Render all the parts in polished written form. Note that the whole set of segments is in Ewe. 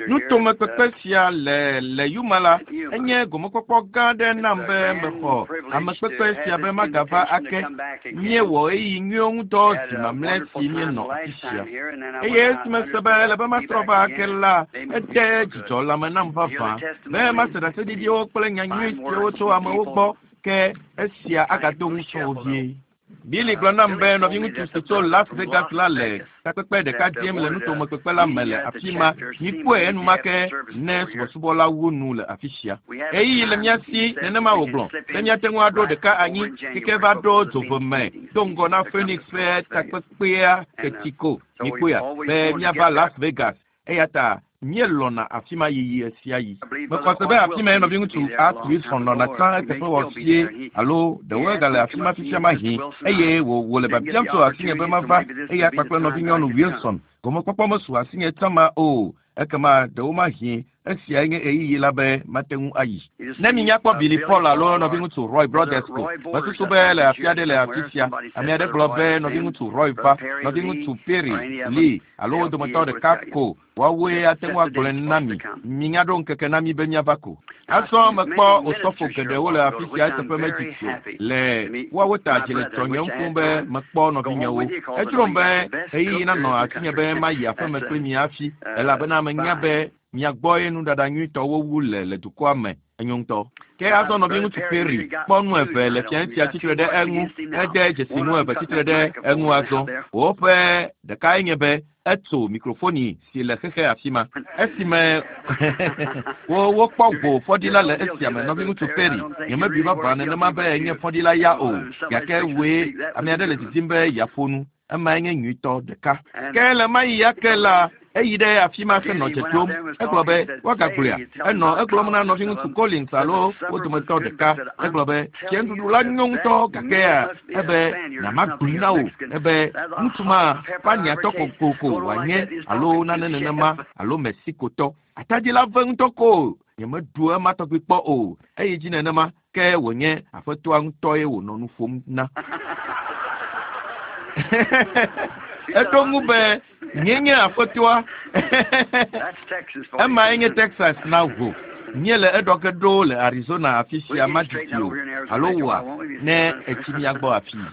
Nutomekpekpe sia le le Yuma la, enye gomekpɔkpɔ gã aɖe nam be mexɔ amekpekpe sia be magava ake. Míewɔ ɣeyiɣi nyuiwo ŋudɔ zi mamlɛ si míenɔ afi sia. Eye esi mese be ele be matrɔ va ake la, ede dzidzɔ lãme nam vavã be mase ɖaseɖiɖiwo kple nya nyui siwo tso amewo gbɔ ke esia agado ŋusẽ wo vie. Billy gblɔ nam be nɔviŋutsu si tso Las Vegas la le takpekpe ɖeka dzem le nutomekpekpe la me le afi ma. Mikpɔe enumake ne subɔsubɔ la wu nu le afi sia. Ɣeyiɣi le mía si, nenema wògblɔ, be míate ŋu aɖo ɖeka anyi keke va ɖo dzove me do ŋgɔ na Phoenix ƒe takpekpea teti ko. Mikpɔea, be míava Las Vegas Eya ta míelɔ̃na afi ma yiyi ɣesiaɣi. Mexɔ se be afi mae nɔviŋutsu Art Wilson nɔna tsã eteƒe wɔ vie alo ɖewo egale afi ma fifia mahĩ, eye wò wòle biabiam tso asinye be mava eya kpakple nɔvinyɔnu Wilson. Gomekpɔkpɔ mesu asinye tsã ma o. Ekema ɖewomahĩ Esiae nye ɣeyiɣi la be mate ŋu ayi. Ne minya kpɔ Billy Paul alo nɔviŋutsu Roy Brothers ko, mesusu be le afi aɖe le afi sia. Ame aɖe gblɔ be nɔviŋutsu Roy va, nɔviŋutsu Pearry, Lee, alo wo dometɔ ɖeka ko, woawoe ate ŋu agblɔe na mi. Minya ɖo ŋkeke na mí be míava ko. Azɔ mekpɔ osɔfo geɖewo le afi sia eteƒe medidi o. Le woawo ta dzi le dzɔnyem fũu be mekpɔ nɔvinyewo. Edzrom be ɣeyiɣi nanɔ asinye be mayi aƒeme kpli mi hafi, elabena menya be mia gbɔe nuɖaɖa nyuitɔwo wu le le dukɔa me. Enyo ŋutɔ. Ke azɔ nɔviŋutsu Pearry kpɔ nu eve le fiae sia tsitre ɖe eŋu. Ede dzesi nu eve tsitre ɖe eŋu azɔ. Woƒe ɖekae nye be etso mikrofoni si le xexe afi ma. Esime wo wokpɔ go fɔɖila le esia me, nɔviŋutsu Pearry, nyemebui vavã nenema be enye fɔɖila ya o, gake wòe ame aɖe le didim be yeaƒo nu. Emae nye nyuitɔ ɖeka. Ke le ɣemaɣi ya ke la, eyi ɖe afi ma henɔ dze ɖom. Egblɔ be, Woagagblɔea? Enɔ egblɔm na nɔviŋutsu Collins alo wo dometɔ ɖeka. Egblɔ be, Fiẽnuɖuɖu la nyo ŋutɔ, gakea, ebe, Nyamagblɔe na wò ebe ŋutsu ma Spaniatɔ kokoko wòanye alo nane nenema, alo Mexicotɔ. Atadi la ve ŋutɔ ko nyemeɖu ema tɔgbi kpɔ o. Eyi dzi nenema, ke wònye aƒetɔa ŋutɔe wònɔ nu ƒom na. Eɖo ŋu be, Nyee nye aƒetɔa. Emae nye Texas na wò. Míele eɖɔ ge ɖo le Arizona afi sia madidi o, alo wòa, ne ètsi mía gbɔ afii.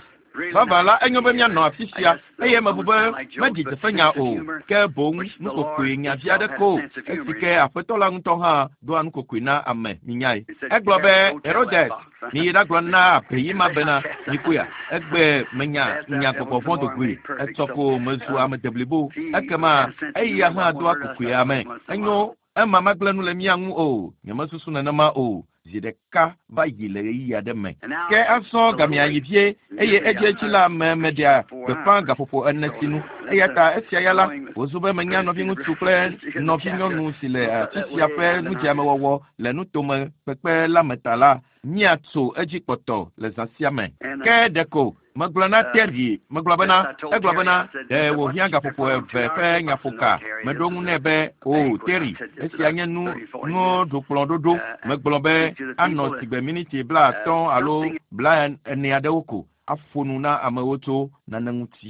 Vavã la, enyo be míanɔ afi sia, eye mebu be meɖi dzeƒenya o, ke boŋ nukokoe nya vi aɖe ko, esi ke Aƒetɔ la ŋutɔ hã doa nukokoe na ame, minyae. Egblɔ be, Herodes, miyi ɖagblɔ na abeyi ma bena, Mikpɔea, egbe menya nya gbɔgbɔ vɔ̃ do goe, etsɔ ko mezu ame deblibo. Ekema eya hã doa kokoe ame. Enyo, ema magblẽ nu le mía ŋu o. Nyemesusu nenema o. Zi ɖeka va yi le ɣeyiɣi aɖe me. Ke azɔ gamea yi vie, eye edziedzi la me meɖea gbeƒã gaƒoƒo ene sinu. Eya ta esia ya la, wòzu be menya nɔviŋutsu kple nɔvinyɔnu si le afi sia ƒe nudzeamewɔwɔ le nutome kpekpe la me ta la, míatso edzi kpɔtɔ le zã sia me. Ke ɖeko megblɔ na Terry, megblɔ bena, egblɔ bena, ɖe wòhiã gaƒoƒo eve ƒe nyaƒoka. Meɖo ŋu nɛ be, O, Terry, esia nye nu, nuɖokplɔ̃ɖoɖo. Megblɔ be anɔ sigbe miniti blaatɔ̃ alo blaene aɖewo ko aƒo nu na amewo tso nane ŋuti.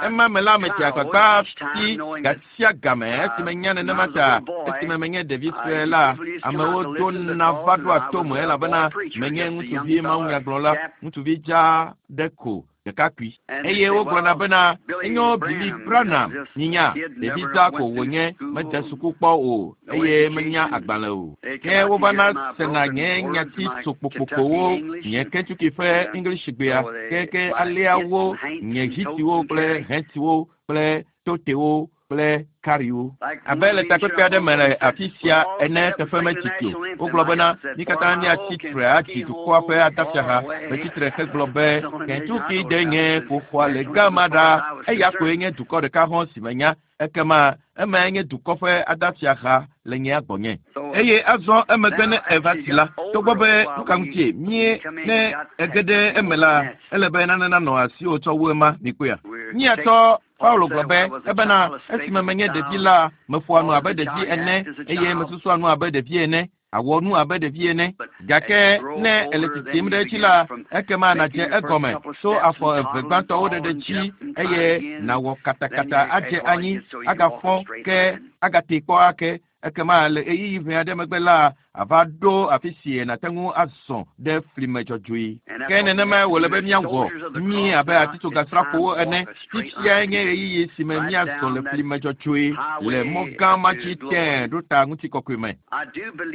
Ema me la, medze agbagba fi gasia game esi menya nenema ta esime menye ɖevi sue la, amewo dona va ɖoa tom elabena menye ŋutsuvi mawunyagblɔla, ŋutsuvi dzaa ɖe ko, ɖekakpui. Eye wogblɔna bena, Enyo Billy Branham, minya, ɖevi dzaa ko wònye, mede suku kpɔ o, eye menya agbalẽ o. Ke wovana sena nye nyati tso kpokpokpowo, nye Kentucky ƒe Englishgbea, ke alea wo, nye hitiwo kple hɛntiwo kple totewo kple kariwo. Abe le takpekpe aɖe me le afi sia ene teƒe medidi o. Wogblɔ bena, mí katã míatsi tre adzi dukɔa ƒe adafiaha. Metsi tre hegblɔ be, Kentucky de nye ƒoxɔa le gama ɖa. Eya koe nye dukɔ ɖeka hɔ̃ si menya. Ekema emae nye dukɔ ƒe adafiaha le nyea gbɔnye. Eye azɔ emegbe ne eva si la, togbɔ be nuka ŋutie mie ne ege ɖe eme la, ele be nane nanɔ asiwò tsɔ wu ema, mikpɔea? Míatsɔ Paulo gblɔ be, ebena esime menye ɖevi la, meƒoa nu abe ɖevi ene, eye mesusua nu abe ɖevi ene. Àwɔ nu abe ɖevi ene. Gake ne èle tsitsim ɖe edzi la, ekema nàdze egɔme tso afɔ eve gbãtɔwo ɖeɖe dzi eye nàwɔ katakata adze anyi, agafɔ ke agatee kpɔ ake. Ekema le ɣeyiɣi ʋɛ aɖe megbe la, àva ɖo afi si nàte ŋu azɔ ɖe fli me dzɔdzɔe. Ke nenemae wòle be míawɔ mí abe atitsogasrafowo ene. Fifiae nye ɣeyiɣi si me míazɔ le fli me dzɔdzɔe le mɔ gã ma dzi tẽe ɖo ta ŋutikɔkɔe me.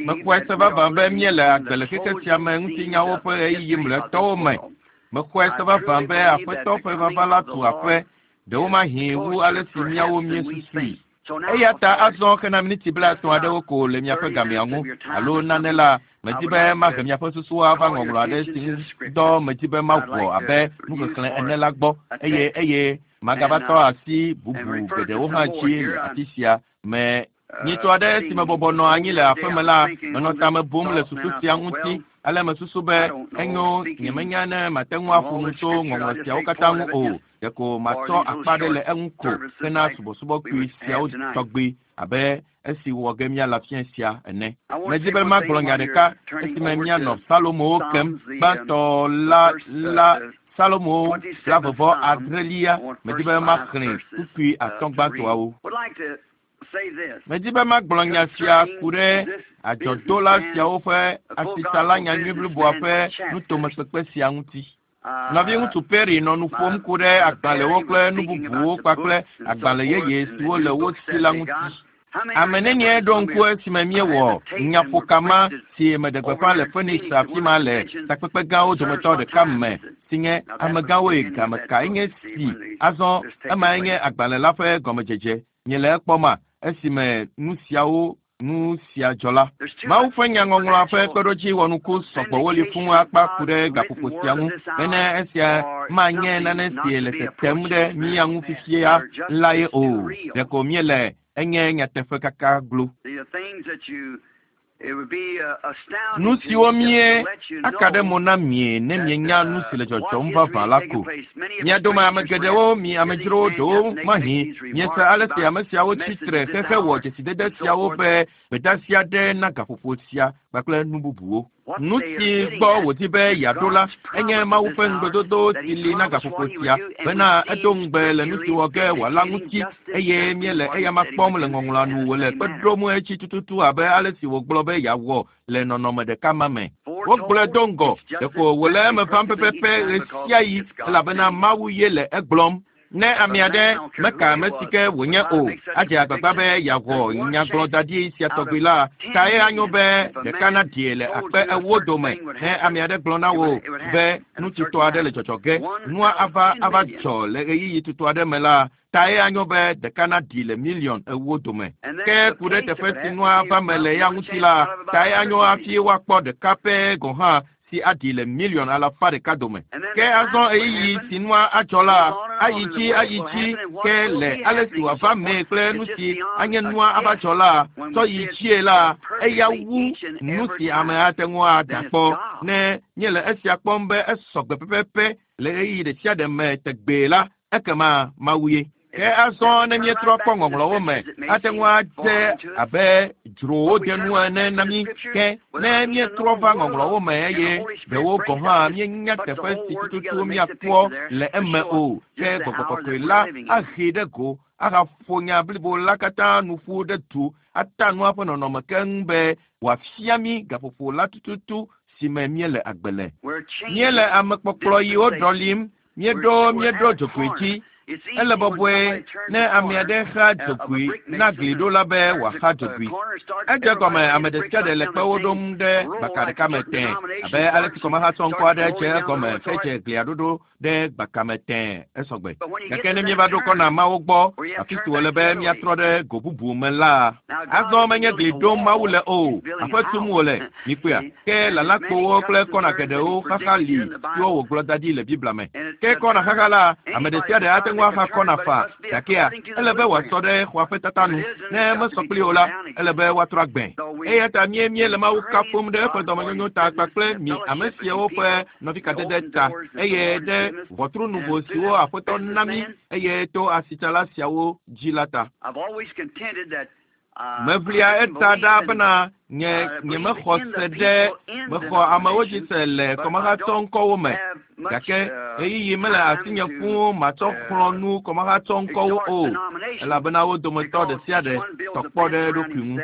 Mexɔe se vavã be míele agbe le xexe sia me ŋutinyawo ƒe ɣeyiɣi mlɔetɔwo me. Mexɔe se vavã be Aƒetɔ ƒe vava la tu aƒe, ɖewomahi wu ale si míawo míesusui. Eya ta azɔ hena miniti 30 aɖewo ko le miaƒe gamea ŋu alo nane la, medi be mahe miaƒe susuwo ava ŋɔŋlɔ aɖe si ŋu dɔ medi be mawɔ abe nuxexlẽ ene la gbɔ eye eye magava tɔ asi bubu geɖewo hã dzi le afi sia me. Nyitɔ aɖe si mebɔbɔ nɔ anyi le aƒeme la, menɔ tame bum le susu sia ŋuti. Ale mesusu be enyo nyemenya ne mate ŋu aƒo nu tso ŋɔŋlɔ siawo katã ŋu o. Ɖeko matsɔ akpa ɖe le eŋu ko hena subɔsubɔ kpui siawo tɔgbi abe esi wɔ ge míale afia sia ene. Medi be magblɔ nya ɖeka esime míanɔ Salomowo kem gbãtɔ la la Salomo 29, medi be maxlẽ kpukpui 5 gbãtɔawo. Medi be magblɔ nya sia ku ɖe adzɔdola siawo ƒe asitsala nyanyui bliboa ƒe nutomekpekpe sia ŋuti. Nɔviŋutsu Perry nɔ nu ƒom ku ɖe agbalẽwo kple nu bubuwo kpakple agbalẽ yeye siwo le wo si la ŋuti. Ame nenie ɖo ŋku esime míewɔ nyaƒokama si meɖe gbeƒã le Phoenix afi ma le takpekpe gãwo dometɔ ɖeka me si nye amegãwoe game kae nye si. Azɔ emae nye agbalẽ la ƒe gɔmedzedze. Miele ekpɔma esime nu siawo nu sia dzɔ la. Mawu ƒe nyaŋɔŋlɔa ƒe kpeɖodzi wɔnuku sɔgbɔ woli fũu akpa ku ɖe gaƒoƒo sia ŋu bene esia manye nane si le tetem ɖe mía ŋu fifia la ye o. Ɖeko míele enye nyateƒe kaka glo. Nu siwo mie aka ɖe mo na mie ne mienya nu si le dzɔdzɔm vavã la ko. Mia dome ame geɖewo, mi amedzrowo ɖewo mahi, miese ale si ame siawo tsi tre xexe wɔ dzesidede siawo be gbedeasi aɖe na gaƒoƒo sia kpakple nu bubuwo. Nu si gbɔ wòdi be yeaɖo la enye Mawu ƒe ŋugbedodo si li na gaƒoƒo sia bena edo ŋugbe le nu si wɔ ge wòala ŋuti eye míele eyama kpɔm le ŋɔŋlɔa nu wòle kpe ɖom etsi tututu abe ale si wògblɔ be yeawɔ le nɔnɔme ɖeka ma me. Wogblɔe do ŋgɔ, ɖeko wòle eme vam pɛpɛpɛ ɣe sia ɣi elabena Mawu ye le egblɔm. Ne ame aɖe meka ame si ke wònye o, adze agbagba be yeawɔ nyagblɔdaɖi sia tɔgbi la, tae anyo be ɖeka naɖie le 40,000 dome. Ne ame aɖe gblɔ na wò be nu tutɔ aɖe le dzɔdzɔ ge, nua ava ava dzɔ le ɣeyiɣi tutɔ aɖe me la, tae anyo be ɖeka naɖi le 40,000,000 dome. Ke ku ɖe teƒe si nua va me le ya ŋuti la, tae anyo hafi woakpɔ ɖeka pɛ gɔ̃ hã si aɖi le 100,000,000 dome. Ke azɔ ɣeyiɣi si nua adzɔ la, ayi dzi ayi dzi ke le ale si wòava mee kple nu si anye nua ava dzɔ la, tsɔ yi dzie la, eya wu nu si ame ate ŋu ada kpɔ. Ne míele esia kpɔm be esɔgbe pɛpɛpɛ le ɣeyiɣi ɖe sia ɖe me tegbee la, ekema Mawu ye. Ke azɔ ne míetrɔ kpɔ ŋɔŋlɔwo me, ate ŋu adze abe dzrowo de nu ene na mí. Ke ne míetrɔ va ŋɔŋlɔwo me eye ɖewo gɔ̃ hã míenya teƒe si tututu míakpɔ le eme o, ke Gbɔgbɔ Kɔkɔe la ahee ɖe go ahaƒo nya blibo la katã nu ƒu ɖe du ata nua ƒe nɔnɔme keŋ be wòafia mí gaƒoƒo la tututu si me míele agbe le. Míele amekpɔkplɔ yiwo ɖɔlim, míeɖo dzogoe dzi. Ele bɔbɔe ne ame aɖe xa dzogoe na gliɖola be wòaxa dzogoe. Edze gɔme ame ɖe sia ɖe le kpewo ɖom ɖe gbaka ɖeka me tẽe abe ale si kɔmahatsɔŋkɔ aɖe dze egɔme hedze glia ɖoɖo ɖe gbaka me tẽe esɔgbe. Gake ne míeva ɖo kɔna mawo gbɔ, afi si wòle be míatrɔ ɖe go bubu me la, azɔ menye gli ɖom Mawu le o, aƒe tum wòle, mikpɔea? Ke lalakpowo kple kɔna geɖewo xaxa li siwo wògblɔ da ɖi le Biblia me. Ke kɔna xaxa la, ame ɖe sia ɖe ate ŋu axa kɔna faa, gakea ele be wòasɔ ɖe xɔa ƒe tata nu. Ne mesɔ kpli o la, ele be woatrɔ agbẽ. Eya ta míele Mawu kafum ɖe eƒe dɔmenyonyo ta kpakple mi ame siawo ƒe nɔvikadede ta eye ɖe ʋɔtru nuvo siwo Aƒetɔ na mí eye to asitsala siawo dzi la ta. Meʋlia eta ɖa bena nye nyemexɔ se ɖe mexɔ amewo dzi se le kɔmahatsɔ ŋkɔwo me gake ɣeyiɣi mele asinye fũu matsɔ xlɔ̃ nu kɔmahatsɔ ŋkɔwo o elabena wo dometɔ ɖe sia ɖe tɔ kpɔ ɖe eɖokui ŋu.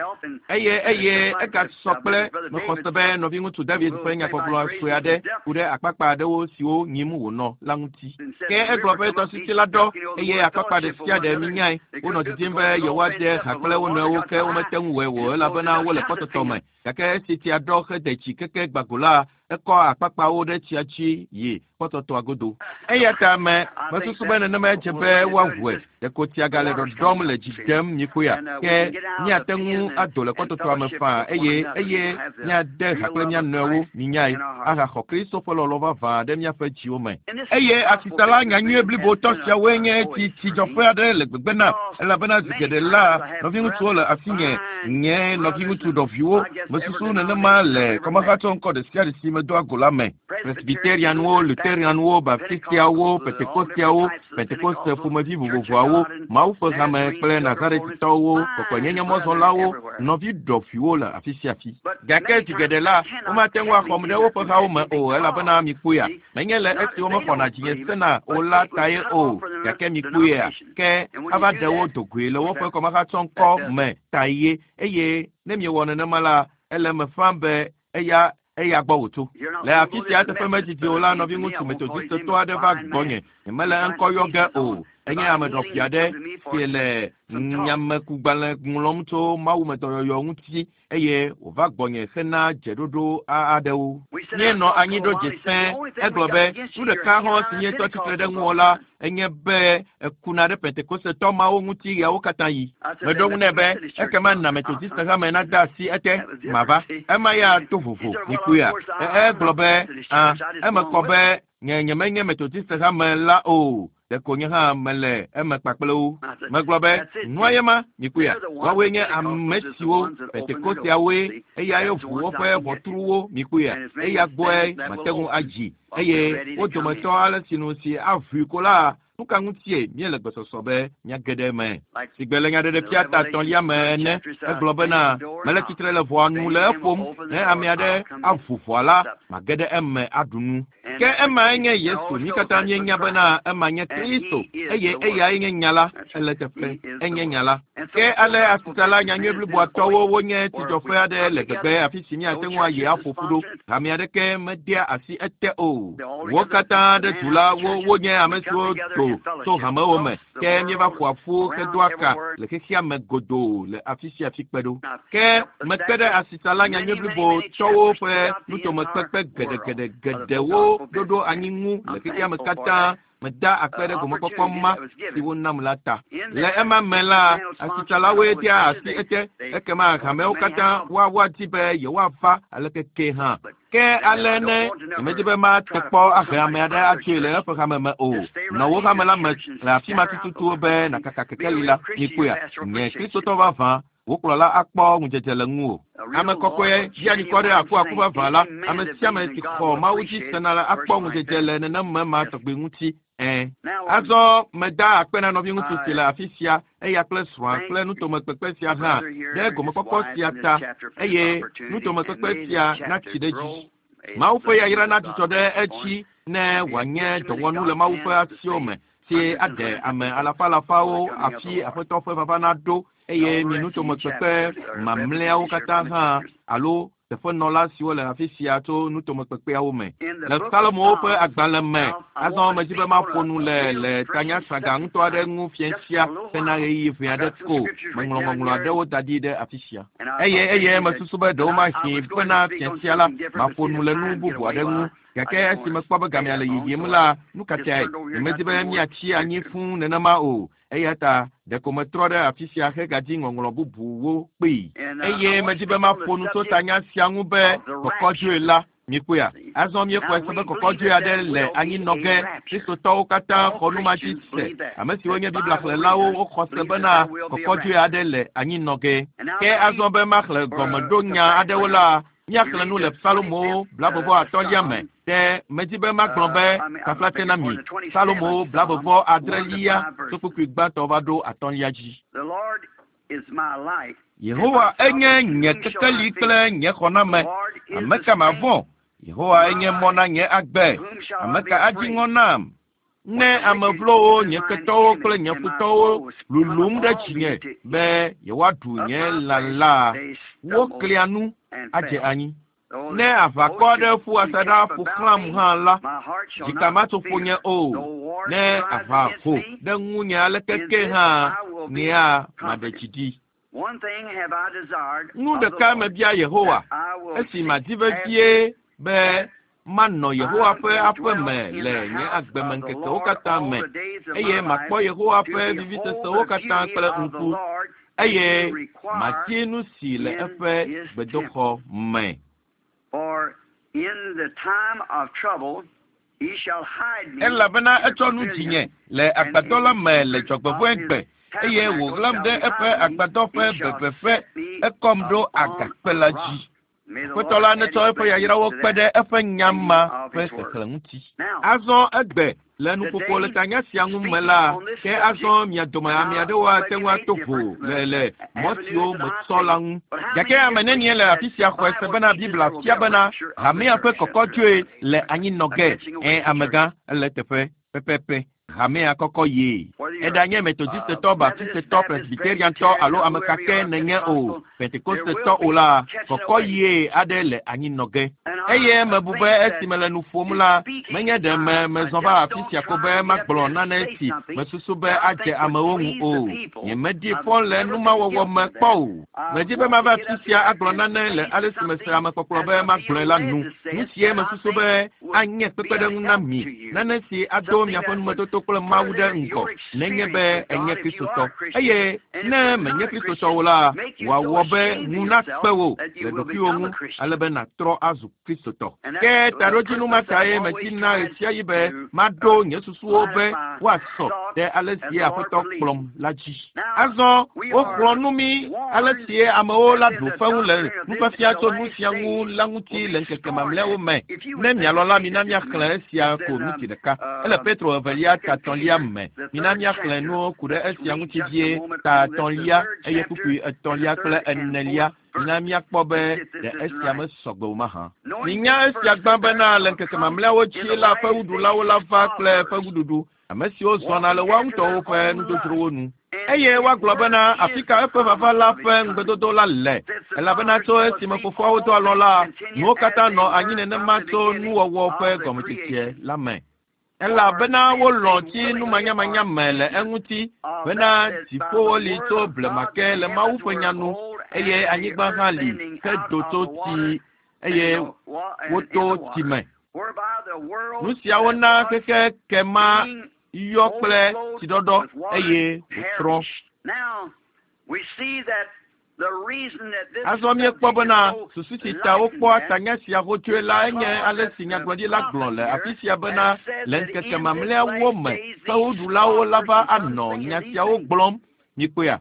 Eye eye egasɔ kple mexɔ se be nɔviŋutsu David ƒe nyagbɔgblɔ sue aɖe ku ɖe akpakpa aɖewo siwo nyim wònɔ la ŋuti. Ke egblɔ be tɔsisi la ɖɔ eye akpakpa ɖe sia ɖe minyae. Wonɔ didim be yewoade ha kple wo nɔewo ke womete ŋu wɔe o elabena wole kpɔtɔtɔ me. Gake esi tsia ɖɔ hede tsi keke gbago la, ekɔ akpakpawo ɖe tsia dzi yi kpɔtɔtɔa godo. Eya ta me mesusu be nenemae dze be woawɔe. Ɖeko tsia gale ɖɔɖɔm le dzi dem nyikpoea. Ke míate ŋu ado le kpɔtɔtɔa me faa eye eye míade ha kple mía nɔewo, minyae, ahaxɔ Kristo ƒe lɔlɔ̃ vavã ɖe míaƒe dziwo me. Eye asitsala nyanyuie blibotɔ siawoe nye tsi tsidzɔƒe aɖe le gbegbe nam, elabena zi geɖe la, nɔviŋutsuwo le asinye, nye nɔviŋutsu ɖɔviwo. Mesusu nenema le kɔmahatsɔ ŋkɔ ɖe sia ɖe si medoa go la me. Presbyterianwo, Lutheranwo, Baptistiawo, Pentekosteawo, Pentekoste ƒomevi vovovoawo, Mawu ƒe hame kple Nazaretitɔwo, kɔkɔenyenyemɔzɔlawo, nɔvi ɖɔviwo le afi sia afi. Gake zi geɖe la, womate ŋu axɔm ɖe woƒe hawo me o elabena mikpɔea, menye le esi womexɔna dzinye sena o la tae o, gake mikpɔea, ke ava ɖe wo dogoe le woƒe kɔmahatsɔŋkɔ me ta ye eye ne miewɔ nenema la, ele eme ƒãa be eya eya gbɔ wòtso. Le afi sia teƒe medidi o la, nɔviŋutsu Methodistetɔ aɖe va gbɔnye. Nyemele eŋkɔ yɔ ge o. Enye ame ɖɔƒi aɖe si le nyamekugbalẽ ŋlɔm tso mawumedɔyɔyɔ ŋuti eye wòva gbɔnye hena dzeɖoɖo aɖewo. Míenɔ anyi ɖo dze sẽe. Egblɔ be, nu ɖeka hã si míetɔ tsitre ɖe ŋuwò la enye be ekuna ɖe Pentekostetɔ mawo ŋuti ɣeawo katã yi. Meɖo ŋu nɛ be, ekema na Methodist hame nade asi ete, mava. Ema ya to vovo, mikpɔea? Egblɔ be, ã, eme kɔ be nye nyemenye Methodist hame la o. Ɖeko nye hã mele eme kpakple wo. Megblɔ be, nua ye ma, mikpɔea? Woawoe nye ame siwo Pentekosteawoe, eyae ʋu woƒe ʋɔtruwo, mikpɔea? Eya gbɔe mate ŋu adzi. Eye wo dometɔ ale sinu si aʋui ko la, nu ka ŋutie míele gbesɔsɔ be míage ɖe eme? Sigbe le nyaɖeɖefia ta etɔ̃lia me ene, egblɔ bena, mele tsitre le ʋɔa nu le eƒom, ne ame aɖe aʋu ʋɔa la, mage ɖe eme aɖu nu. Ke emae nye Yesu, mí katã míenya bena ema nye Kristo, eye eyae nye nya la, ele teƒe, enye nya la. Ke ale asitsala nyanyui bliboa tɔwo wonye tsidzɔƒe aɖe le gbegbe afi si míate ŋu ayi aƒo ƒu ɖo. Hame aɖeke medea asi ete o. Wo katã ɖe du la, wo wonye ame siwo do tso hamewo me. Ke míeva ƒoa ƒu hedoa ka le xexea me godoo le afi sia afi kpe ɖo. Ke mekpe ɖe asitsala nyanyui blibo tɔwo ƒe nutomekpekpe geɖegeɖegeɖewo ɖoɖo anyi ŋu le xexea me katã. Meda akpe ɖe gomekpɔkpɔ ma si wonam la ta. Le ema me la, asitsalawoe dea asi ete, ekema hamewo katã woadi be yewoava aleke ke hã. Ke ale ne nyemedi be mate kpɔ ahe ame aɖe atsoe le eƒe hame me o. Nɔ wò hame la me le afi ma tututu be nàkaka kekeli la. Mikpɔea? Nye Kristotɔ vavã, wò kplɔla akpɔ ŋudzedze le ŋuwò. Ame kɔkɔe ɖianikɔ ɖe akuaku vavã la, ame sia ame si xɔ Mawu dzi sena la akpɔ ŋudzedze le nenema ma tɔgbi ŋuti. Ẽ. Azɔ meda akpe na nɔviŋutsu si le afi sia, eya kple srɔ̃a kple nutomekpekpe sia hã ɖe gomekpɔkpɔ sia ta, eye nutomekpekpe sia natsi ɖe edzi. Mawu ƒe yayra nadzudzɔ ɖe edzi ne wòanye dɔwɔnu le Mawu ƒe asiwo me si aɖe ame alafa alafawo afi Aƒetɔ ƒe vava naɖo eye mi nutomekpekpe mamlɛawo katã hã alo teƒenɔla siwo le afi sia tso nutomekpekpeawo me. Le Salomo ƒe agbalẽ me, azɔ medzi be maƒo nu le le tanyasaga ŋutɔ aɖe ŋu fiẽ sia hena ɣeyiɣi ʋɛ aɖe ko. Meŋlɔ ŋɔŋlɔ aɖewo da ɖi ɖe afi sia. Eye eye mesusu be ɖewo mahi bena fiẽ sia la, maƒo nu le nu bubu aɖe ŋu. Gake esi mekpɔ be gamea le yiyim la, nu ka tae? Nyemedi be míatsi anyi fũu nenema o. Eya ta ɖeko metrɔ ɖe afi sia hegadzi ŋɔŋlɔ bubuwo kpee. Eye medzi be maƒo nu tso tanya sia ŋu be kɔkɔdzoe la. Mikpɔea? Azɔ míexɔe se be kɔkɔdzoe aɖe le anyinɔ ge. Kristotɔwo katã xɔ nu ma dzi se. Ame siwo nye Biblia xlẽlawo woxɔ se bena kɔkɔdzoe aɖe le anyinɔ ge. Ke azɔ be maxlẽ gɔmeɖonya aɖewo la, míaxlẽ nu le Salomo 35lia me. Ke medzi be magblɔ be taflatse na mi. Salomo 36lia tso kpukpui gbãtɔ va ɖo atɔ̃lia dzi. Yehowa enye nye kekeli kple nye xɔname. Ame ka mavɔ̃? Yehowa enye mɔ na nye agbe. Ame ka adzi ŋɔ nam? Ne ame vlowo, nye ketɔwo kple nye futɔwo lulum ɖe dzinye be yewoaɖu nye lã la, woklia nu adze anyi. Ne aʋakɔ aɖe ƒu asaɖa ƒo xlãm hã la, dzika matso ƒonye o. Ne aʋa ho ɖe ŋunye aleke ke hã, nyea maɖe dzi ɖi. Nu ɖeka mebia Yehowa, esi madi vevie be manɔ Yehowa ƒe aƒe me le nye agbemeŋkekewo katã me, eye makpɔ Yehowa ƒe vivisesewo katã kple ŋku, eye madi nu si le eƒe gbedoxɔ me. Elabena etsɔ nu dzinye le agbadɔ la me le dzɔgbevɔ̃egbe, eye wòɣlam ɖe eƒe agbadɔ ƒe bebeƒe, ekɔm ɖo agakpe la dzi. Aƒetɔ la netsɔ eƒe yayrawo kpe ɖe eƒe nya ma ƒe xexlẽ ŋuti. Azɔ egbe le nuƒoƒo le tanya sia ŋu me la, ke azɔ mia dome ame aɖewo ate ŋu ato vo le le mɔ siwo metsɔ la ŋu. Gake ame nenie le afi sia xɔe se bena Biblia fia bena hamea ƒe kɔkɔdzoe le anyinɔ ge? Ẽ, amegã, ele eteƒe pɛpɛpɛ. Hamea kɔkɔ ye. Eɖanye Metodistetɔ, Baptistetɔ, Presbyteriantɔ alo ame ka ke nènye o, Pentekostetɔ o la, kɔkɔ ye aɖe le anyinɔ ge. Eye mebu be esi mele nu ƒom la, menye ɖe me mezɔ va afi sia ko be magblɔ nane si mesusu be adze amewo ŋu o. Nyemedi fɔ le numawɔwɔ me kpɔ o. Medi be mava afi sia agblɔ nane le ale si mese amekpɔkplɔ be magblɔe la nu. Nu sie mesusu be anye kpekpeɖeŋu na mi, nane si ado miaƒe numetoto kple Mawu ɖe ŋgɔ, nenye be enye Kristotɔ. Eye ne menye Kristotɔ o la, wòawɔ be ŋu nakpe wò le ɖokuiwò ŋu ale be nàtrɔ azu Kristotɔ. Ke taɖodzinu ma tae medina ɣesiaɣi be maɖo nye susuwo be woasɔ ɖe ale si Aƒetɔ kplɔm la dzi. Azɔ woxlɔ̃ nu mí ale si amewo la ɖu fewu le nufiafia tso nu sia ŋu la ŋuti le ŋkeke mamlɛawo me. Ne mialɔ̃ la, mina míaxlẽ esia ko ŋuti ɖeka. Ele Petro evelia ta etɔ̃lia me. Mina míaxlẽ nuwo ku ɖe esia ŋuti vie ta etɔ̃lia eye kpukpui etɔ̃lia kple enelia. Mina míakpɔ be ɖe esia mesɔgbe o mahã. Minya esia gbã bena le ŋkeke mamlɛawo dzi la, fewuɖulawo la va kple fewuɖuɖu, ame siwo zɔna le woa ŋutɔwo ƒe nudzodzrowo nu. Eye woagblɔ bena afi ka eƒe vava la ƒe ŋugbedodo la le, elabena tso esime fofoawo do alɔ la, nuwo katã nɔ anyi nenema tso nuwɔwɔ ƒe gɔmedzedze la me. Elabena wolɔ̃ tsi numanyamanya me le eŋuti bena dziƒowo li tso blema ke le Mawu ƒe nya nu, eye anyigba hã li ke do tso tsi, eye woto tsi me. Nu siawo na xexe ke ma yɔ kple tsiɖɔɖɔ eye wòtrɔ. Azɔ míekpɔ bena susu si ta wokpɔa tanya sia hotsoe la enye ale si nyagblɔɖila gblɔ le afi sia bena le ŋkeke mamlɛawo me fewuɖulawo la va anɔ nya siawo gblɔm. Mikpɔea?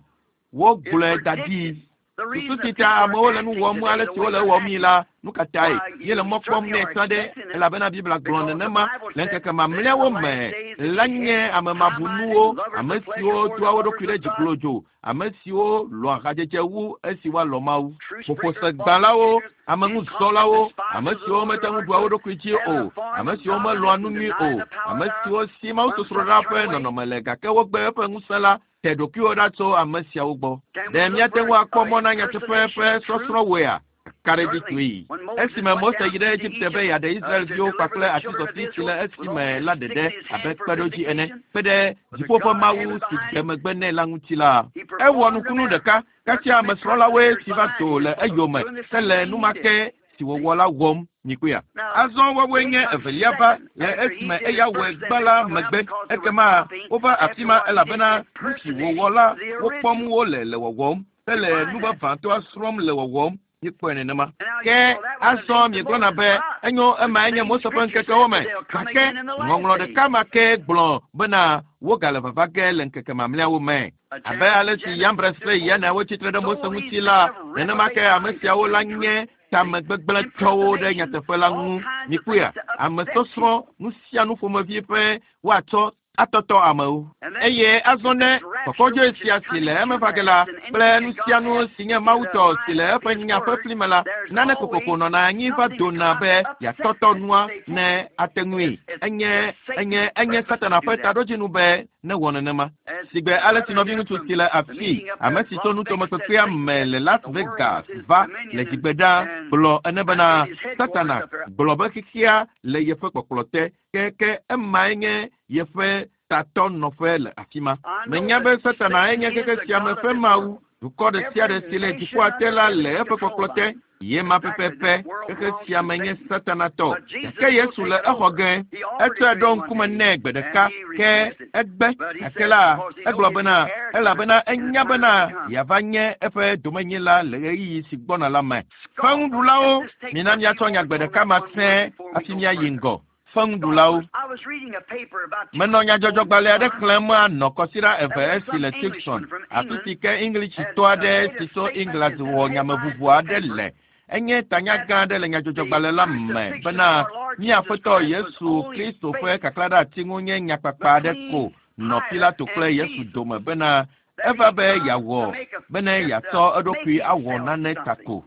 Wogblɔe da ɖi. Susu si ta amewo le nu wɔm ale si wole ewɔm yi la, nu ka tae míele mɔ kpɔm nɛ sã ɖe? Elabena Biblia gblɔ nenema le ŋkeke mamlɛawo me la nye ame mabunuwo, ame siwo doa wo ɖokui ɖe dzi glodzo, ame siwo lɔ̃a hadzedze wu esi woalɔ̃ Mawu. Ƒoƒosegbãlawo, ameŋuzɔlawo, ame siwo mete ŋu ɖua wo ɖokui dzi o, ame siwo melɔ̃a nu nyui o, ame siwo si mawusosroɖa ƒe nɔnɔme le gake wogbe eƒe ŋusẽ la, te ɖokuiwò ɖa tso ame siawo gbɔ. Ɖe míate ŋu akpɔ mɔ na nyateƒe ƒe sɔsrɔ̃woea? Ka ɖe dzi tsoe. Esime Mose yi ɖe Egipte be yeaɖe Israelviwo kpakple atizɔti si le esime la ɖeɖe abe kpeɖodzi ene, kpe ɖe dziƒo ƒe Mawu si de megbe nɛ la ŋuti la, ewɔ nukunu ɖeka kasia ame srɔ̃lawoe si va do le eyome ke le numake si wòwɔ la wɔm. Mikpɔea? Azɔ woawoe nye evelia va le esime eya wɔe gbã la megbe. Ekema wova afi ma elabena nu si wòwɔ la wokpɔm wole le wɔwɔm hele nu vavãtɔa srɔ̃m le wɔwɔm. Míekpɔe nenema. Ke azɔ miegblɔna be enyo ema enye Mose ƒe ŋkekewo me, gake ŋɔŋlɔ ɖeka ma ke gblɔ bena wogale vava ge le ŋkeke mamlɛawo me. Abe ale si Yambres kple Yane wotsitre ɖe Mose ŋuti la, nenema ke ame siawo la nye tamegbegblẽtɔwo ɖe nyateƒe la ŋu. Mikpɔea? Ame sɔsrɔ̃ nu sia nu ƒomevi ƒe woatsɔ Atɔtɔ amewo. Eye azɔ ne kɔkɔdzoe sia si le eme va ge la kple nu sia nu si nye Mawu tɔ si le eƒe nya ƒe fli me la, nane kokoko nɔna anyi va dona be yeatɔtɔ nua ne ate ŋui. Enye, enye, enye Satana ƒe taɖodzinu be newɔ nenema. Sigbe ale si nɔviŋutsu si le afii, ame si tso nutomekpekpea me le Las Vegas va le dzigbe ɖa gblɔ ene bena, Satana gblɔ be xexea le yeƒe kpɔkplɔ te, ke ke emae nye yeƒe tatɔ nɔƒe le afi ma. Menya be Satana enye xexe sia me ƒe mawu. Dukɔ ɖe sia ɖe si le dziƒoa te la le eƒe kpɔkplɔ te. Ye ma pɛpɛpɛ, xexe sia me nye Satana tɔ. Gake Yesu le exɔ ge. Etsɔe ɖo ŋkume nɛ gbe ɖeka, ke egbe. Gake la, egblɔ bena, elabena enya bena yeava nye eƒe domenyila le ɣeyiɣi si gbɔna la me. Feŋuɖulawo, mina míatsɔ nya gbe ɖeka ma sẽe hafi míayi ŋgɔ. Feŋuɖulawo. Menɔ nyadzɔdzɔgbalẽ aɖe xlẽm anɔ kɔsiɖa eve esi le Tucson, afi si ke Englishitɔ aɖe si tso England wɔ nyameʋuʋu aɖe le. Enye tanya gã aɖe le nyadzɔdzɔgbalẽ la me bena mía Aƒetɔ Yesu Kristo ƒe kaklaɖeati ŋu nye nyakpakpa aɖe ko nɔ Pilato kple Yesu dome bena eva be yeawɔ bene yeatsɔ eɖokui awɔ nane ta ko.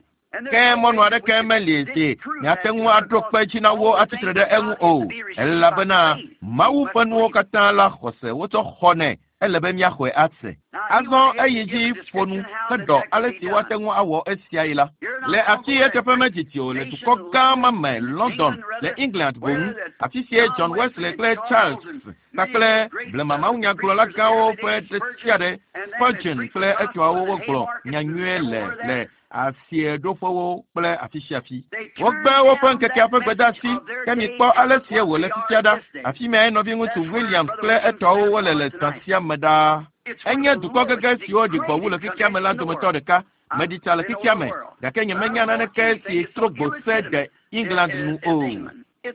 Ke mɔnu aɖeke meli si miate ŋu aɖo kpe dzi na wo atsitre ɖe eŋu o, elabena Mawu ƒe nuwo katã la xɔse wotsɔ xɔnɛ, ele be míaxɔe ase. Azɔ eyi dzi ƒo nu heɖɔ ale si woate ŋu awɔ esiae la. Le afi eteƒe medzidzi o le dukɔ gã ma me, London, le England boŋ, afi sie John Wesley kple Charles kpakple blema mawunyagblɔla gãwo ƒe ɖe sia ɖe, Spurgeon kple etɔawo wogblɔ nyanyuie le le asieɖoƒewo kple afi sia afi. Wogbe woƒe ŋkekea ƒe gbedeasi, ke mikpɔ ale sie wòle fifia ɖa. Afi mae nɔviŋutsu Williams kple etɔawo wole le zã sia me ɖaa. Enye dukɔ gege siwo ɖi gbɔ wu le xexea me la dometɔ ɖeka. Meɖi tsa le xexea me, gake nyemenya naneke si trɔ gbo se de England nu o.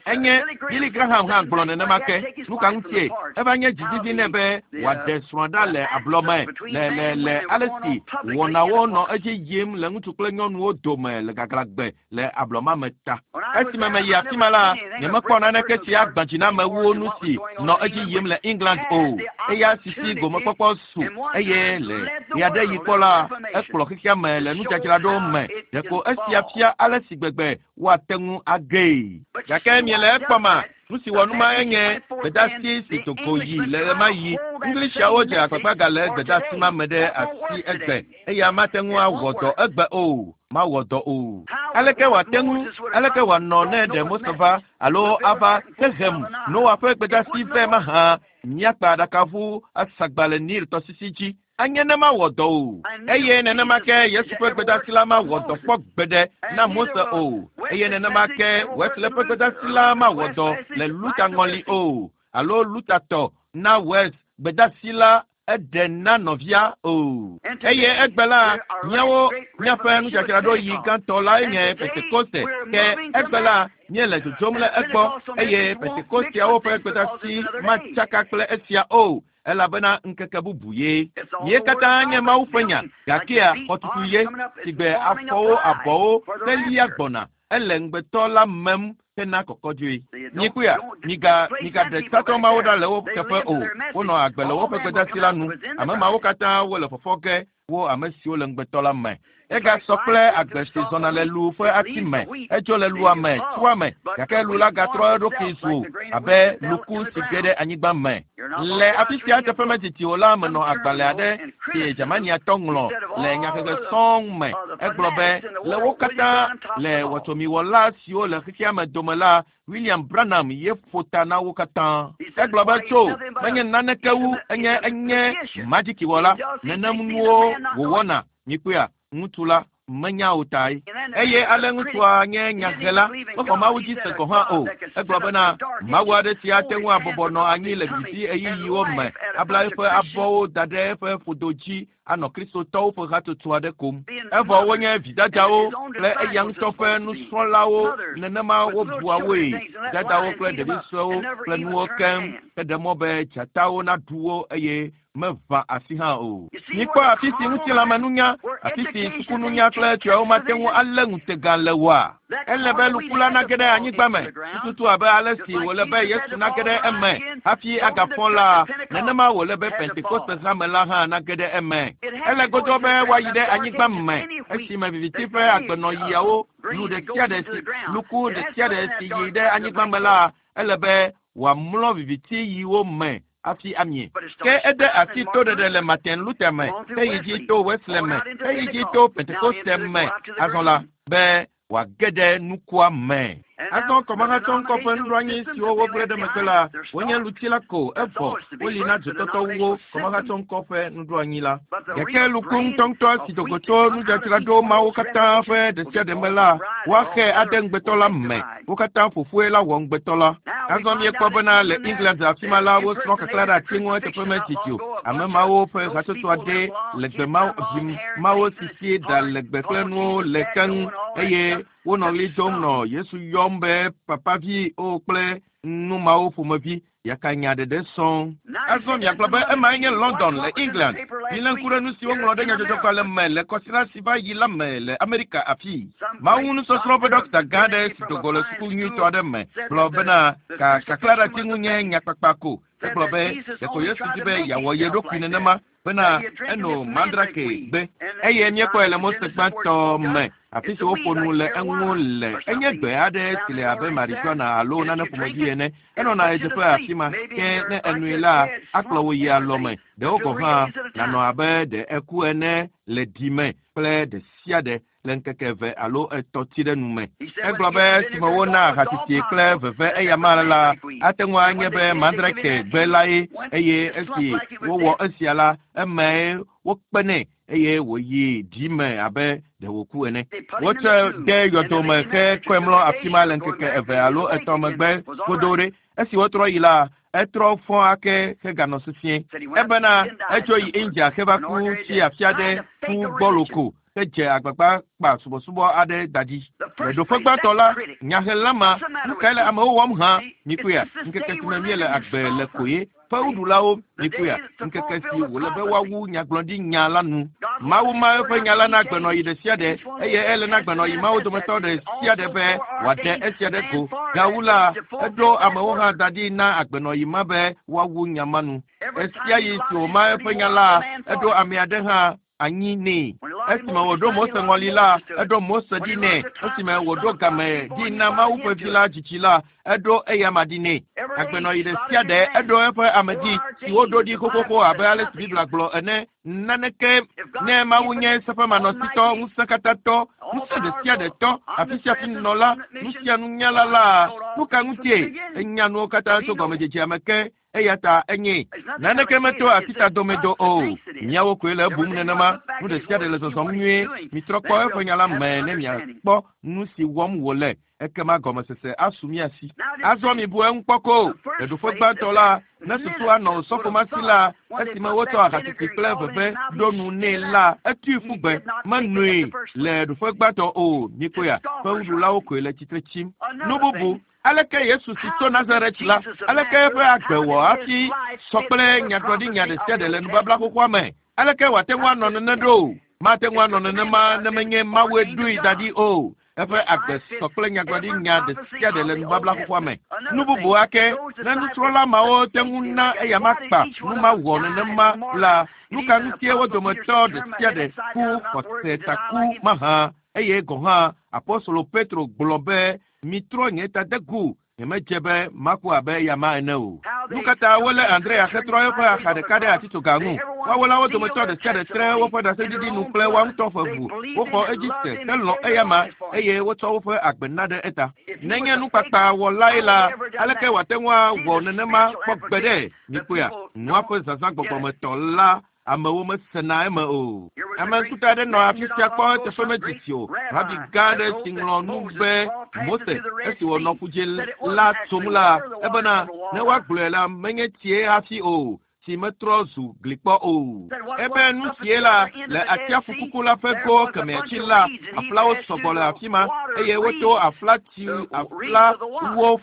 Enye Billy Graham hã gblɔ nenema ke. Nu ka ŋutie? Eva nye dzizizi nɛ be wòaɖe srɔ̃a ɖa le ablɔme le le le ale si wɔnawo nɔ edzi yim le ŋutsu kple nyɔnuwo dome le gaglãgbe le ablɔma me ta. Esime meyi afi ma la, nyemekpɔ naneke si agbã dzi na ame wu nu si nɔ edzi yim le England o. Eya sisi gomekpɔkpɔ su eye le ɣeaɖeɣi kpɔ la, ekplɔ xexea me le nudzadzraɖo me. Ɖeko esia fia ale si gbegbe woate ŋu agee. Gake miele ekpɔma, nu si wɔ numa enye gbedeasi si do go yi le ɣemaɣi. Englishaawo dze agbagba gale gbedeasi ma me ɖe asi egbe eya mate ŋu awɔ dɔ egbe o, mawɔ dɔ o. Aleke wòate ŋu, aleke wòanɔ ne ɖe Mose va alo ava hehem Noa ƒe gbedeasi vɛ mahã míakpa aɖakaʋu asagba le Nil tɔsisi dzi. Anye ne mawɔ dɔ o. Eye nenema ke Yesu ƒe gbedeasi la mawɔ dɔ kpɔ gbeɖe na Mose o. Eye nenema ke Wesley ƒe gbedeasi la mawɔ dɔ le Luther ŋɔli o alo Luther tɔ na Wes gbedeasi la eɖe na nɔvia o. Eye egbe la, míawo míaƒe nudzadzraɖoɣi gãtɔ lae nye Pentekoste. Ke egbe la, míele dzodzom le egbɔ eye Pentekosteawo ƒe gbedeasi matsaka kple esia o. elabena ŋkeke bubu ye. Mie katã nye Mawu ƒe nya, gakea xɔtutu ye, sigbe afɔwo abɔwo kple lia gbɔna, ele ŋugbetɔ la mem hena kɔkɔdzoe. Mikpɔea, miga migaɖe tatɔ mawo ɖa le wo teƒe o. Wonɔ agbe le woƒe gbedeasi la nu. Ame mawo katã wole fɔfɔ ge wo ame siwo le ŋugbetɔ la me. Egasɔ kple agbe si zɔna le lu ƒe ati me. Edzo le lua me, tsoa me, gake lu la gatrɔ eɖokui zu abe luku si ge ɖe anyigba me. Le afi sia teƒe medidi o la menɔ agbalẽ aɖe si Germaniatɔ ŋlɔ le nyahehe sɔŋ me. Egblɔ be le wo katã le wɔtsomiwɔla siwo le xexea me dome la, William Branham ye ƒo ta na wo katã. Egblɔ be tso menye naneke wu enye enye madzikiwɔla nenem nuwo wòwɔna. Mikpɔea, ŋutsu la menya o tae. Eye ale ŋutsua nye nyahela, mexɔ Mawu dzi se gɔ̃ hã o. Egblɔ bena Mawu aɖe si ate ŋu abɔbɔ nɔ anyi le viviti ɣeyiɣiwo me, abla eƒe abɔwo da ɖe eƒe ƒodo dzi anɔ Kristotɔwo ƒe hatsotso aɖe kom. Evɔ wonye vidadawo kple eya ŋutɔ ƒe nusrɔ̃lawo nenema wobua woe. Dadawo kple ɖevi suewo kple nuwo keŋ heɖe mɔ be dzatawo naɖu wo eye Meʋã asi hã o. Mikpɔ afi si ŋutilãmenunya, afi si sukununya kple tɔawo mate ŋu alé ŋutega le oa? Ele be luku la nage ɖe anyigba me tututu abe ale si wòle be Yesu nage ɖe eme hafi agafɔ la, nenema wòle be Pentekoste hame la hã nage ɖe eme. Ele godoo be woayi ɖe anyigba me esime viviti ƒe agbenɔɣiawo lu ɖe sia ɖe si luku ɖe sia ɖe si yi ɖe anyigba me la, ele be wòamlɔ viviti ɣiwo me hafi amie. Ke ede asi toɖeɖe le Martin Luther me, heyi dzi to Wesley me, heyi dzi to Pentekoste me azɔ la, be wòage ɖe nukua me. Azɔ kɔmahatsɔŋkɔ ƒe nuɖoanyi siwo wogblẽ ɖe megbe la, wonye luti la ko, evɔ woli na dzotɔtɔwuwo kɔmahatsɔŋkɔ ƒe nuɖoanyi la. Gake luku ŋutɔŋutɔ si do go tso nudzadzraɖo mawo katã ƒe ɖe sia ɖe me la, woaxe ade ŋugbetɔ la me. Wo katã ƒoƒue la wɔ ŋugbetɔ la. Azɔ míekpɔ bena le England afi ma la, wosrɔ̃ kaklã ɖe ati ŋu eteƒe medidi o. Ame mawo ƒe hatsotso aɖe le gbe mawo, vi mawo si si ɖa legbe kple nuwo le keŋ eye wonɔ ɣli dom nɔ Yesu yɔm be papavi o kple nu mawo ƒomevi yakanya ɖeɖe sɔŋ. Azɔ miagblɔ be emae nye London le England. Milé ŋku ɖe nu si woŋlɔ ɖe nyadzɔdzɔgbalẽ me le kɔsiɖa si va yi la me le Amerika afii. Mawu nusɔsrɔ̃ ƒe ɖɔkita gã aɖe si do go le suku nyuitɔ aɖe me gblɔ bena ka kaklãɖeati ŋu nye nyakpakpa ko. Egblɔ be ɖeko Yesu di be yeawɔ ye ɖokui nenema bena eno mandrake gbe eye míekpɔe le Mose gbãtɔ me afi si woƒo nu le eŋu le. Enye gbe aɖe si le abe marijuana alo nane ƒomevi ene. Enɔna ɣedzeƒe afi ma ke ne enoe la, akplɔ wò yi alɔme. Ɖewo gɔ̃ hã nànɔ abe ɖe eku ene le ɖi me kple ɖe sia ɖe le ŋkeke eve alo etɔ̃ tsi ɖe nu me. Egblɔ be esime wona ahatiti kple veve eyama la, ate ŋu anye be mandrake gbe lae eye esi wowɔ esia la, emae wokpe nɛ eye wòyi ɖi me abe ɖe wòku ene. Wotsɔe de yɔdo me hekɔe mlɔ afi ma le ŋkeke eve alo etɔ̃ megbe godoo ɖe. Esi wotrɔ yi la, etrɔ fɔ ake heganɔ sesĩe. Ebena etso yi India heva ku tsi afi aɖe ku gbɔlo ko hedze agbagba kpa subɔsubɔ aɖe da ɖi. Le ɖoƒe gbãtɔ la, nyahela ma, nu kae le amewo wɔm hã? Mikpɔea, ŋkeke si me míele agbe le koe. Fewuɖulawo, mikpɔea, ŋkeke si wòle be woawu nyagblɔɖinya la nu. Mawu ma eƒe nya la na agbenɔɣi ɖe sia ɖe eye ele na agbenɔɣi mawo dometɔ ɖe sia ɖe be wòaɖe esia ɖe go. Gawu la, eɖo amewo hã da ɖi na agbenɔɣi ma be woawu nya ma nu. Ɣesiaɣi si wòma eƒe nya la, eɖo ame aɖe hã anyi nɛ. Esime wòɖo Mose ŋɔli la, eɖo Mose ɖi nɛ. Esime wòɖo game ɖi na Mawu ƒe vi la dzidzi la, eɖo eyama ɖi nɛ. Agbenɔɣi ɖe sia ɖe eɖo eƒe ame dzi si woɖo ɖi xoxoxo abe ale si Biblia gblɔ ene. Naneke ne Mawu nye seƒemanɔsitɔ, ŋusẽkatãtɔ, ŋusẽ ɖe sia ɖe tɔ, afi sia afi nɔla, nu sia nunyala la, nu ka ŋutie enya nuwo katã tso gɔmedzedzea me ke eya ta enye naneke meto asitadomedo o. Míawo koe le ebum nenema. Nu ɖe sia ɖe le zɔzɔm nyuie. Mitrɔ kpɔ eƒe nya la me ne miakpɔ nu si wɔm wòle. Ekema gɔmesese asu mía si. Azɔ mibu eŋu kpɔ ko. Le ɖoƒe gbãtɔ la, ne susu anɔ osɔfo ma si la, esime wotsɔ ahatiti kple veve ɖo nu nɛ la, etui ƒu gbe. Menoe le ɖoƒe gbãtɔ o. Mikpɔea, fewuɖulawo koe le tsitre tsim. Nu bubu, aleke Yesu si tso Nazaret la, aleke eƒe agbe wɔ hafi sɔ kple nyagblɔɖinya ɖe sia ɖe le nubabla xoxoa me? Aleke wòate ŋu anɔ nene ɖo? Mate ŋu anɔ nenema ne menye Mawue ɖoe da ɖi o. Eƒe agbe sɔ kple nyagblɔɖinya ɖe sia ɖe le nubabla xoxoa me. Nu bubu ake, ne nusrɔ̃la mawo te ŋu na eyama kpa nu ma wɔ nenema la, nu ka ŋutie wo dometɔ ɖe sia ɖe ku xɔsetaku mahã? Eye gɔ̃ hã Apostolo Petro gblɔ be, mitrɔ nye tadegu, nyemedze be maku abe eyama ene o. Nu ka ta wolé Andrea hetrɔ eƒe axa ɖeka ɖe atitsoga ŋu? Woawo la wo dometɔ ɖe sia ɖe tre woƒe ɖaseɖiɖi nu kple woa ŋutɔ ƒe ʋu. Woxɔ edzi se helɔ̃ eyama eye wotsɔ woƒe agbe na ɖe eta. Nenye nukpakpa wɔlae la, aleke wòate ŋu awɔ nenema kpɔ gbe ɖe? Mikpɔea, nua ƒe zazã gbɔgbɔmetɔ la amewo mesena eme o. Ame ŋkuta aɖe nɔ afi sia kpɔ eteƒe medidi o. Rabi gã aɖe si ŋlɔ nu be Mose esi wònɔ ƒudze la tsom la, ebena ne woagblɔe la, menye tsie hafi o. si metrɔ zu glikpɔ o. Ebe nu sie la le atsiaƒu kuku la ƒe go kemɛ dzi la, aƒlawo sɔgbɔ le afi ma eye woto aflawo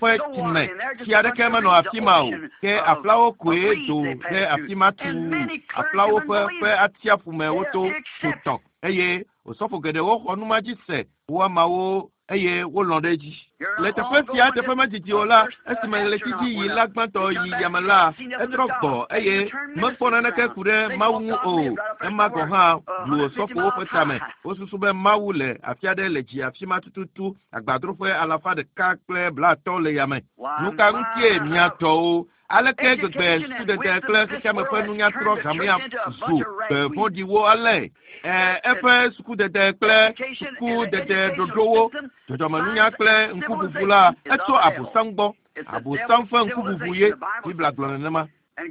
ƒe tsime. Tsi aɖeke menɔ afi ma o, ke aƒlawo koe do ɖe afi ma tuu. Aƒlawo ƒe atsiaƒu me woto tso tɔ eye osɔfo geɖewo xɔ nu ma dzi se wo ameawo eye wolɔ̃ ɖe edzi. Le teƒe sia teƒe medidi o la, esime ɣleti dzi yi la gbãtɔ yi yame la, etrɔ gbɔ eye mekpɔ naneke ku ɖe Mawu ŋu o. Ema gɔ̃ hã blu osɔfowo ƒe tame. Wosusu be Mawu le afi aɖe le dzi afi ma tututu agbadroƒe 150 le yame. Nu ka ŋutie mia tɔwo? Aleke gbegbe sukudede kple xexeame ƒe nunya trɔ hamea zu gbe vɔ̃ɖiwo ale? Eƒe sukudede kple sukudede ɖoɖowo, dzɔdzɔmenunya kple ŋkuʋuʋu la, etso Abosam gbɔ. Abosam ƒe ŋkuʋuʋu ye Biblia gblɔ nenema.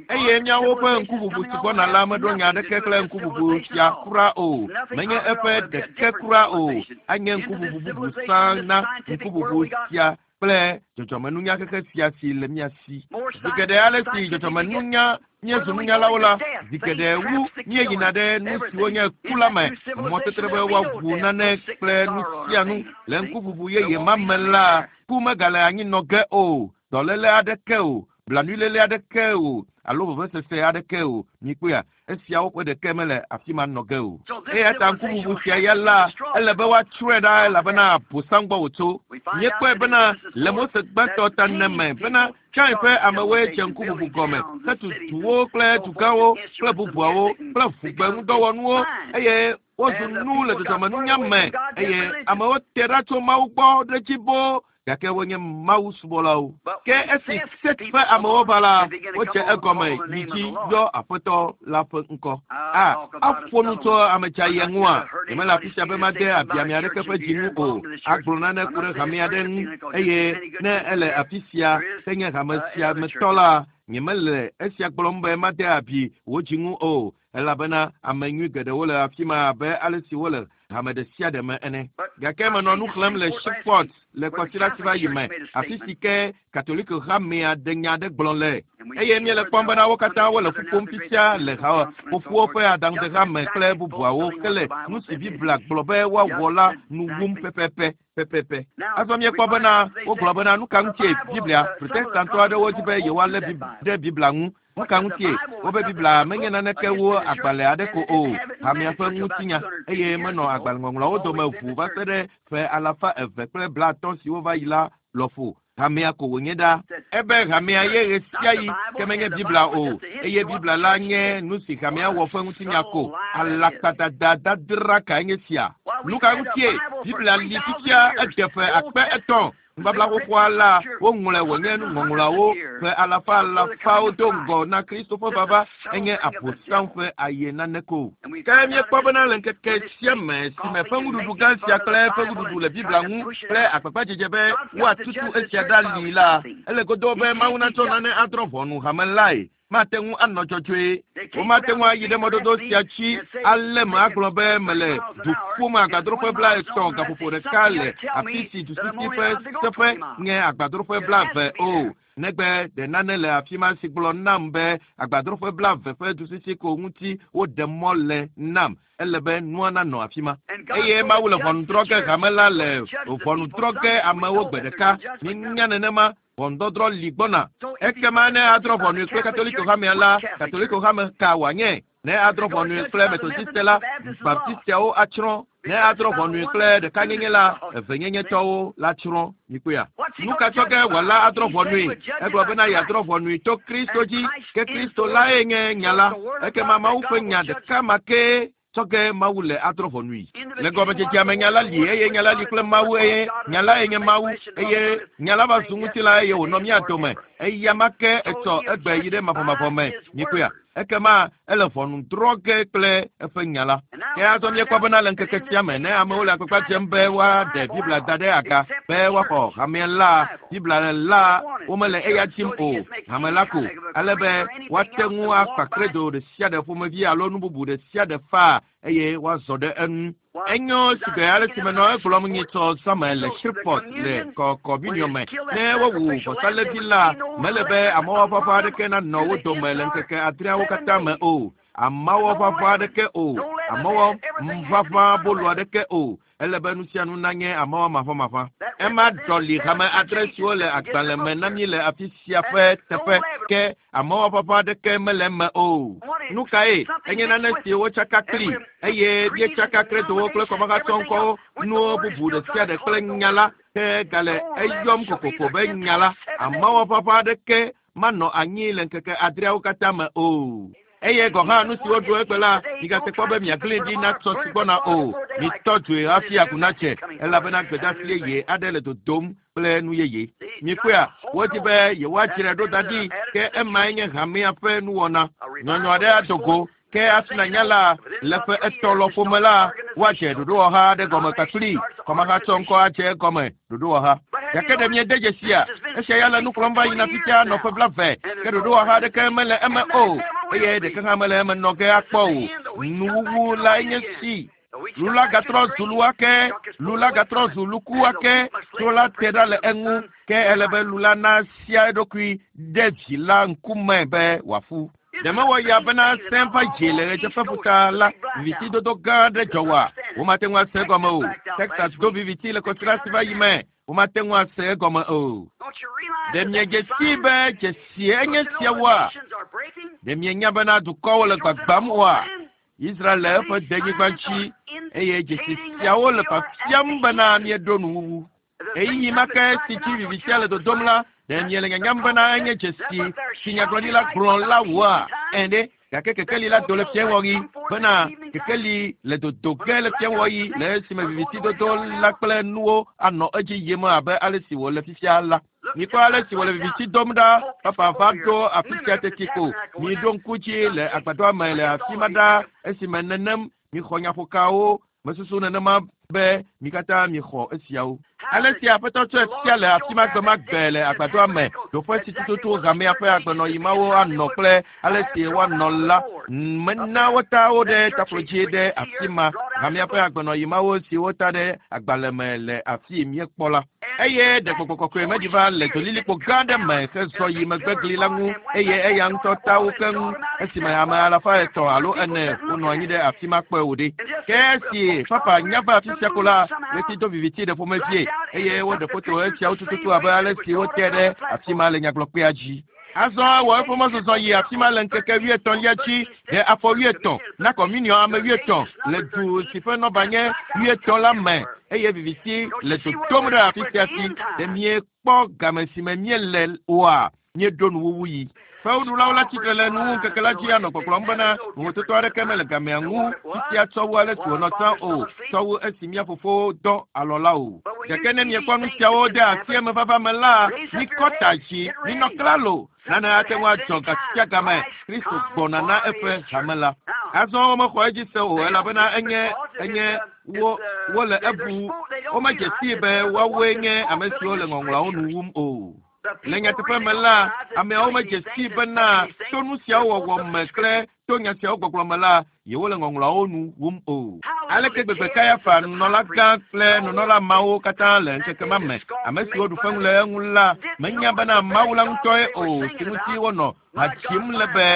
Eye míawo ƒe ŋkuʋuʋu si gbɔna la meɖo nya aɖeke kple ŋkuʋuʋu sia kura o. Menye eƒe ɖeke kura o. Anye ŋkuʋuʋu bubu sã na ŋkuʋuʋu sia kple dzɔdzɔmenunya xexe sia si le mía si. Zi geɖe ale si dzɔdzɔmenunya míezu nunyalawo la, zi geɖe wu míeyina ɖe nu siwo nye ku la me, mɔtetre be woaʋu nane kple nu sia nu. Le ŋkuʋuʋu yeye ma me la, ku megale anyi nɔ ge o, dɔléle aɖeke o, blanuiléle aɖeke o, alo vevesese aɖeke o. Mikpɔea, esiawo ƒe ɖeke mele afi ma nɔ ge o. Eya ta ŋkuʋuʋu sia ya la, ele be woatsrɔ̃e ɖa elabena Abosam gbɔ wòtso. Míekpɔe bena le Mose gbãtɔ ta ne me bena Kain ƒe amewoe dze ŋkuʋuʋu gɔme hetu duwo kple dugãwo kple bubuawo kple ʋugbe ŋudɔwɔnuwo eye wozu nu le dzɔdzɔmenunya me eye amewo te ɖa tso Mawu gbɔ ɖe dzi boo gake wonye Mawu subɔlawo. Ke esi Set ƒe amewo va la, wodze egɔme yi dzi yɔ Aƒetɔ la ƒe ŋkɔ. A aƒo nu tso ame dzayia ŋua? Nyemele afi sia be made abi ame aɖeke ƒe dzi ŋu o. Agblɔ nane ku ɖe hame aɖe ŋu eye ne ele afi sia henye hame sia me tɔ la, nyemele esia gblɔm be made abi wò dzi ŋu o, elabena ame nyui geɖewo le afi ma abe ale si wole hame ɖe sia ɖe me ene. Gake menɔ nu xlẽm le Shreveport le kɔsiɖa si va yi me, afi si ke Katoliko hamea ɖe nya aɖe gblɔ le. Eye míele kpɔm bena wo katã wole ƒu ƒom fifia le haƒoƒowo ƒe aɖaŋudehame kple bubuawo hele nu si Biblia gblɔ be woawɔ la nu wum pɛpɛpɛ pɛpɛpɛ. Azɔ míekpɔ bena wogblɔ bena nu ka ŋutie Biblia Protestantɔ aɖewo di be yewoalé ɖe Biblia ŋu. Nu ka ŋutie wobe Biblia menye naneke wu agbalẽ aɖe ko o, hamea ƒe ŋutinya, eye menɔ agbalẽŋɔŋlɔawo dome ʋu va se ɖe ƒe 250 siwo va yi la lɔƒo. Hamea ko wònye ɖa. Ebe hamea ye ɣe sia ɣi ke menye Biblia o, eye Biblia la nye nu si hamea wɔ ƒe ŋutinya ko. Alakpadada dadra kae nye sia? Nu ka ŋutie Biblia li fifia ede ƒe 3000? Nubabla xoxoa la, woŋlɔe wònye nuŋɔŋlɔawo ƒe alafa alafawo do ŋgɔ na Kristo ƒe vava enye Abosam ƒe aye nane ko. Ke míekpɔ bena le ŋkeke sia me si me ƒe ŋuɖuɖu gã sia kple ƒe ŋuɖuɖu le Biblia ŋu kple agbagbadzedze be woatutu esia ɖa li la, ele godoo be Mawu natsɔ nane adrɔ̃ ʋɔnu hame lae. Mate ŋu anɔ dzɔdzɔe. Womate ŋu ayi ɖe mɔdodo sia dzi alé me agblɔ be mele du ƒom agbadroƒe 30 gaƒoƒo ɖeka le afi si dusisi ƒe seƒe nye agbadroƒe 20 o. Negbe ɖe nane le afi ma si gblɔ nam be agbadroƒe 20 ƒe dusisi ko ŋuti woɖe mɔ le nam. Ele be nua nanɔ afi ma. Eye Mawu le ʋɔnu drɔ̃ ge hame la le ʋɔnu drɔ̃ ge amewo gbe ɖeka. Míenya nenema. Ʋɔnudɔdrɔ̃ li gbɔna. Ekema ne adrɔ̃ ʋɔnui kple Katoliko hamea la, Katoliko hame ka wòanye? Ne adrɔ̃ ʋɔnui kple Metodiste la, Baptisteawo atsrɔ̃. Ne adrɔ̃ ʋɔnui kple ɖekanyenye la, evenyenyetɔwo la tsrɔ̃. Mikpɔea? Nu ka tsɔ ge wòala adrɔ̃ ʋɔnui? Egblɔ bena yeadrɔ̃ ʋɔnui to Kristo dzi, ke Kristo lae nye nya la. Ekema Mawu ƒe nya ɖeka ma kee tsɔ ge Mawu le adrɔ̃ ʋɔnui. Le gɔmedzedzea me nya la li eye nya la li kple Mawu eye nya lae nye Mawu eye nya la va zu ŋutilã eye wònɔ mía dome. Eya ma ke etsɔ egbe yi ɖe mavɔmavɔ me. Mikpɔea? Ekema ele ʋɔnu drɔ̃ ge kple eƒe nya la. Ke azɔ míekpɔ bena le ŋkeke sia me ne amewo le agbagba dzem be woaɖe Biblia da ɖe aga be woaxɔ hamea la, Biblia la womele eya dim o, hame la ko, ale be woate ŋu akpa credo ɖe sia ɖe ƒomevi alo nu bubu ɖe sia ɖe faa. eye woazɔ ɖe enu. Enyo sigbe ale si menɔ egblɔm nyitsɔ zãme le Shreveport le kɔkɔminiɔ me. Ne wowu vɔsalevi la, mele be amewɔʋaʋã aɖeke nanɔ wo dome le ŋkeke adreawo katã me o. Amewɔʋaʋã aɖeke o, amewɔʋaʋã bolu aɖeke o. Ele be nu sia nu nanye amewɔ maʋamaʋã. Ema ɖɔli hame adre siwo le agbalẽ me na mí le afi sia ƒe teƒe ke amewɔʋaʋã aɖeke mele eme o. Nu kae enye nane si wotsaka kpli eye míetsaka kredowo kple kɔmahatsɔŋkɔwo nuwo bubu ɖe sia ɖe kple nya la ke gale eyɔm kokoko be nya la. Amewɔʋaʋã aɖeke manɔ anyi le ŋkeke adreawo katã me o. Eye gɔ̃ hã nu si woɖu egbe la, migate kpɔ be miagli ɖi na tsɔ si gbɔna o. Mitɔ dzoe hafi agu natse, elabena gbedeasi yeye aɖe le dodom kple nu yeye. Mikpɔea, wodi be yewoadzrae ɖo da ɖi, ke emae nye hamea ƒe nuwɔna. Nyɔnyɔ aɖe ado go, ke hafi nanya la, le ƒe etɔ̃ lɔƒo me la, woadze ɖoɖowɔha aɖe gɔme kpakpli. Kɔmahatsɔŋkɔ adze egɔme ɖoɖowɔha. Gake ɖe miede dzesia? Esia ya le nu kplɔm va yina fifia nɔ ƒe blaeve, ke ɖoɖowɔha aɖeke mele eme o, eye ɖeke hã mele eme nɔ ge akpɔ o. Nuwuwu lae nye si. Lu la gatrɔ zu lu ake, lu la gatrɔ zu luku ake, tso la te ɖa le eŋu, ke ele be lu la nasia eɖokui ɖe vi la ŋkume be wòafu. Ɖe mewɔ ya bena sẽ va dzi le ɣedzeƒeƒuta la, vivitidodo gã aɖe dzɔ wa. Womate ŋu ase egɔme o. Texas do viviti le kɔsiɖa si va yi me. Womate ŋu ase egɔme o. Ɖe miedze sii be dzesie enye siawoa? Ɖe mienya bena dukɔwo le gbagbam oa? Israel le eƒe denyigba dzi eye dzesi siawo le fiafiam bena míeɖo nuwuwu. Ɣeyiɣi ma ke si dzi vivitia le dodom la, ɖe miele nyanyam bena enye dzesi si nyagblɔɖila gblɔ la woa? Ẽ ɖe, gake kekeli la do le fiẽwɔɣi bena kekeli le dodo ge le fiẽwɔɣi le esime vivitidodo la kple nuwo anɔ edzi yim abe ale si wòle fifia la. Mikpɔ ale si wòle viviti dom ɖa, papa va ɖo afi sia teti ko. Miɖo ŋku dzi le agbadɔa me le afi ma ɖa esime nenem mixɔ nyaƒokawo. Mesusu nenema be mi katã mixɔ esiawo. Ale si Aƒetɔ tsɔe fia le afi ma gbe ma gbe le agbadɔa me, ɖoƒe si tututu hamea ƒe agbenɔɣi mawo anɔ kple ale si woanɔ la, mena wota wo ɖe taflo dzi ɖe afi ma. Hamea ƒe agbenɔɣi mawo si wota ɖe agbalẽ me le afi míekpɔ la. Eye ɖe gbɔgbɔ kɔkɔe meɖi va le dzolilikpo gã aɖe me hezɔ yi megbegli la ŋu eye eya ŋutɔ ta wo keŋ esime ame alafa etɔ̃ alo ene wonɔ anyi ɖe afi ma kpɔe wò ɖe. Ke esi papa nya va afi sia ko la, ɣleti do viviti ɖe ƒomevie eye woɖe foto esiawo tututu abe ale si wote ɖe afi ma le nyagblɔkpea dzi. Azɔ ewɔ eƒe mɔzɔzɔ yi afi ma le ŋkeke wuietɔ̃lia dzi ɖe afɔ wuietɔ̃ na kɔminiɔ ame wuietɔ̃ le du si ƒe nɔba nye wuietɔ̃ la me eye viviti le dodom ɖe afi sia si ɖe miekpɔ game si me míele oa míeɖo nuwuwu yi. Fewuɖulawo la tsitre le nuwu ŋkeke la dzi anɔ gbɔgblɔm bena vovototo aɖeke mele gamea ŋu fifia tsɔ wu ale si wònɔ tsã o, tsɔ wu esi mía fofowo dɔ alɔ la o. Gake ne miekpɔ nu siawo de asi emevava me la, mikɔ ta dzi, minɔ klalo. Nane ate ŋu adzɔ gasia game Kristo gbɔna na eƒe hame la. Azɔ womexɔ edzi se o elabena enye enye wo wole ebu womedze sii be woawoe nye ame siwo le ŋɔŋlɔawo nu wum o. Le nyateƒe me la, ameawo medze sii bena to nu siawo wɔwɔ me kple to nya siawo gbɔgblɔ me la, yewole ŋɔŋlɔawo nu wum o. Aleke gbegbe Kayafa, nunɔlagã kple nunɔla mawo katã le ŋkeke ma me, ame siwo ɖu fewu le eŋu la, menya bena Mawu la ŋutɔe o si ŋuti wonɔ ha dzim le be,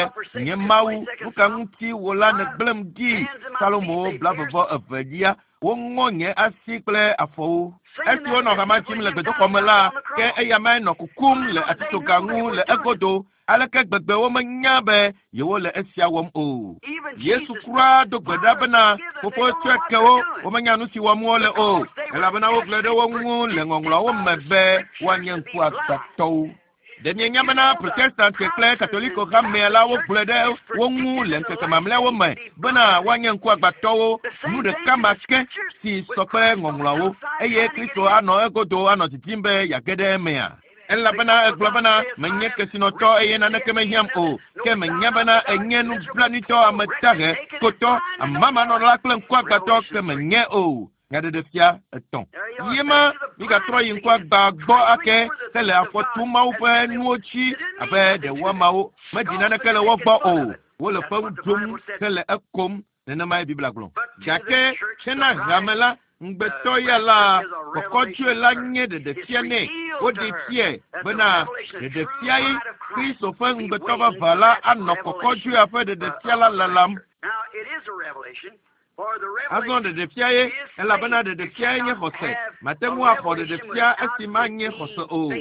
Nye Mawu, nu ka ŋuti wò la nègblẽm ɖi? Salomo 22, woŋɔ nye asi kple afɔwo. Esi wonɔ hama dzim le gbedoxɔ me la, ke eya mae nɔ kukum le atitsoga ŋu le egodo. Aleke gbegbe womenya be yewole esia wɔm o. Yesu kura do gbe ɖa bena fofo tsɔe ke wo, womenya nu si wɔm wole o, elabena wogblɔe ɖe wo ŋu le ŋɔŋlɔawo me be woanye ŋkuagbãtɔwo. Ɖe mienya bena Protestant kple Katoliko hamea la wogblɔe ɖe wo ŋu le ŋkeke mamlɛawo me bena woanye ŋkuagbãtɔwo, nu ɖeka ma ke si sɔ kple ŋɔŋlɔawo, eye Kristo anɔ egodo anɔ didim be yeage ɖe emea? Elabena egblɔ bena menye kesinɔtɔ eye naneke mehiãm o, ke menya bena enye nublanuitɔ, ame dahe, kotɔ, amamanɔla kple ŋkuagbãtɔ ke menye o. Nyaɖeɖefia etɔ̃. Yema migatrɔ yi ŋkuagbã gbɔ ake hele afɔ tum Mawu ƒe nuwo dzi abe ɖe woamawo meɖi naneke le wo gbɔ o. Wole fewu ɖum hele ekom. Nenemae Biblia gblɔ. Gake hena hame la, ŋugbetɔ ya la, kɔkɔdzoe la nye ɖeɖefia nɛ. Woɖee fiae bena ɖeɖefia ye Kristo ƒe ŋugbetɔ vavã la anɔ kɔkɔdzoea ƒe ɖeɖefia la lalam. Azɔ ɖeɖefia ye, elabena ɖeɖefia ye nye xɔse. Mate ŋu axɔ ɖeɖefia esi manye xɔse o.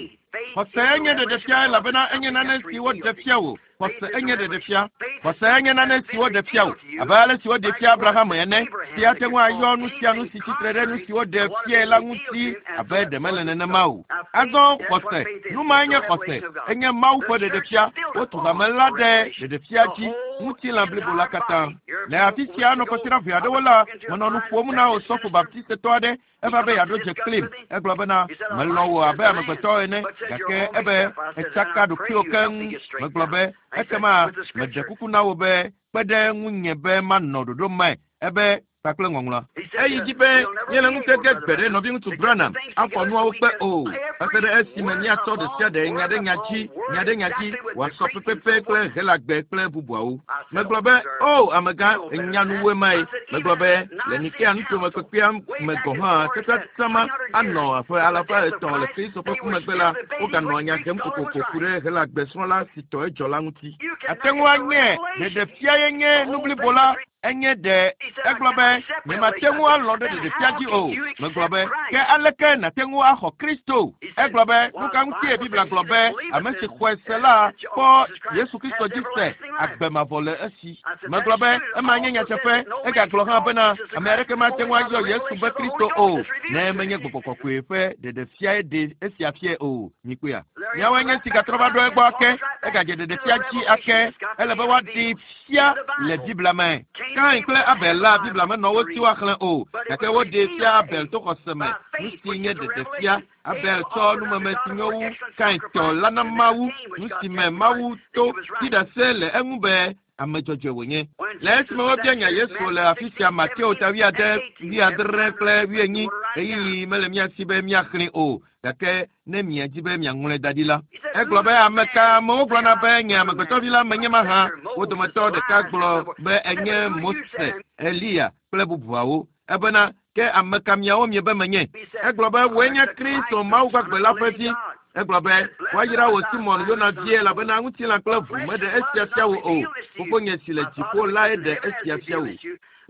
Xɔse nye ɖeɖefia elabena enye nane si woɖe fia wò. Xɔse enye ɖeɖefia. Xɔse enye nane si woɖe fia wò, abe ale si woɖe fia Abraham ene, si ate ŋu ayɔ nu sia nu si tsitre ɖe nu si woɖe fiae la ŋuti abe ɖe mele nenema o. Azɔ xɔse, nu mae nye xɔse, enye Mawu ƒe ɖeɖefia. Wotu hame la ɖe ɖeɖefia dzi, ŋutilã blibo la katã. Le afi sia nɔ kɔsiɖa ʋɛ aɖewo la, menɔ nu ƒom na osɔfo baptistetɔ aɖe. Eva be yeaɖo dze kplim. Egblɔ bena, melɔ̃ wò abe amegbetɔ ene, gake ebe etsaka ɖokuiwò keŋ. Megblɔ be, ekema meɖe kuku na wò be kpe ɖe ŋunye be manɔ ɖoɖo me. Ebe kpakple ŋɔŋlɔa. Eyi dzi be míele ŋutege gbe ɖe nɔviŋutsu Branham afɔ nuawo kpe o, va se ɖe esime míatsɔ ɖe sia ɖe nya ɖe nya dzi, nya ɖe nya dzi, wòasɔ pɛpɛpɛ kple Helagbe kple bubuawo. Megblɔ be, O, amegã, ènya nu wu emae. Megblɔ be, le Nikea nutome kpekpea me gɔ̃ hã, teƒea anɔ ƒe alafa etɔ̃ le Kristo ƒe ku megbe la, woganɔa nya hem kokoko ku ɖe Helagbe srɔ̃la si tɔ edzɔ la ŋuti. Ate ŋu anye ɖeɖefia ye nye nu blibo la, enye ɖe egblɔ be nyemate ŋu alɔ̃ ɖe ɖeɖefia dzi o. Megblɔ be, ke aleke nàte ŋu axɔ Kristo? Egblɔ be, nu ka ŋutie Biblia gblɔ be ame si xɔe se la kpɔ Yesu Kristo dzi se agbe mavɔ le esi? Megblɔ be, ema nye nyateƒe. Egagblɔ hã bena ame aɖeke mate ŋu ayɔ Yesu be Kristo o, ne menye gbɔgbɔ kɔkɔe ƒe ɖeɖefiae ɖe esia fiae o. Mikpɔea? Míawoe nye si gatrɔ va ɖo egbɔ ake. Egadze ɖeɖefia dzi ake. Ele be woaɖee fia le Biblia me. Kain kple Abel la, Biblia menɔ wo si woaxlẽ o, gake woɖee fia Abel to xɔse me, nu si nye ɖeɖefia. Abel tsɔ numeme si nyo wu Kain tɔ la na Mawu, nu si me Mawu to ɖi ɖase le eŋu be ame dzɔdzɔe wònye. Le esime wobia nya Yesu le afi sia Mateo ta wuiade, wuiadre kple wuienyi, ɣeyiɣi mele mía si be míaxlẽe o, gake ne miadi be miaŋlɔe da ɖi la. Egblɔ be ame ka amewo gblɔna be nye amegbetɔvi la menye mahã. Wo dometɔ ɖeka gblɔ be enye Mose, Eliya kple bubuawo. Ebena, ke ame ka miawo miebe menye? Egblɔ be wòe nye Kristo Mawu gbagbe la ƒe vi. Egblɔ be woayra wò Simɔn Yona vie elabena ŋutilã kple ʋu meɖe esia fia wò o. Fofonye si le dziƒo lae ɖe esia fia wò.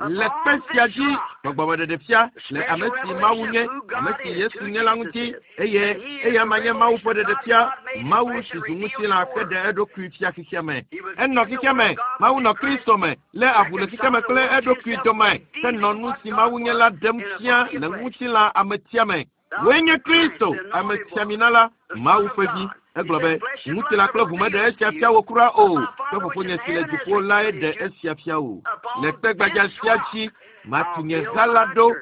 Le kpe sia dzi, gbɔgbɔmeɖeɖefia le ame si Mawu nye, ame si Yesu nye la ŋuti, eye eya ma nye Mawu ƒe ɖeɖefia, Mawu si zu ŋutilã ke ɖe eɖokui fia xexea me. Enɔ xexea me, Mawu nɔ Kristo me, lé avu le xexea me kple eɖokui dome, ke nɔ nu si Mawu nye la ɖem fia le ŋutilã ametia me. Wòe nye Kristo, amesiamina la, Mawu ƒe vi. Egblɔ be, ŋutilã kple ʋu meɖe esia fia wò kura o, ke fofonye si le dziƒo lae ɖe esia fia wò. Le kpe gbadza sia dzi, matu nye ha la ɖo,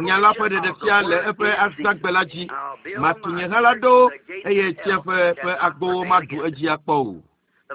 nya la ƒe ɖeɖefia le eƒe azãgbe la dzi. Matu nye ha la ɖo, eye tsiẽƒe ƒe agbowo maɖu edzi akpɔ o.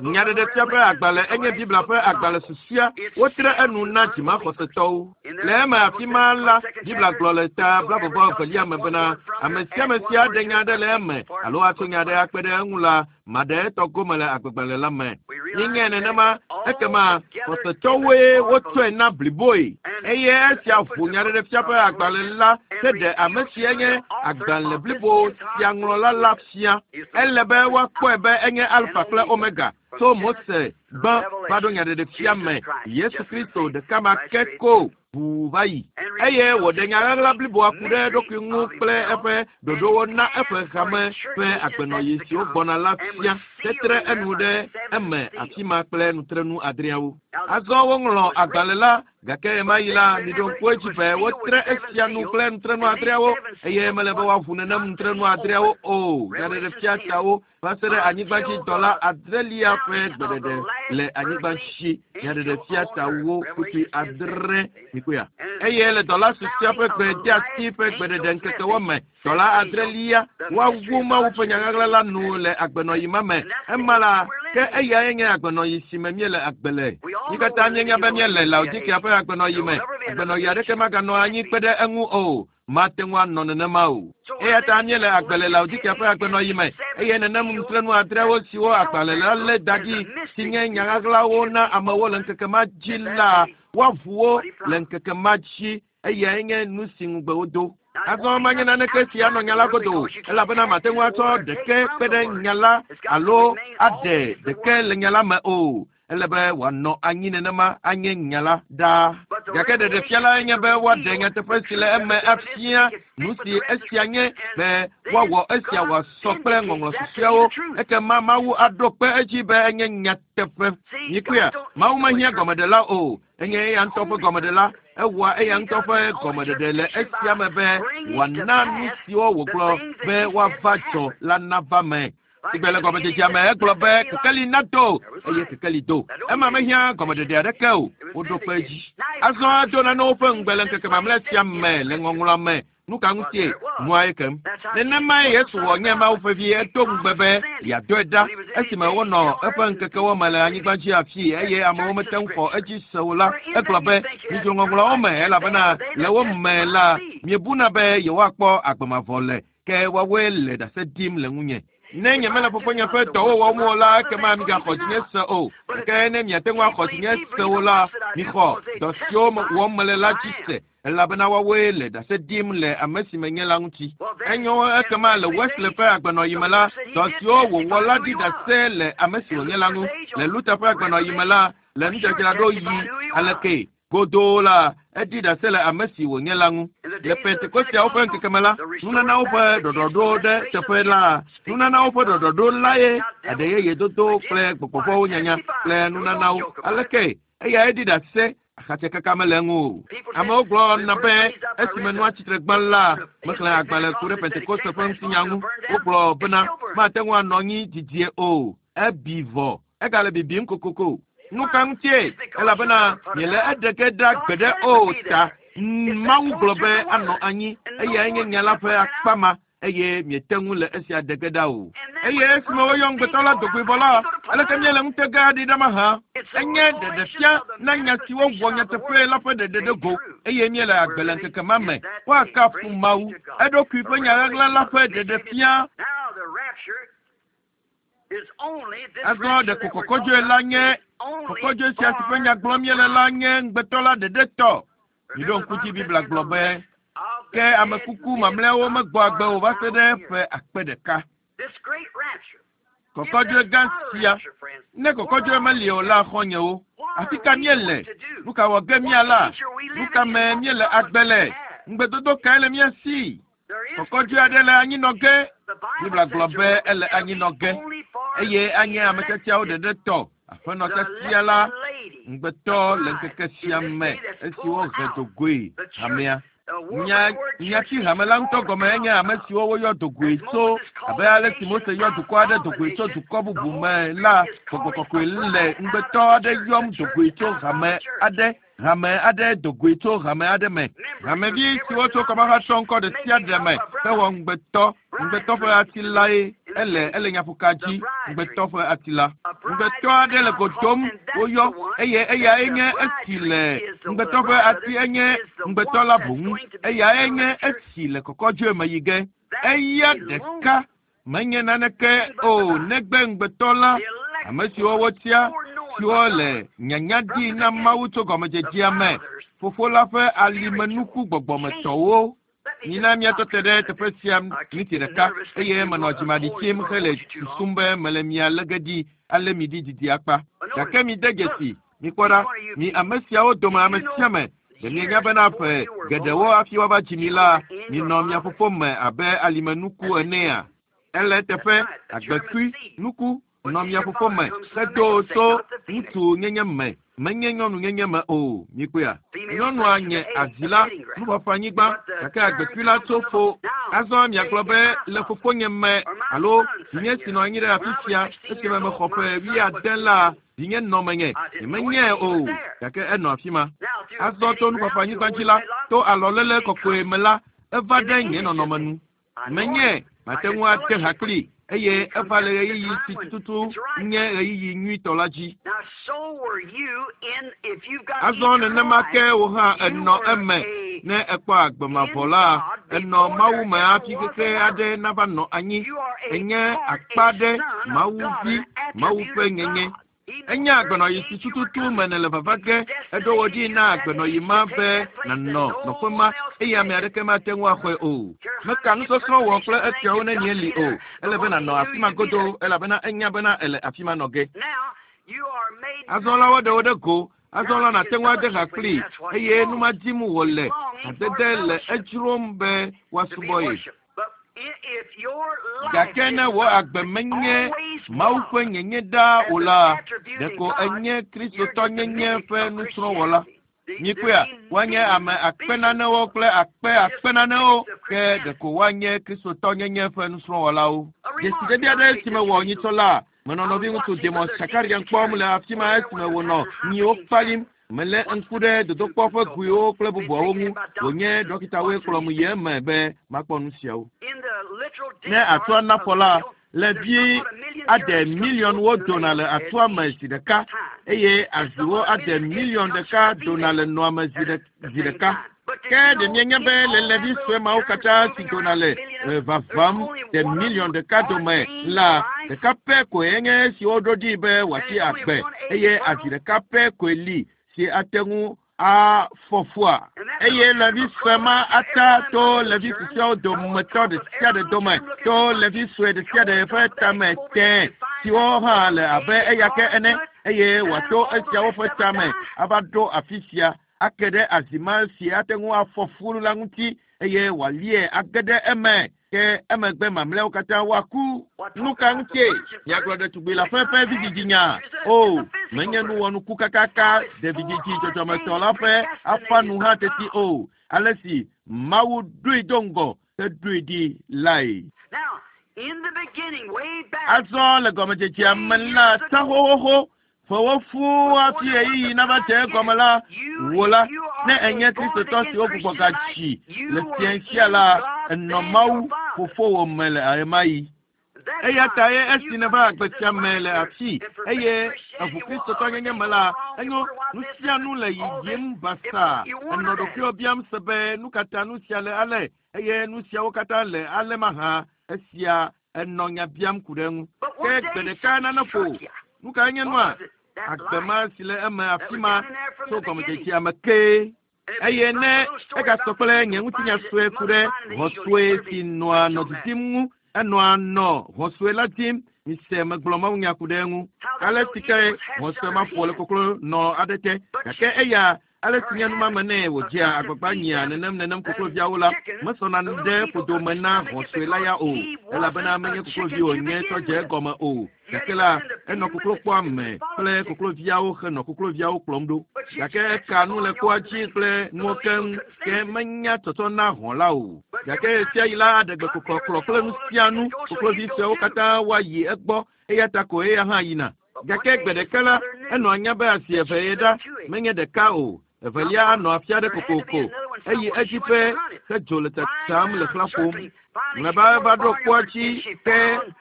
Nyaɖeɖefia ƒe agbalẽ enye Biblia ƒe agbalẽ susɔea wotre enu na dzimaxɔsetɔwo. Le eme afi ma la, Biblia gblɔ le ta blaeve evelia me bena ame sia ame si aɖe nya aɖe le eme alo atso nya aɖe akpe ɖe eŋu la, maɖe etɔ gome le agbegbalẽ la me. Míenyae nenema, ekema xɔsetɔwoe wotsɔe na bliboe. Eye esia ʋu nyaɖeɖefia ƒe agbalẽ la heɖe ame si enye agbalẽ blibo sia ŋlɔla la fia. Ele be woakpɔe be enye Alfa kple Omega tso Mose gbã va ɖo nyaɖeɖefia me Yesu Kristo ɖeka ma ke ko ʋuu va yi. Eye wòɖe nya ɣaɣla bliboa ku ɖe eɖokui ŋu kple eƒe ɖoɖowo na eƒe hame ƒe agbenɔɣi siwo gbɔna la fia tetre enu ɖe eme afi ma kple nutrenu adreawo. Azɔ woŋlɔ agbalẽ la, gake ɣemaɣi la, miɖo ŋku edzi be wotre esia nu kple nutrenu adreawo, eye mele be woaʋu nenem nutrenu adreawo o. Nyaɖeɖefia siawo va se ɖe anyigbadzidɔla adrelia ƒe gbeɖeɖe le anyigba dzi. Nyaɖeɖefia tawo kpukpui adre mikpɔea. Eye le dɔla susɔea ƒe gbedeasi ƒe gbeɖeɖe ŋkekewo me, dɔla adrelia woawu Mawu ƒe nyaɣaɣla la nu le agbenɔɣi ma me. Ema la, ke eyae nye agbenɔɣi si me míele agbe le. Mí katã míenya be míele Laodikea ƒe agbenɔɣi me. Agbenɔɣi aɖeke maganɔ anyi kpe ɖe eŋu o. Mate ŋu anɔ nenema o. Eya ta míele agbe le Laodikea ƒe agbenɔɣi me, eye nenem nutrenu adreawo siwo agbalẽ la lé da ɖi si nye nya ɣaɣlawo na amewo le ŋkeke ma dzi la, woaʋu wo le ŋkeke ma dzi. Eyae nye nu si ŋugbe wodo. Azɔ manye naneke si anɔ nya la godo o, elabena mate ŋu atsɔ ɖeke kpe ɖe nya la alo aɖe ɖeke le nya la me o. Ele be wòanɔ anyi nenema anye nya la ɖaa. Gake ɖeɖefia lae nye be woaɖe nyateƒe si le eme afia nu si esia nye be woawɔ esia wòasɔ kple ŋɔŋlɔ susɔeawo. Ekema Mawu aɖo kpe edzi be enye nyateƒe. Mikpɔea, Mawu mehiã gɔmeɖela o. Enye eya ŋutɔ ƒe gɔmeɖela. Ewɔa eya ŋutɔ ƒe gɔmeɖeɖe le esia me be wòana nu siwo wògblɔ be woava dzɔ la nava me. Sigbe le gɔmedzedzea me egblɔ be kekeli nado eye kekeli do. Ema mehiã gɔmeɖeɖe aɖeke o. Woɖo kpe edzi. Azɔ edo nanewo ƒe ŋugbe le ŋkeke mamlɛ sia me le ŋɔŋlɔa me. Nu ka ŋutie? Nua ye kem. Nenemae Yesu wɔ nye Mawu ƒe vi. Edo ŋugbe be yeadɔe ɖa esime wonɔ eƒe ŋkekewo me le anyigba dzi afii eye amewo mete ŋu xɔ edzi se o la. Egblɔ be, midzro ŋɔŋlɔawo me elabena le wo me la miebuna be yewoakpɔ agbe mavɔ le, ke woawoe le ɖase ɖim le ŋunye. Ne nyemele fofonye ƒe dɔwo wɔm o la, ekema migaxɔ dzinye se o. Gake ne miate ŋu axɔ dzinye se o la, mixɔ dɔ siwo wɔm mele la dzi se, elabena woawoe le ɖase ɖim le ame si menye la ŋuti. Enyo ekema le Wesley ƒe agbenɔɣi me la, dɔ siwo wòwɔ la ɖi ɖase le ame si wònye la ŋu. Le Luther ƒe agbenɔɣi me la, le nudzadzraɖo yi aleke godoo la, eɖi ɖase le ame si wònye la ŋu. Le Pentekosteawo ƒe ŋkeke me la, nunanawo ƒe ɖɔɖɔɖo ɖe teƒe la, nunanawo ƒe ɖɔɖɔɖo lae aɖe yeye dodo kple gbɔgbɔvɔwo nyanya kple nunanawo. Aleke eya eɖi ɖase axatsekaka mele eŋu o. Amewo gblɔna be esime nua tsitre gbã la, mexlẽ agbalẽ ku ɖe Pentekoste ƒe ŋutinya ŋu. Wogblɔ bena mate ŋu anɔ anyi didie o. Ebi vɔ. Egale bibim kokoko. Nu ka ŋutie? Elabena miele eɖe ge ɖa gbeɖe o ta. Mawu gblɔ be anɔ anyi eyae nye nya la ƒe akpa ma eye miete ŋu le esia ɖe ge ɖa o. Eye esime woyɔ ŋugbetɔ la dogoe vɔ la, aleke míele ŋutega ɖi ɖa mahã? Enye ɖeɖefia na nya siwo wɔ nyateƒe la ƒe ɖeɖe ɖe go eye míele agbe le ŋkeke ma me. Woakafu Mawu, eɖokui ƒe nya ɣaɣla la ƒe ɖeɖefia. Azɔ ɖeko kɔkɔdzoe la nye kɔkɔdzoe sia si ƒe nya gblɔm míele la nye ŋugbetɔ la ɖeɖe tɔ. Miɖo ŋku dzi Biblia gblɔ be ke ame kuku mamlɛawo megbɔ agbe o va se ɖe ƒe akpe ɖeka. Kɔkɔdzoe gã sia, ne kɔkɔdzoe meli o la xɔ̃nyewo, afi ka míele? Nu ka wɔ ge míala? Nu ka me míele agbe le? Ŋugbedodo kae le mía si? Kɔkɔdzoe aɖe le anyinɔ ge. Biblia gblɔ be ele anyinɔ ge eye anye ame tiatiawo ɖeɖe tɔ. Aƒenɔ tiatia la ŋugbetɔ le ŋkeke sia me esi wohe dogoe hamea. Nyati hame la ŋutɔ gɔme enye ame siwo woyɔ dogoe tso abe ale si Mose yɔ dukɔ aɖe dogoe tso dukɔ bubu me la, gbɔgbɔ kɔkɔe le ŋugbetɔ aɖe yɔm dogoe tso hame aɖe hame aɖe dogoe tso hame aɖe me. Hamevi siwo tso kɔmahatsɔ ŋkɔ ɖe sia ɖe me hewɔ ŋugbetɔ ŋugbetɔ ƒe ati lae ele ele nyaƒoka dzi ŋugbetɔ ƒe ati la. Ŋugbetɔ aɖe le go dom woyɔ eye eyae nye esi le ŋugbetɔ ƒe ati enye ŋugbetɔ la boŋ. Eyae nye esi le kɔkɔdzoe me yi ge. Eya ɖeka menye naneke o negbe ŋugbetɔ la, ame siwo wotia siwo le nyanya ɖi na Mawu tso gɔmedzedzea me, fofo la ƒe alimenuku gbɔgbɔmetɔwo. Mina míatɔ te ɖe teƒe sia miniti ɖeka eye menɔ dzimaɖi tsim hele susum be mele mia lé ge ɖi ale mi ɖi didi akpa. Gake mide dzesi, mikpɔ ɖa, mi ame siawo dome ame sia ame, ɖe mienya bena ƒe geɖewo hafi woava dzi mi la, minɔ mia fofo me abe alimenuku enea? Ele eteƒe agbekui nuku nɔ mia fofo me hedo tso ŋutsu nyenye me, menye nyɔnu nyenye me o. Mikpɔea? Nyɔnua nye azi la, nuƒaƒã anyigba, gake agbekui la tso fo. Azɔ miagblɔ be le fofonye me alo vinye si nɔ anyi ɖe afi sia esime mexɔ ƒe 70 la, vinye nɔ menye. Nyemenyae o, gake enɔ afi ma. Azɔ to nuƒaƒã anyigba dzi la, to alɔléle kɔkɔe me la, eva ɖe nye nɔnɔme nu. Menye mate ŋu ate ha kpli. Eye eva le ɣeyiɣi si tututu nye ɣeyiɣi nyuitɔ la dzi. Azɔ nenema ke wò hã ènɔ eme ne èkpɔ agbe mavɔ la, ènɔ Mawu me hafi xexe aɖe nava nɔ anyi. Ènye akpa ɖe Mawu vi, Mawu ƒe nyenye. Enye agbenɔyi si tututu me nèle vava ge. Eɖo wò ɖi na agbenɔyi ma be nànɔ nɔƒe ma eye ame aɖeke mate ŋu axɔe o. Meka nusɔsrɔ̃ wɔ kple esiawo ne mieli o. Ele be nànɔ afi ma godoo elabena enya bena èle afi ma nɔ ge. Azɔ la woaɖe wo ɖe go. Azɔ la nàte ŋu ade ha kplii eye nu ma dim wòle. Hadede le edzrom be woasubɔ ye. Gake ne wò agbe menye Mawu ƒe nyenye ɖaa o la, ɖeko enye Kristotɔnyenye ƒe nusrɔ̃wɔla. Mikpɔea, woanye ame akpe nanewo kple akpe akpe nanewo, ke ɖeko woanye Kristotɔnyenye ƒe nusrɔ̃wɔlawo. Dzesiɖeɖi aɖe si mewɔ nyitsɔ la, menɔ nɔviŋutsu Demos Shakarian kpɔm le afi ma esime wònɔ nyiwo kpalim. Melé ŋku ɖe dodokpɔ ƒe goewo kple bubuawo ŋu. Wònye ɖɔkitawoe kplɔm yi eme be makpɔ nu siawo. Ne atua nafɔ la, levi ade miliɔnwo dona le atua me zi ɖeka eye aziwo ade miliɔn ɖeka dona le nɔa me zi ɖeka. Ke ɖe mienya be le levi sue mawo katã si dona le vavam ɖe miliɔn ɖeka dome la, ɖeka pɛ koe nye esi woɖo ɖi be wòatsi agbe eye azi ɖeka pɛ koe li si ate ŋu afɔ fua. Eye levi sue ma ata to levi susɔeawo dometɔ ɖe sia ɖe dome, to levi sue ɖe sia ɖe ƒe tame tẽ siwo hã le abe eya ke ene, eye wòato esiawo ƒe tame ava ɖo afi sia ake ɖe azi ma si ate ŋu afɔ fu la ŋuti eye wòalie age ɖe eme. Ke emegbe mamlɛawo katã woaku. Nu ka ŋutie miagblɔ ɖetugbi la ƒe vidzidzinya? O, menye nuwɔnuku kakaka ɖe vidzidzi dzɔdzɔmetɔ la ƒe afa nu hã teti o. Ale si Mawu ɖoe do ŋgɔ heɖoe ɖi lae. Azɔ le gɔmedzedzea me la, ta xoxoxo ƒewo fũu hafi ɣeyiɣi nava dze egɔme la, wò la, ne ènye Kristotɔ si wogbugbɔ gadzi le fiasia la, ènɔ Mawu fofowò me le ɣemaɣi. Eya ta ye esi nèva agbe sia me le afi eye eʋu Kristotɔnyenye me la, enyo nu sia nu le yiyim basaa. Ènɔ ɖokuiwò biam se be nu ka ta nu sia le ale eye nu siawo katã le ale mahã. Esia enɔ nya biam ku ɖe eŋu. Ke gbe ɖeka nane ƒo. Nu kae nye nua? Agbe ma si le eme afi ma tso gɔmedzedzea me kee. Eye ne egasɔ kple nye ŋutinya sue ku ɖe hɔ̃ sue si nɔa nɔ didim ŋu, enɔa nɔ hɔ̃ sue la dim. Mise megblɔ mawunya ku ɖe eŋu. Ale si ke hɔ̃ sue ma ƒo le koklo nɔ aɖe te. Gake eya ale si nye numame nɛ wòdzea agbagba nyia nenem nenem kokloviawo la, mesɔna ɖe ƒodo me na hɔ̃ sue la ya o, elabena menye koklovi wònye tsɔ dze egɔme o. Gake la, enɔ koklokpɔa me kple kokloviawo henɔ kokloviawo kplɔm ɖo. Gake eka nu le kpoa dzi kple nuwo keŋ, ke menya tsɔtsɔ na hɔ̃ la o. Gake ɣe sia ɣi la, aɖe gbe kɔkɔklɔ kple nu sia nu. Koklovi suewo katã woayi egbɔ, eya ta ko eya hã yina. Gake gbe ɖeka la, enɔ anya be asi eve ye ɖa, menye ɖeka o. Evelia anɔ afi aɖe kokoko. Eyi edzi ƒe hedzo le tsatsam le xlã ƒom. Mlɔeba eva ɖo kpoa dzi ke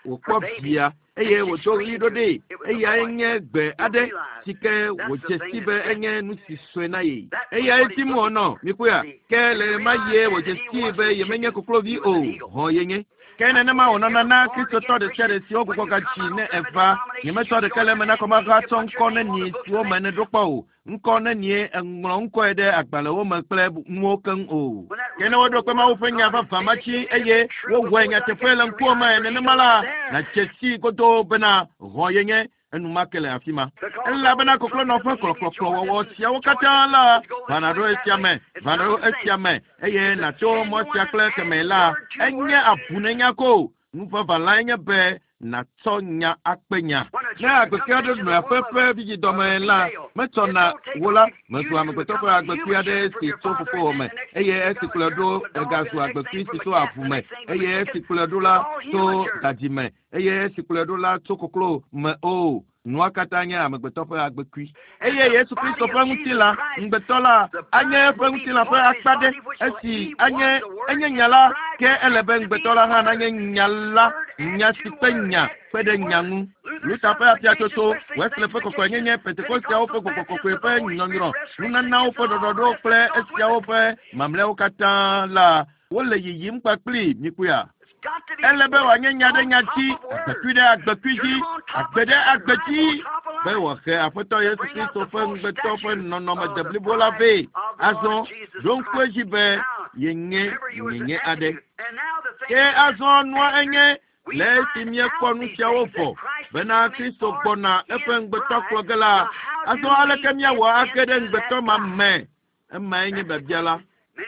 wòkpɔ via eye wòdo ɣli ɖo ɖee. Eyae nye gbe aɖe si ke wòdze si be enye nu si sue na ye. Eyae dim wònɔ, mikpɔea? Ke le ɣe ma ɣie wòdze sii be yemenye koklovi o, hɔ̃ yenye. Ke nenema wònɔna na Kristotɔ ɖe sia ɖe si wogbugbɔ gadzi ne eva. Nyemetsɔ ɖeke le eme na kɔmahatsɔ ŋkɔ nenie siwo me nèɖo kpɔ o. Ŋkɔ nenie èŋlɔ ŋkɔe ɖe agbalẽwo me kple nuwo keŋ o. Ke ne woɖo kpe Mawu ƒe nya vavã ma dzi eye wowɔe nyateƒe le ŋkuwò me nenema la, nàdze sii godoo bena hɔ̃ yenye enumake le afi ma. Elabena koklonɔ ƒe kplɔkplɔkplɔwɔwɔ siawo katã la vana ɖo esia me, vana ɖo esia me, eye nàto mɔ sia kple kemɛ la, enye abunenya ko. Nu vavã lae nye be nàtsɔ nya akpe nya. Ne agbekui aɖe nɔ aƒe ƒe vidzidɔme la, metsɔna wò la, mezu amegbetɔ ƒe agbekui aɖe si tso fofowò me, eye esi kplɔe ɖo egazu agbekui si tso avu me, eye esi kplɔe ɖo la tso dadzi me, eye esi kplɔe ɖo la tso koklo me o. Nua katã nye amegbetɔ ƒe agbekui. Eye Yesu Kristo ƒe ŋutilã, ŋugbetɔ la, anye eƒe ŋutilã ƒe akpa ɖe. Esi anye enye nya la, ke ele be ŋugbetɔ la hã nanye nya la. Nya si kpe nya kpe ɖe nya ŋu. Luther ƒe afiatsotso, Wesley ƒe kɔkɔenyenye, Pentekosteawo ƒe gbɔgbɔ kɔkɔe ƒe nyɔnyrɔ, nunanawo ƒe ɖɔɖɔɖo kple esiawo ƒe mamlɛawo katã la, wole yiyim kpakpli mikpɔea. Ele be wòanye nya ɖe nya dzi, agbekui ɖe agbekui dzi, agbe ɖe agbe dzi, be wòahe Aƒetɔ Yesu Kristo ƒe ŋugbetɔ ƒe nɔnɔme deblibo la vɛ. Azɔ, ɖo ŋku edzi be yenye nyenye aɖe. Ke azɔ nua enye le esi míekpɔ nu siawo vɔ bena Kristo gbɔna eƒe ŋugbetɔ kplɔ ge la, azɔ aleke míawɔ age ɖe ŋugbetɔ ma me? Emae nye biabia la.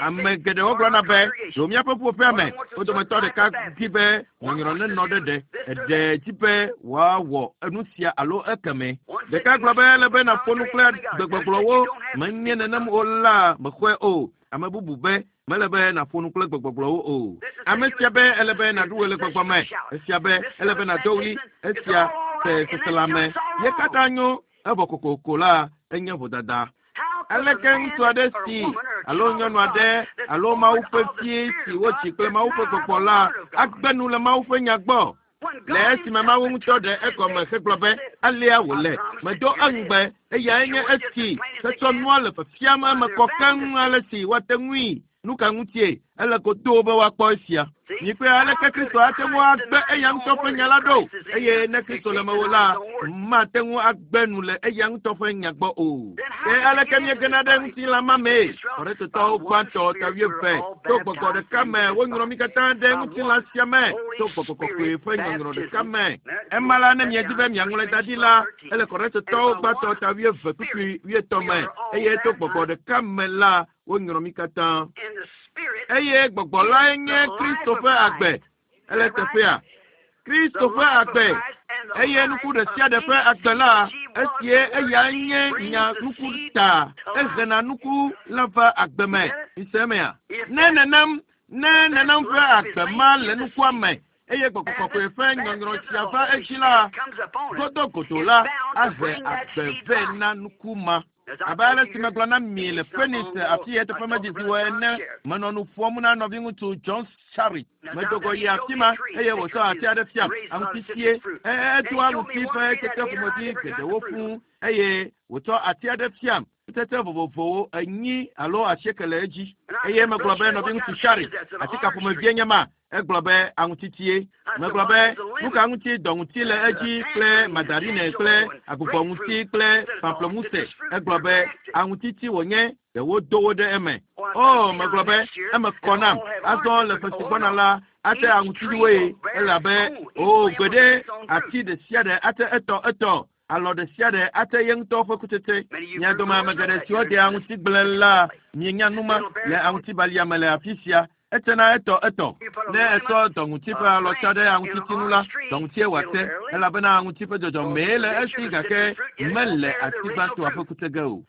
Ame geɖewo gblɔna be ɖo míaƒe ƒuƒoƒea me wo dometɔ ɖeka di be nyɔnyrɔ nenɔ ɖe ɖe eɖe dzi be woawɔ enu sia alo ekeme. Ɖeka gblɔ be ele be nàƒo nu kple gbegbɔgblɔwo menye nenem o la mexɔe o. Ame bubu be mele be nàƒo nu kple gbegbɔgblɔwo o. Ame sia be ele be nàɖu ɣe le gbɔgbɔ me. Esia be ele be nàdo ɣli. Esia se seselãme ye katã nyo evɔ kokoko la enye vodada. Aleke ŋutsu aɖe si alo nyɔnu aɖe alo Mawu ƒe vi si wodzi kple Mawu ƒe gbɔgbɔ la agbe nu le Mawu ƒe nya gbɔ? Le esime Mawu ŋutɔ ɖe egɔme hegblɔ be alea wòle, medo eŋugbe eyae nye esi hetsɔ nua le fiafiam eme kɔ keŋ ale si woate ŋui. Nu ka ŋutie ele godoo be woakpɔ esia? Mikpɔe aleke Kristo ate ŋu agbe eya ŋutɔ ƒe nya la ɖo eye ne Kristo le mewò la, mate ŋu agbe nu le eya ŋutɔ ƒe nya gbɔ o. Ke aleke míegena ɖe ŋutilã ma mee? Korintetɔwo gbãtɔ ta wuieve to gbɔgbɔ ɖeka me wonyrɔ mí katã ɖe ŋutilã sia me to gbɔgbɔ kɔkɔe ƒe nyɔnyrɔ ɖeka me. Ema la ne miedi be miaŋlɔe da ɖi la, ele Korintetɔwo gbãtɔ ta wuieve kpukpui wuietɔ̃ me eye to gbɔgbɔ ɖeka me la wonyrɔ mí katã. Eye gbɔgbɔ lae nye Kristo ƒe agbe. Ele teƒea. Kristo ƒe agbe eye nuku ɖe sia ɖe ƒe agbe la esie eyae nye nya nuku ta ehena nuku la va agbe me. Mise mea? Ne nenem ne nenem ƒe agbe ma le nukua me eye gbɔgbɔ kɔkɔe ƒe nyɔnyrɔ sia va edzi la, godogodo la ahe agbe vɛ na nuku ma. Abe ale si megblɔ na mi le Phoenix afi eteƒe medidi o ene, menɔ nu ƒom na nɔviŋutsu John Sharrit. Medo go yi afi ma eye wòtsɔ ati aɖe fiam, aŋutisie. Edo aŋuti ƒe tsetse ƒomevi geɖewo fũu eye wòtsɔ ati aɖe fiam kutsetse vovovowo enyi alo asieke le edzi. Eye megblɔ be nɔviŋutsu Sharrit, ati ka ƒomevie nye ma? Egblɔ be aŋutitie. Megblɔ be nu ka ŋuti dɔŋuti le edzi kple mandarine kple agbugbɔŋuti kple pamplemousse. Egblɔ be aŋutiti wònye ɖe wodo wo ɖe eme. O, megblɔ be eme kɔ nam. Azɔ le ƒe si gbɔna la, ate aŋutiwoe elabe o gbeɖe ati ɖe sia ɖe ate etɔ etɔ alɔ ɖe sia ɖe ate ye ŋutɔ ƒe kutsetse. Mia dome ame geɖe siwo de aŋutigble la mienya nu ma le aŋutibalia me le afi sia. Etsena etɔ etɔ. Ne etsɔ dɔŋuti ƒe alɔ tsa ɖe aŋutiti ŋu la, dɔŋutie wòate elabena aŋuti ƒe dzɔdzɔmee le esi gake mele ati gbãtɔa ƒe kutse ge o.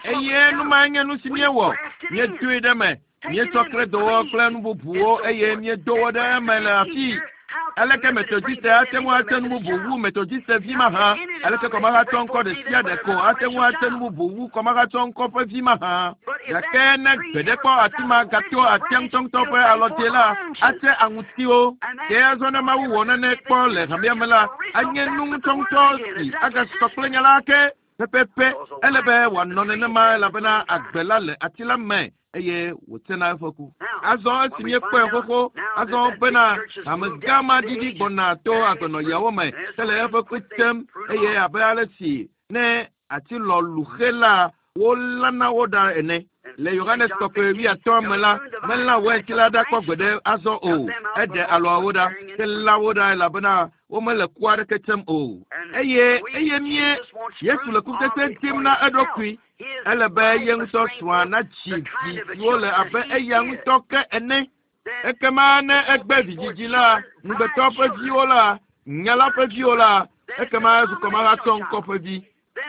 Eye nu mae nye nu si míewɔ. Míedoe ɖe eme, míetsɔ kledowɔ kple nu bubuwo eye míedo wo ɖe eme le afii. Aleke Metodiste ate ŋu ate nu bubu wu Metodiste vi mahã? Aleke kɔmahatsɔ ŋkɔ ɖe sia ɖe ko ate ŋu ate nu bubu wu kɔmahatsɔ ŋkɔ ƒe vi mahã? Gake ne gbeɖe kpɔ ati ma gato atia ŋutɔŋutɔ ƒe alɔdze la, ate aŋutiwo. Ke azɔ ne Mawu wɔ nane kpɔ le hamea me la, anye nu ŋutɔŋutɔ si agasɔ kple nya la ake pɛpɛpɛ. Ele be wòanɔ nenema elabena agbe la le ati la me eye wòtsena eƒe ku. Azɔ esi míekpɔe xoxo azɔ bena hame gã ma ɖiɖi gbɔna to agbenɔyawo me hele eƒe ku tem eye abe ale si ne ati lɔ lu xe la wolãna wo ɖa ene. Le Yohanes kɔkɔe wuiatɔ̃ me la, melã wainti la ɖa kpɔ gbeɖe azɔ o. Eɖe alɔawo ɖa, ke lã wo ɖa elabena womele ku aɖeke tsem o. Eye eye mie Yesu le kutsetse dim na eɖokui. Ele be ye ŋutɔ srɔ̃a nadzi vi siwo le abe eya ŋutɔ ke ene. Ekema ne egbe vidzidzi la, ŋugbetɔ ƒe viwo la, nya la ƒe viwo la, ekema ezu kɔmahatsɔ ŋkɔ ƒe vi.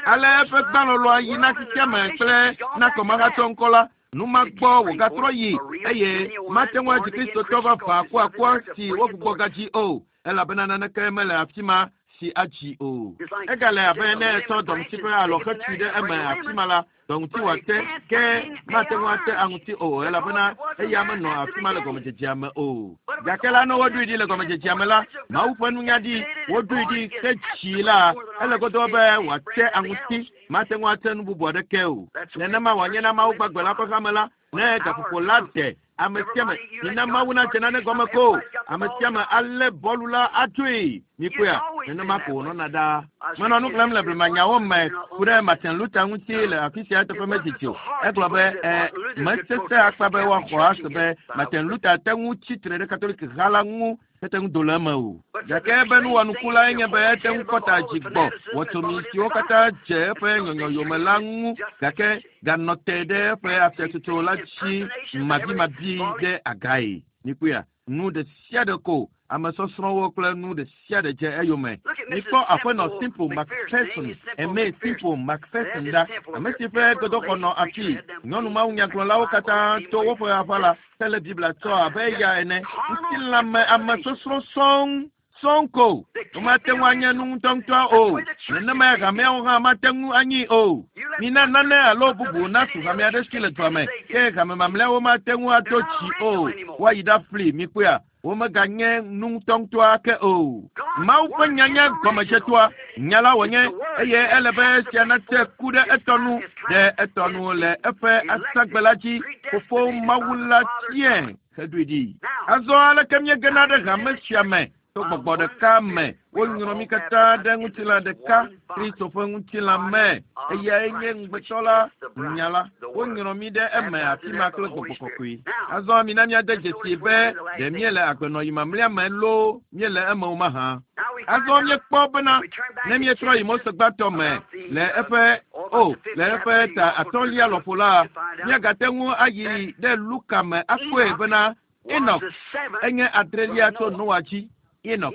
Ale eƒe gbãlɔlɔa yi na xexeame kple na kɔmahatsɔ ŋkɔ la. Nu ma gbɔ wògatrɔ yi eye mate ŋu adzi Kristotɔ vavã akuakua si wogbugbɔ gadzi o elabena naneke mele afi ma. tsi atsi o. Egale abe ne etsɔ dɔŋuti ƒe alɔ hetui ɖe eme afi ma la, dɔŋuti wòate ke mate ŋu ate aŋuti o elabena eya menɔ afi ma le gɔmedzedzea me o. Gake la ne woɖoe ɖi le gɔmedzedzea me la, Mawu ƒe nunya ɖi woɖoe ɖi hetsi la, ele godoo be wòate aŋuti mate ŋu ate nu bubu aɖeke o. Nenema wòanye na Mawu gbagbe la ƒe hame la ne gaƒoƒo la de ame sia ame mina Mawu nadze nane gɔme ko ame sia ame alé bɔlu la atsoe mikpɔea nenema ko wònɔna ɖaa. Menɔ nu xlẽm le blemanyawo me ku ɖe Martin Luther ŋuti le afi sia eteƒe medidi o. Egblɔ be ɛ mesesẽ akpa be woaxɔ ase be Martin Luther te ŋu tsi tre ɖe Katolik ha la ŋu mete ŋu do le eme o. Gake eƒe nuwɔnuku lae nye be ete ŋu kɔ ta dzi gbɔ wɔtsomi siwo katã dze eƒe nyɔnyɔ yome la ŋu gake ganɔ te ɖe eƒe afiatsotso la dzi mabimabi ɖe agae. Mikpɔea, nu ɖe sia ɖe ko ame sɔsrɔ̃wo kple nu ɖe sia ɖe dze eyome. Mikpɔ aƒenɔ Simple McPherson, Aimé Simple McPherson ɖa, ame si ƒe gbedoxɔ nɔ afii. Nyɔnu mawunyagblɔlawo katã to woƒe aʋala hele Biblia tsɔ abe eya ene. Ŋutilãme ame sɔsrɔ̃ sɔŋ sɔŋ ko. Womate ŋu anye nu ŋutɔŋutɔ o. Nenemae hameawo hã mate ŋu anyi o. Mina nane alo bubu nasu hame aɖe si le dua me ke hame mamlɛawo mate ŋu ato tsi o. Woayi ɖafli mikpɔea womeganye nu ŋutɔŋutɔ ake o. Mawu ƒe nya nye gɔmedzetoa. Nya la wònye eye ele be esia nate ku ɖe etɔ nu ɖe etɔ nu le eƒe asagbe la dzi. Fofo Mawu la tiae heɖoe ɖi. Azɔ aleke míegena ɖe hame sia me to gbɔgbɔ ɖeka me wonyrɔ mí katã ɖe ŋutilã ɖeka Kristo ƒe ŋutilã me eyae nye ŋugbetɔ la nya la wonyrɔ mí ɖe eme afi ma kple gbɔgbɔ kɔkɔe. Azɔ mina míade dzesi be ɖe míele agbenɔyi mamlɛa me loo míele eme o mahã. Azɔ míekpɔ bena ne míetrɔ yi Mose gbãtɔ me le eƒe o le eƒe ta atɔ̃lia lɔƒo la míagate ŋu ayi ɖe Luka me akpɔe bena Enoch enye adrelia tso Noa dzi. Enoch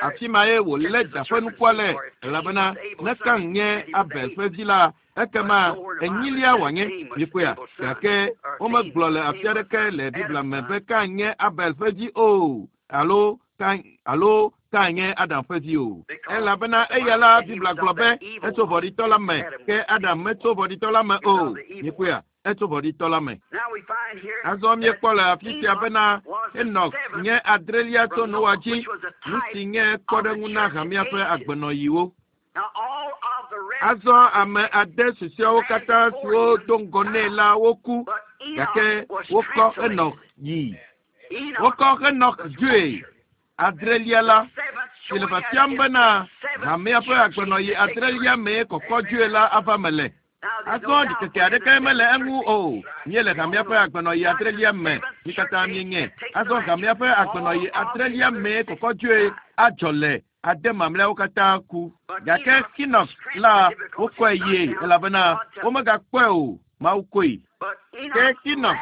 afi ma ye wòlé da ƒe nukua le elabena ne Kain nye Abel ƒe vi la ekema enyilia wòanye mikpɔea gake womegblɔ le afi aɖeke le Biblia me be Kain nye Abel ƒe vi o alo Kain alo Kain nye Adam ƒe vi o elabena eya la Biblia gblɔ be etso vɔ̃ɖitɔ la me ke Adam metso vɔ̃ɖitɔ la me o mikpɔea etso vɔ̃ɖitɔ la me. Azɔ míekpɔ le afi sia bena Enoch nye adrelia tso Noa dzi, nu si nye kpɔɖeŋu na hamea ƒe agbenɔyiwo. Azɔ ame ade susɔeawo katã siwo do ŋgɔ nɛ la woku gake wokɔ Enoch yi. Wokɔ Enoch dzoe adrelia la si le fiafiam bena hamea ƒe agbenɔyi adrelia mee kɔkɔ dzoe la ava me le. Azɔ ɖikeke aɖeke mele eŋu o. Míele hamea ƒe agbenɔyi adrelia me. Mí katã míenye. Azɔ hamea ƒe agbenɔyi adrelia mee kɔkɔ dzoe adzɔ le ade mamlɛawo katã ku. Gake Enoch la wokɔe yie elabena womegakpɔe o. Mawu koe. Ke Enoch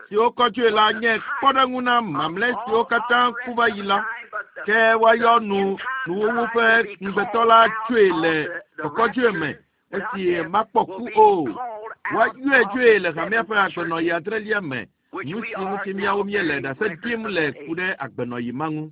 si wokɔ dzoe la nye kpɔɖeŋu na mamlɛ siwo katã ku va yi la. Ke woayɔ nu nuwuwu ƒe ŋugbetɔ la tsoe le kɔkɔdzoe me esi makpɔ ku o. Woayɔe dzoe le hamea ƒe agbenɔyi adrelia me. Nu si ŋuti míawo míele ɖase ɖim le ku ɖe agbenɔyi ma ŋu.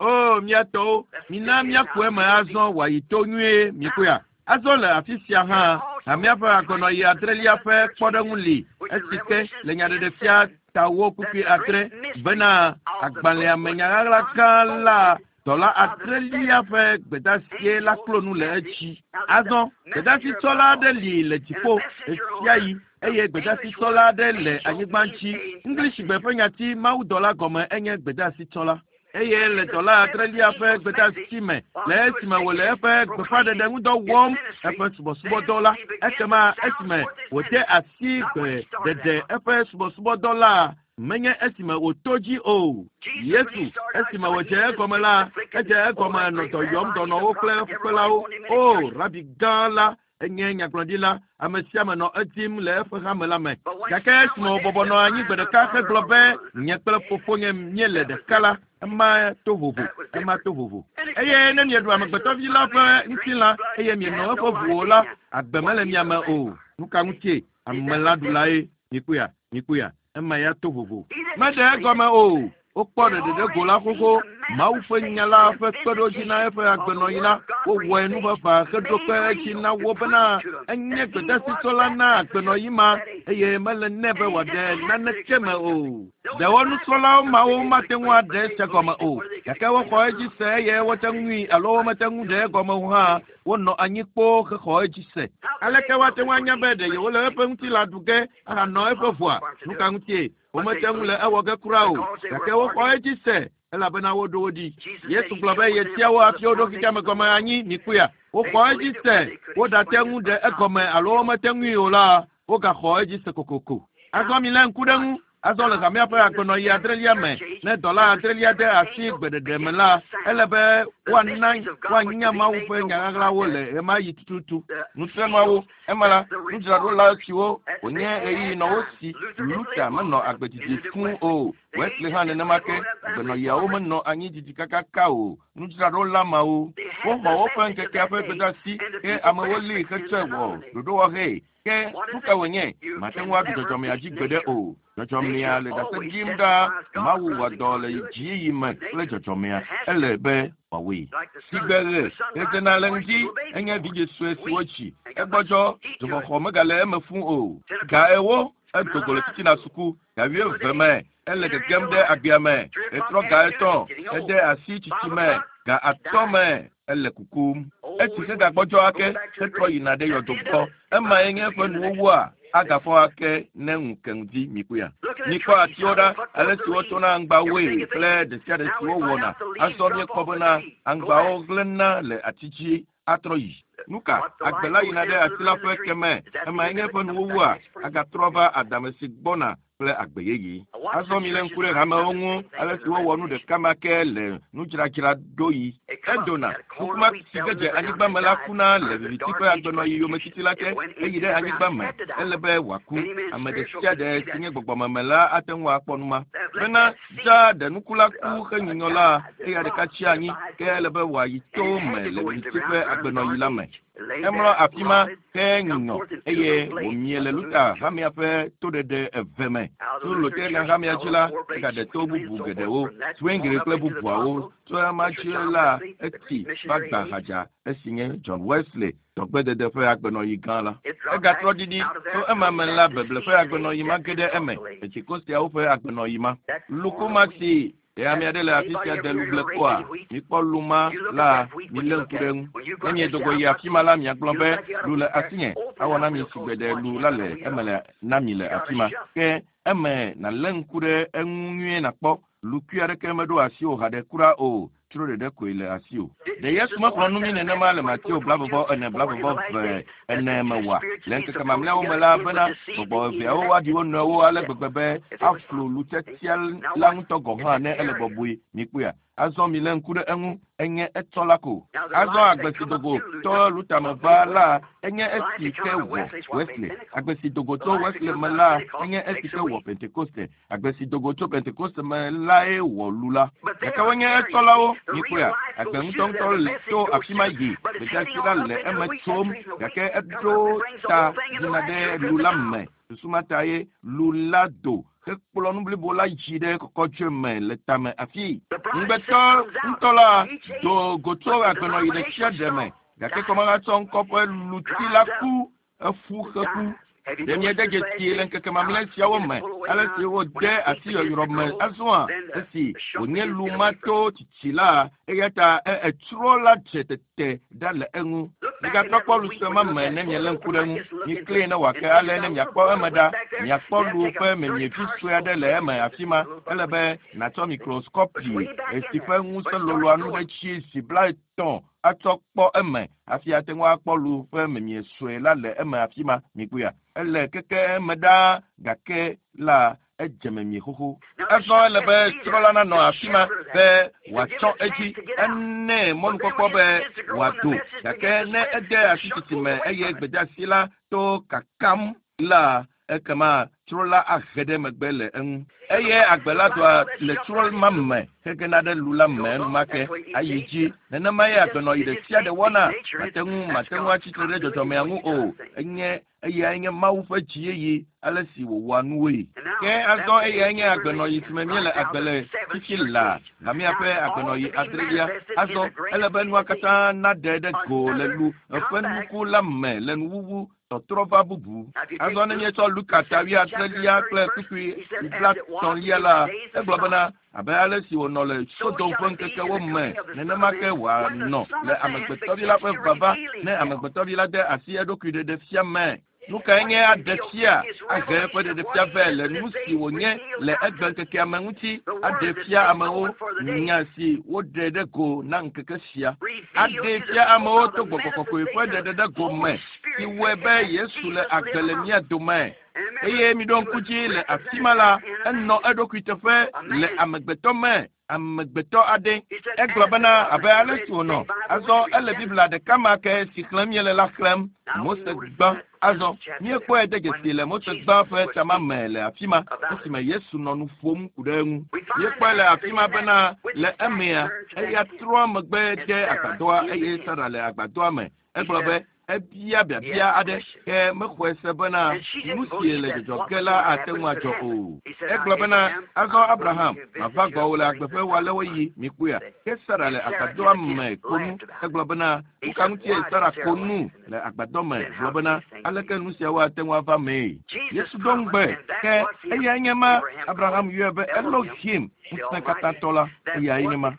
O míatɔwo, mina míaku eme azɔ wòayi to nyuie mikpɔea. Azɔ le afi sia hã hamea ƒe agbenɔyi adrelia ƒe kpɔɖeŋu li esi ke le nyaɖeɖefia tawo kpukpui adre bena agbalẽa me nyaɣaɣla gã la dɔla adrelia ƒe gbedasie la klo nu le edzi. Azɔ gbedasitsɔla aɖe li le dziƒo ɣesiaɣi eye gbedasitsɔla aɖe le anyigba dzi. Ŋglisigbe ƒe nyati mawudɔla gɔme enye gbedasitsɔla. Eye le dɔla adrelia ƒe gbedasi me le esime wòle eƒe gbeƒãɖeɖe ŋudɔ wɔm eƒe subɔsubɔdɔ la ekema esime wòde asi gbeɖeɖe eƒe subɔsubɔdɔ la menye esime wòto dzi o. Yesu esime wòdze egɔme la edze egɔme nɔ dɔ yɔm dɔnɔwo kple fukpelawo. O rabi gã la enye nyagblɔɖila ame sia ame nɔ edim le eƒe hame la me. Gake esime wòbɔbɔ nɔ anyi gbe ɖeka hegblɔ be nye kple fofonye míele ɖeka la ema to vovo ema to vovo. Eye ne mieɖu amegbetɔvi la ƒe ŋutilã eye mieno eƒe ʋu o la agbe mele mia me o. Nu ka ŋutie amelãɖulae mikpɔea mikpɔea ema ya to vovo. Meɖe egɔme o. Wokpɔ ɖeɖeɖe go la xoxo. Mawu ƒe nya la ƒe kpeɖodzi na eƒe agbenɔɣi la, wowɔe nuʋaʋã heɖo kpe edzi na wo bena enye gbedasitsɔla na agbenɔɣi ma eye mele nɛ be wòaɖe naneke me o. Ɖewo nusrɔ̃lawo mawo mate ŋu aɖe esia gɔme o, gake woxɔ edzi se eye wote ŋui alo womete ŋu ɖe egɔme o hã, wonɔ anyi kpoo hexɔ edzi se. Aleke woate ŋu anya be ɖe yewole eƒe ŋutilã ɖu ge ahanɔ eƒe ʋua? Nu ka ŋutie? Womete ŋu le ewɔ ge kura o, gake woxɔ edzi se elabena woɖo wo ɖi. Yesu gblɔ be yetia wo hafi woɖo xexeame gɔme anyi mikpɔea. Woxɔ edzi se, woɖate ŋu ɖe egɔme alo womete ŋui o la, wogaxɔ edzi se kokoko. Azɔ milé ŋku ɖe ŋu. Azɔ le hamea ƒe agbenɔɣi adrelia me, ne dɔla adrelia de asi gbeɖeɖe me la, ele be woana woanya Mawu ƒe nya ɣaɣlawo le ɣemaɣi tututu. Nutrenuawo, ema la, nudzraɖola siwo wònye ɣeyiɣi nɔ wo si. Luther menɔ agbe didi fũu o. Wesley hã nenema ke. Agbenɔɣiawo menɔ anyi didi kakaka o. Nudzraɖola mawo, woxɔ woƒe ŋkekea ƒe gbedeasi ke amewo lée hetsɔe wɔ ɖoɖowɔhee. Ke nu ka wònye? Mate ŋu aɖu dzɔdzɔmea dzi gbeɖe o. Dzɔdzɔmea le ɖase ɖim ɖaa. Mawu wɔ dɔ le dziyiyi me kple dzɔdzɔmea. Ele be wòawɔe. Sigbe ɣe ɣedzena le ŋdi enye vidzĩ sue si wodzi. Egbɔdzɔ, dzoxɔxɔ megale eme fũu o. Ga 40 edo go le titina suku. Ga 20 me ele gegem ɖe agbea me. Etrɔ ga 3 ede asi tsitsi me. Ga 5 me ele kukum. Etsi hegagbɔdzɔ ake hetrɔ yina ɖe yɔdo gbɔ. Emae nye eƒe nuwuwua agafɔ ake ne ŋu ke ŋdi mikpɔea. Mikpɔ atiwo ɖa, ale si wotsɔna aŋgbawoe kple ɖe sia ɖe si wowɔna. Azɔ míekpɔ bena aŋgbawo hlẽna le ati dzi atrɔ yi. Nu ka? Agbe la yina ɖe ati la ƒe ke me. Emae nye eƒe nuwuwua agatrɔ va adame si gbɔna kple agbe yeye. Azɔ milé ŋku ɖe hamewo ŋu, ale si wowɔ nu ɖeka ma ke le nudzradzraɖoɣi. Edona, nukuma si ge dze anyigba me la kuna le viviti ƒe agbenɔɣi yometiti la te. Eyi ɖe anyigba me. Ele be wòaku. Ame ɖe sia ɖe si nye gbɔgbɔmeme la ate ŋu akpɔ nu ma. Bena dza ɖe nuku la ku henyunyɔ la, eya ɖeka tsi anyi, ke ele be wòayi to me le viviti ƒe agbenɔɣi la me. Emlɔ afi ma henyunyɔ eye wòmie le Luther hamea ƒe toɖeɖe eve me. Tso Lutheran hamea dzi la, egaɖe to bubu geɖewo, Zwingli kple bubuawo. Tso ema dzi la, etsi va gba hadza esi nye John Wesley dɔgbedede ƒe agbenɔɣi gã la. Egatrɔ ɖiɖi tso ema me la, beble ƒe agbenɔɣi ma ge ɖe eme, Pentekosteawo ƒe agbenɔɣi ma. Lukuma si ɖe ame aɖe le afi sia de lugble kpɔa? Mikpɔ lu ma la, milé ŋku ɖe eŋu. Ne miedo go yi afi ma la, miagblɔ be lu le asinye. Awɔ na mi sigbe ɖe lu la le eme le na mi le afi ma. Ke eme nàlé ŋku ɖe eŋu nyuie nàkpɔ. Lukui aɖeke meɖo asiwò haɖe kura o. Tsro ɖeɖe koe le asiwò. Ɖe Yesu mexlɔ̃ nu mí nenema le Mateo 24 24 me oa? Le ŋkeke mamlɛawo me la bena gbɔgbɔ eveawo woaɖi wo nɔewo ale gbegbe be aflu lutsetsia la ŋutɔ gɔ̃ hã ne ele bɔbɔe. Mikpɔea? Azɔ milé ŋku ɖe eŋu. Enye etsɔ la ko. Azɔ agbe si dogo tso Luther me va la enye esi ke wɔ Wesley. Agbe si dogo tso Wesley me la enye esi ke wɔ Pentekoste. Agbe si dogo tso Pentekoste me lae wɔ lu la. Gake wonye etsɔlawo, mikpɔea? Agbe ŋutɔŋutɔ le tso afi ma yi. Gbedeasi la le eme tsom, gake eɖo ta yina ɖe lu la me. Susu ma ta ye lu la do hekplɔ nu blibo la dzi ɖe kɔkɔtsɔe me le tame afi. Ŋugbetɔ ŋutɔ la do go tso agbenɔɣi ɖe sia ɖe me, gake kɔmahatsɔ ŋkɔ ƒe luti la ku efu heku. Ɖe miede dzesi le ŋkeke mamlɛ siawo me, ale si wode asi yɔyrɔ me azɔa, esi wònye lu ma to tsitsi la, eya ta etsrɔ̃ la dze tete ɖa le eŋu. Migatrɔ kpɔ lu sue ma me ne mielé ŋku ɖe eŋu. Miklee ne wòake ale ne miakpɔ eme ɖa. Miakpɔ lu ƒe memievi sue aɖe le eme afi ma. Ele be nàtsɔ mikroskɔpi si ƒe ŋusẽ loloa nu ɖe tsi zi 30 atsɔ kpɔ eme hafi ate ŋu akpɔ lu ƒe memie sue la le eme afi ma. Mikpɔea? Ele keke eme ɖaa, gake la edze memie xoxo. Azɔ ele be trɔla nanɔ afi ma be wòatsɔ edzi. Enɛ mɔnukpɔkpɔ be wòado, gake ne ede asi tsitsi me eye gbedeasi la to kakam la, ekema Tsro la ahe ɖe megbe le eŋu. Eye agbe la doa le tsro ma me hegena ɖe lu la me enumake ayi dzi. Nenema ye agbenɔyi ɖe sia ɖe wɔna. Mate ŋu mate ŋu atsitre ɖe dzɔdzɔmea ŋu o. Enye eyae nye Mawu ƒe dziyeyi ale si wòwɔa nuwoe. Ke azɔ eyae nye agbenɔyi si me míele agbe le fifi laa, hamea ƒe agbenɔyi adrelia. Azɔ ele be nua katã naɖe ɖe go le lu ƒe nuku la me le nuwuwu tɔtrɔ va bubu. Azɔ ne míetsɔ Luka ta wuiadrelia kple kpukpui blatɔ̃lia la, egblɔ bena abe ale si wònɔ le Sodom ƒe ŋkekewo me nenema ke wòanɔ le amegbetɔvi la ƒe vava ne amegbetɔvi la de asi eɖokui ɖeɖe fia me. Nu kae nye aɖe fia ahe eƒe ɖeɖefia vɛ le nu si wònye le egbe ŋkekea me ŋuti aɖe fia amewo nya si woɖe ɖe go na ŋkeke sia. Aɖe fia amewo to gbɔgbɔ kɔkɔe ƒe ɖeɖe ɖe go me si wɔe be Yesu le agbe le mía dome. Eye miɖo ŋku dzi le afi ma la, enɔ eɖokui teƒe le amegbetɔ me, amegbetɔ aɖe. Egblɔ bena abe ale si wònɔ. Azɔ ele Biblia ɖeka ma ke si xlẽm míele la xlẽm. Mose gbã. Azɔ míekpɔe de dzesi le Mose gbã ƒe tama me le afi ma esime Yesu nɔ nu ƒom ku ɖe eŋu. Míekpɔe le afi ma bena le emea eya trɔ megbe de agbadɔa eye Sara le agbadɔa me. Egblɔ be ebia biabia aɖe ke mexɔe se bena nu si le dzɔdzɔ ge la ate ŋu adzɔ o. Egblɔ bena azɔ Abraham mava gbɔwò le agbe ƒe wòalewo yi mikpɔea. Ke Sara le agbadɔa me ko nu. Egblɔ bena nu ka ŋutie Sara ko nu le agbadɔ me gblɔ bena aleke nu siawo ate ŋu ava mee. Yesu do ŋugbe ke eyae nye ma Abraham yɔe be Elohim ŋusẽ katãtɔ la eyae nye ma.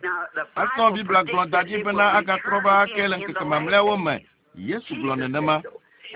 Azɔ Biblia gblɔ da ɖi bena agatrɔ va ake le ŋkeke mamlɛawo me. Yesu gblɔ nenema.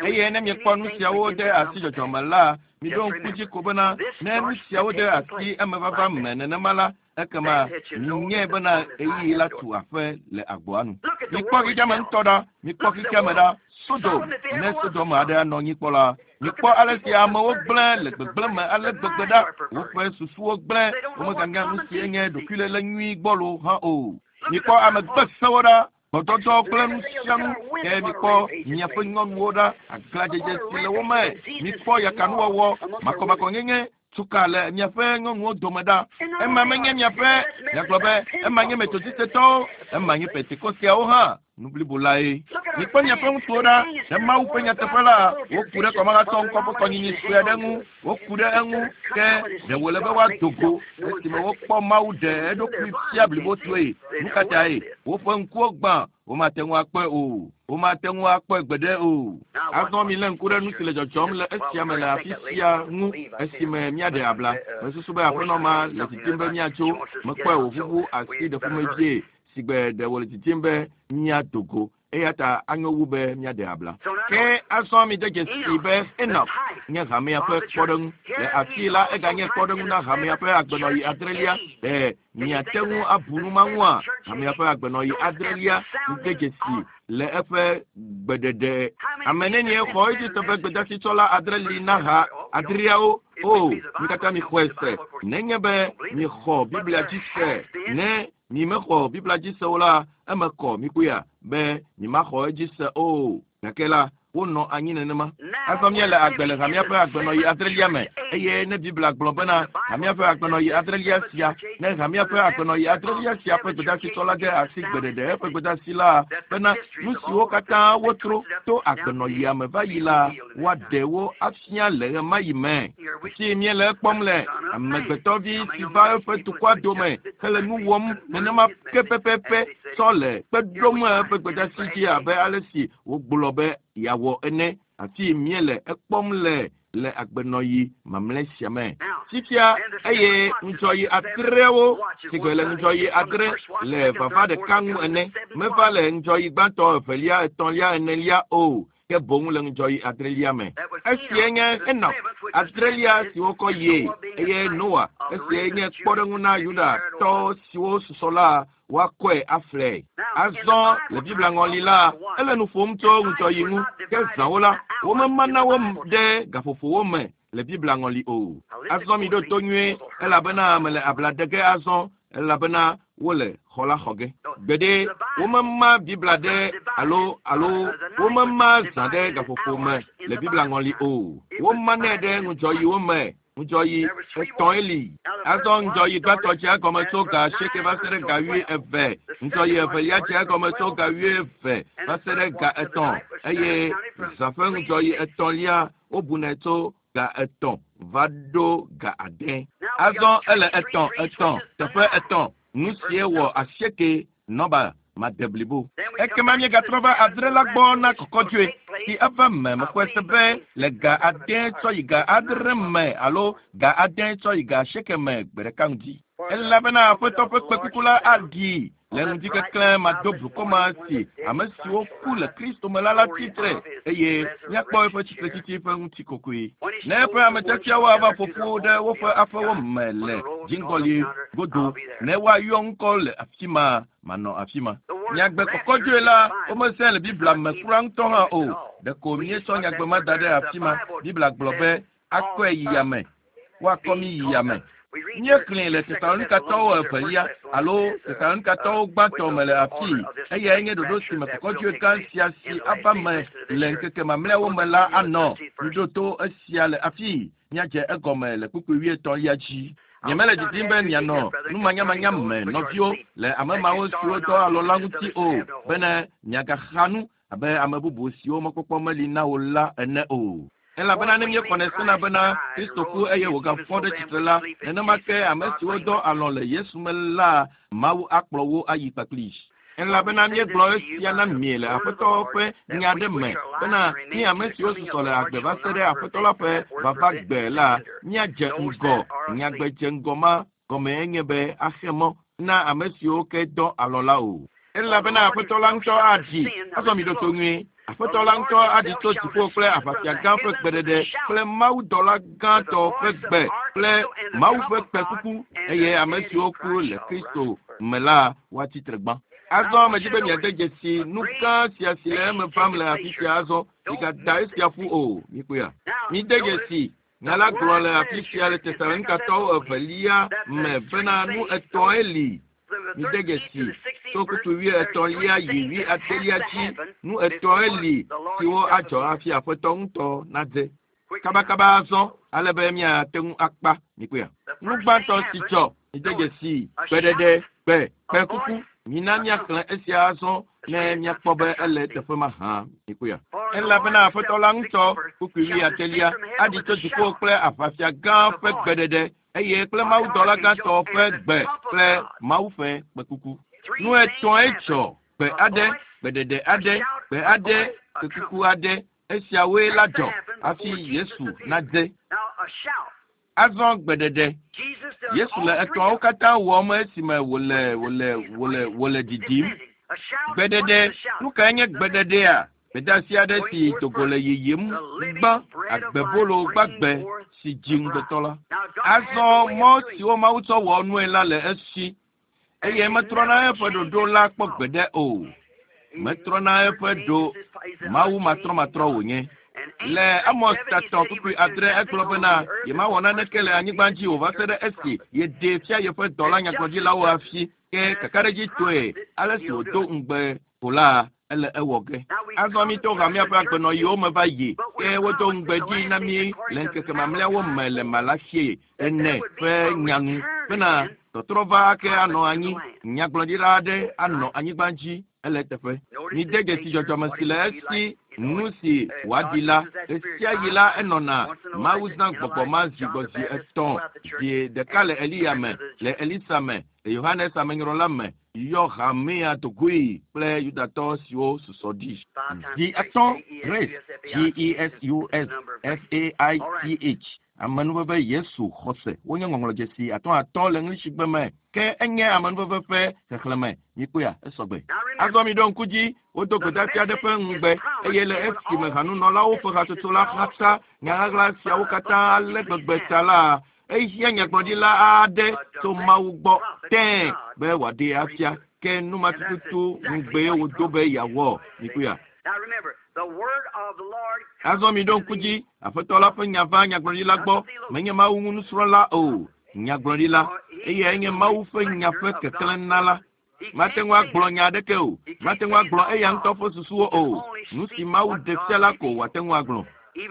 Eye ne miekpɔ nu siawo de asi dzɔdzɔme la, miɖo ŋku dzi ko bena ne nu siawo de asi emevava me nenema la, ekema minyae bena ɣeyiɣi la tu aƒe le agboa nu. Mikpɔ xexeame ŋutɔ ɖa, mikpɔ xexeame ɖa. Sodom, ne Sodom aɖe anɔ anyi kpɔ la, mikpɔ ale si amewo gblẽ le gbegblẽ me ale gbegbe ɖa. Woƒe susuwo gblẽ, womeganya nu si nye ɖokuilélé nyui gbɔlo hã o. Mikpɔ ame gbesẽwo ɖa, gbɔdɔdɔ kple nu sia nu ke mikpɔ miaƒe nyɔnuwo ɖa, aglãdzedze si le wo me. Mikpɔ yakanuwɔwɔ, makɔmakɔnyenye, tsuka le miaƒe nyɔnuwo dome ɖa. Ema menye miaƒe, miagblɔ be ema nye Metodistetɔwo, ema nye Pentekosteawo hã. Nu blibo lae. Mikpɔ miaƒe ŋutsuwo ɖa, ne Mawu ƒe nyateƒe la, woku ɖe kɔmahatɔ ŋkɔ ƒe kɔnyinyi sue aɖe ŋu, woku ɖe eŋu ke ɖe wòle be woado go esime wokpɔ Mawu ɖe eɖokui fia blibotoe. Nu ka tae? Woƒe ŋkuwo gbã, womate ŋu akpɔe o. Womate ŋu akpɔe gbeɖe o. Azɔ milé ŋku ɖe nu si le dzɔdzɔm le esia me le afi sia ŋu esime míaɖe abla. Mesusu be aƒenɔ ma le didim be míatso. Mekpɔe wòʋuʋu asi ɖe ƒomevie si gbe ɖe wòle didim be míado go. Eya ta anyo wu be míaɖe abla. Ke azɔ mide dzesi be Enoch nye hamea ƒe kpɔɖeŋu. Le afii la eganye kpɔɖeŋu na hamea ƒe agbenɔyi adrelia. Ɖe miate ŋu abu nu ma ŋua? Hamea ƒe agbenɔyi adrelia mide dzesi le eƒe gbeɖeɖe. Ame nenie xɔ edzi se be gbedasitsɔla adre li na ha adreawo? O, mi katã mixɔe se. Nenye be mixɔ Biblia dzi se, ne mi mexɔ Biblia dzi se o la, eme kɔ mikpɔea be mimaxɔ edzi se o. Gake la, wonɔ anyi nenema. Azɔ míele agbe le hamea ƒe agbenɔyi adrelia me eye ne Biblia gblɔ bena hamea ƒe agbenɔyi adrelia sia, ne hamea ƒe agbenɔyi adrelia sia ƒe gbedasitsɔla de asi gbeɖeɖe eƒe gbedasi la bena nu siwo katã wotro to agbenɔyia me va yi la, woaɖe wo afia le ɣemaɣi me. Si míele ekpɔm le amegbetɔvi si va eƒe dukɔa dome hele nu wɔm nenema ke pɛpɛpɛ tsɔ le kpe ɖom eƒe gbedasi dzi abe ale si wogblɔ be yeawɔ ene. Afi míele ekpɔm le le agbenɔyi mamlɛ sia me. Fifia eye ŋudzɔyi adreawo si gbe le ŋudzɔyi adre le vava ɖeka ŋu ene. Meva le ŋudzɔyi gbãtɔ, evelia, etɔ̃lia, enelia o. Ke boŋ le ŋudzɔyi adrelia me. Esie nye Enoch adrelia si wokɔ yie eye Noa esie nye kpɔɖeŋu na Yudatɔ siwo susɔ la woakɔe aflɛ. Azɔ le Biblia ŋɔli la, ele nu ƒom tso ŋudzɔyi ŋu. Ke zãwo la, womemana wo ɖe gaƒoƒowo me le Biblia ŋɔli o. Azɔ miɖo to nyuie elabena mele abla ɖe ge azɔ. elabena wole xɔ la xɔ ge. Gbeɖe womema Biblia ɖe alo womema zã ɖe gaƒoƒo me le Biblia ŋɔli o. Womanɛ ɖe ŋudzɔyiwo me. Ŋudzɔyi etɔ̃e li. Azɔ ŋudzɔyi gbãtɔ dze egɔme tso ga 8 va se ɖe ga 20. Ŋudzɔyi evelia dze egɔme tso ga 20 va se ɖe ga 3 eye zã ƒe ŋudzɔyi etɔ̃lia wobunɛ tso ga 3 va ɖo ga 6. Azɔ ele 3 3 teƒe 3 nu sie wɔ 8 nɔba madeblibo. Ekema míegatrɔ va 6 la gbɔ na kɔkɔdzoe si eva me mexɔe se be le ga 6 tsɔ yi ga 6 me alo ga 6 tsɔ yi ga 8 me gbe ɖeka ŋdi. Elabena Aƒetɔ ƒe kpekuku la aɖi le ŋdikeklẽ mado blukɔ ma si ame siwo ku le Kristo me la tsitre eye míakpɔ eƒe tsitretsitsi ƒe ŋutikɔkɔe. Ne eƒe ametiatiawo ava ƒo ƒu ɖe woƒe aƒewo me le dziŋgɔli godo ne woayɔ ŋkɔ le afi ma manɔ afi ma. Nyagbe kɔkɔdzoe la womesẽ le Biblia me kura ŋutɔ hã o. Ɖeko míetsɔ nyagbe ma da ɖe afi ma. Biblia gblɔ be akɔe yi yame, woakɔ mí yi yame. Míexlẽe le Tesalonikatɔwo evelia alo Tesalonikatɔwo gbãtɔ me le afii. Eyae nye ɖoɖo si me kɔkɔdzoe gã sia si ava me le ŋkeke mamlɛawo me la anɔ. Miɖo esia le afii. Míadze egɔme le kpukpui 80lia dzi. Nyemele didim be mianɔ numanyamanya me nɔviwo le ame mawo siwo dɔ alɔ la ŋuti o, bene miagaxa nu abe ame bubu siwo mɔkpɔkpɔ meli na wo la ene o. Elabena ne míexɔnɛ sena bena Kristo ku eye wògafɔ ɖe tsitre la, nenema ke ame siwo dɔ alɔ le Yesu me la, Mawu akplɔ wo ayi kpakpli. Elabena míegblɔ esia na mi le Aƒetɔ ƒe nya ɖe me bena mí ame siwo susɔ le agbe va se ɖe Aƒetɔ la ƒe vava gbe la, míadze ŋgɔ. Nyagbe dze ŋgɔ ma gɔme enye be axe mɔ na ame siwo ke dɔ alɔ la o. Elabena Aƒetɔ la ŋutɔ aɖi. Azɔ miɖo to nyuie. Aƒetɔ la ŋutɔ aɖi tso dziƒo kple aʋafia gã ƒe gbeɖeɖe kple mawudɔla gãtɔ ƒe gbe kple Mawu ƒe kpẽkuku eye ame siwo ku le Kristo me la woatsi tre gbã. Azɔ medzi be miade dzesi nu gã sia si le eme vam le afi sia azɔ. Migada esia ƒu o. Mikpɔea? Mide dzesi nya la gblɔ le afi sia le Tesalonikatɔwo evelia me bena nu etɔ̃e li. Mide dzesi tso kpukpui 80lia yi 80lia dzi. Nu etɔ̃e li siwo adzɔ hafi Aƒetɔ ŋutɔ nadze. Kabakaba azɔ ale be míate ŋu akpa. Mikpɔea? Nu gbãtɔ si dzɔ, mide dzesi gbeɖeɖe, gbe, kpẽkuku. Mina míaxlẽ esia azɔ ne míakpɔ be ele teƒe ma hã. Mikpɔea? Elabena Aƒetɔ la ŋutɔ, kpukpui 80lia, aɖi tso dziƒo kple aʋafia gã ƒe gbeɖeɖe eye kple mawudɔla gãtɔ ƒe gbe kple Mawu ƒe kpẽkuku. Nu etɔ̃e dzɔ: gbe aɖe, gbeɖeɖe aɖe, gbe aɖe, kpẽkuku aɖe. Esiawoe la dzɔ hafi Yesu nadze. Azɔ gbeɖeɖe. Yesu le etɔ̃awo katã wɔm esime wòle didim. Gbeɖeɖe. Nu kae nye gbeɖeɖea? Gbedeasi aɖe si dogo le yiyim gbã agbebolo gbagbe si dzi ŋugbetɔ la. Azɔ mɔ siwo Mawu tsɔ wɔ nue la le esi eye metrɔna eƒe ɖoɖo la kpɔ gbeɖe o. Metrɔna eƒe ɖo Mawu matrɔmatrɔ wònye. Le Amos tatɔ kpukpui 6 egblɔ bena yemawɔ naneke le anyigba dzi o va se ɖe esi yeɖee fia yeƒe dɔla nyagblɔɖilawo hafi. Ke kakaɖedzitɔe ale si wòdo ŋugbe ko la, ele ewɔ ge. Azɔ mi to hamea ƒe agbenɔyiwo me va yi ke wodo ŋugbe dzi na mí le ŋkeke mamlɛawo me le Malaxi 4 ƒe nyanu bena tɔtrɔ va ake anɔ anyi, nyagblɔɖila aɖe anɔ anyigba dzi ele teƒe. Mide dzesi dzɔdzɔme si le esi nu si wòaɖi la ɣesiaɣi la enɔna. Mawu zã gbɔgbɔ ma zi gbɔ zi 3, zi ɖeka le Eliya me, le Elisa me, le Yohanes amenyrɔla me, yɔ hamea dogoe kple Yudatɔ siwo susɔ ɖi. Zi 3 Grace, G-E-S-U-S F-A-I-T-H, amenuveve Yesu xɔse. Wonye ŋɔŋlɔdzesi 3 3 le ŋlishigbe me ke enye amenuveve ƒe xexlẽme. Mikpɔea? Esɔgbe. Azɔ miɖo ŋku dzi, wodo gbedeasi aɖe ƒe ŋugbe eye le esime hanunɔlawo ƒe hatsotso la xasa nyaɣaɣla siawo katã ale gbegbe ta la, ehiã nyagblɔɖila aɖe tso Mawu gbɔ tẽe be wòaɖee afia. Ke nu ma tututu ŋugbee wòdo be yeawɔ. Mikpɔea? Azɔ miɖo ŋku dzi, Aƒetɔ la ƒe nya va nyagblɔɖila gbɔ. Menye Mawu ŋu nusrɔ̃la o, nyagblɔɖila. Eyae nye Mawu ƒe nya ƒe keklẽnala. Mate ŋu agblɔ nya aɖeke o. Mate ŋu agblɔ eya ŋutɔ ƒe susuwo o. Nu si Mawu ɖe fia la ko wòate ŋu agblɔ.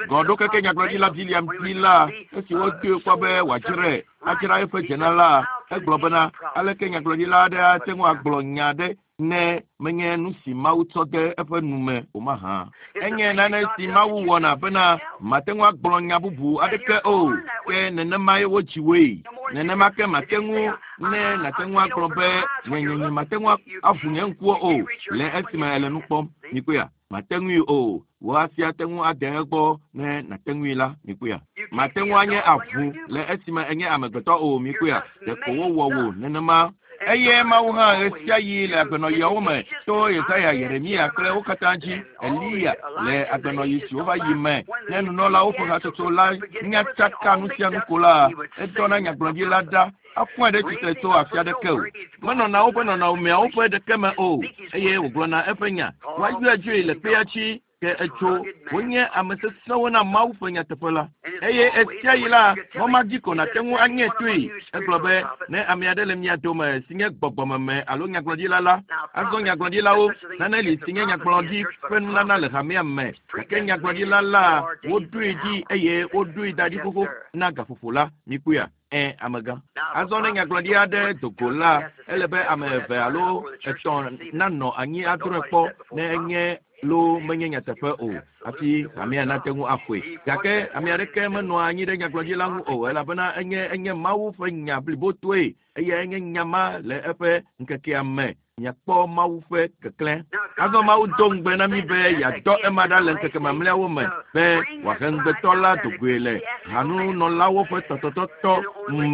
Gɔɖokeke nyagblɔɖila Biliam dzi la, esi wodoe kpɔ be wòadzrae, adzra eƒe dzena la, egblɔ bena, aleke nyagblɔɖila aɖe ate ŋu agblɔ nya aɖe ne menye nu si Mawu tsɔ de eƒe nu me o mahã? Enye nane si Mawu wɔna bena mate ŋu agblɔ nya bubu aɖeke o, ke nenemae wodzi woe. Nenema ke mate ŋu ne nàte ŋu agblɔ be nye mate ŋu aʋu nye ŋkuwo o le esime èle nu kpɔm. Mikpɔea? Mate ŋui o. Wò asi ate ŋu ade egbɔ ne nàte ŋui la. Mikpɔea? Mate ŋu anye avu le esime enye amegbetɔ o. Mikpɔea? Ɖeko wowɔ wò nenema. Eye Mawu hã ɣesiaɣi le agbenɔɣiawo me to Yesaya, Yeremia kple wo katã dzi, Eliya le agbenɔɣi siwo va yi me, ne nunɔlawo ƒe hatsotso la nya tsaka nu sia nu ko la, edɔna nyagblɔɖila ɖa afɔe ɖe tsitre tso afi aɖeke o. Menɔna woƒe nɔnɔmeawo ƒe ɖeke me o, eye wògblɔna eƒe nya. Woayɔe dzoe le kpea dzi, ke etso wonye ame sesẽwo na Mawu ƒe nyateƒe la. Eye ɣesiaɣi la, mɔ ma dzi ko nàte ŋu anye toe. Egblɔ be, ne ame aɖe le mia dome si nye gbɔgbɔmeme alo nyagblɔɖila la, azɔ nyagblɔɖilawo, nane li si nye nyagblɔɖi ƒe nunana le hamea me, gake nyagblɔɖila la, woɖoe ɖi eye woɖoe da ɖi xoxo na gaƒoƒo la. Mikpɔea? Ẽ, amegã. Azɔ ne nyagblɔɖi aɖe do go la, ele be ame eve alo etɔ̃ nanɔ anyi adrɔ̃e kpɔ ne enye lo menye nyateƒe o hafi hamea nate ŋu axɔe. Gake ame aɖeke menɔa anyi ɖe nyagblɔɖi la ŋu o, elabena enye enye Mawu ƒe nya blibotoe eyae nye nya ma le eƒe ŋkekea me. Miakpɔ Mawu ƒe keklẽ. Azɔ Mawu do ŋugbe na mí be yeadɔ ema ɖa le ŋkeke mamlɛawo me be wòahe ŋugbetɔ la dogoe le hanunɔlawo ƒe tɔtɔtɔtɔ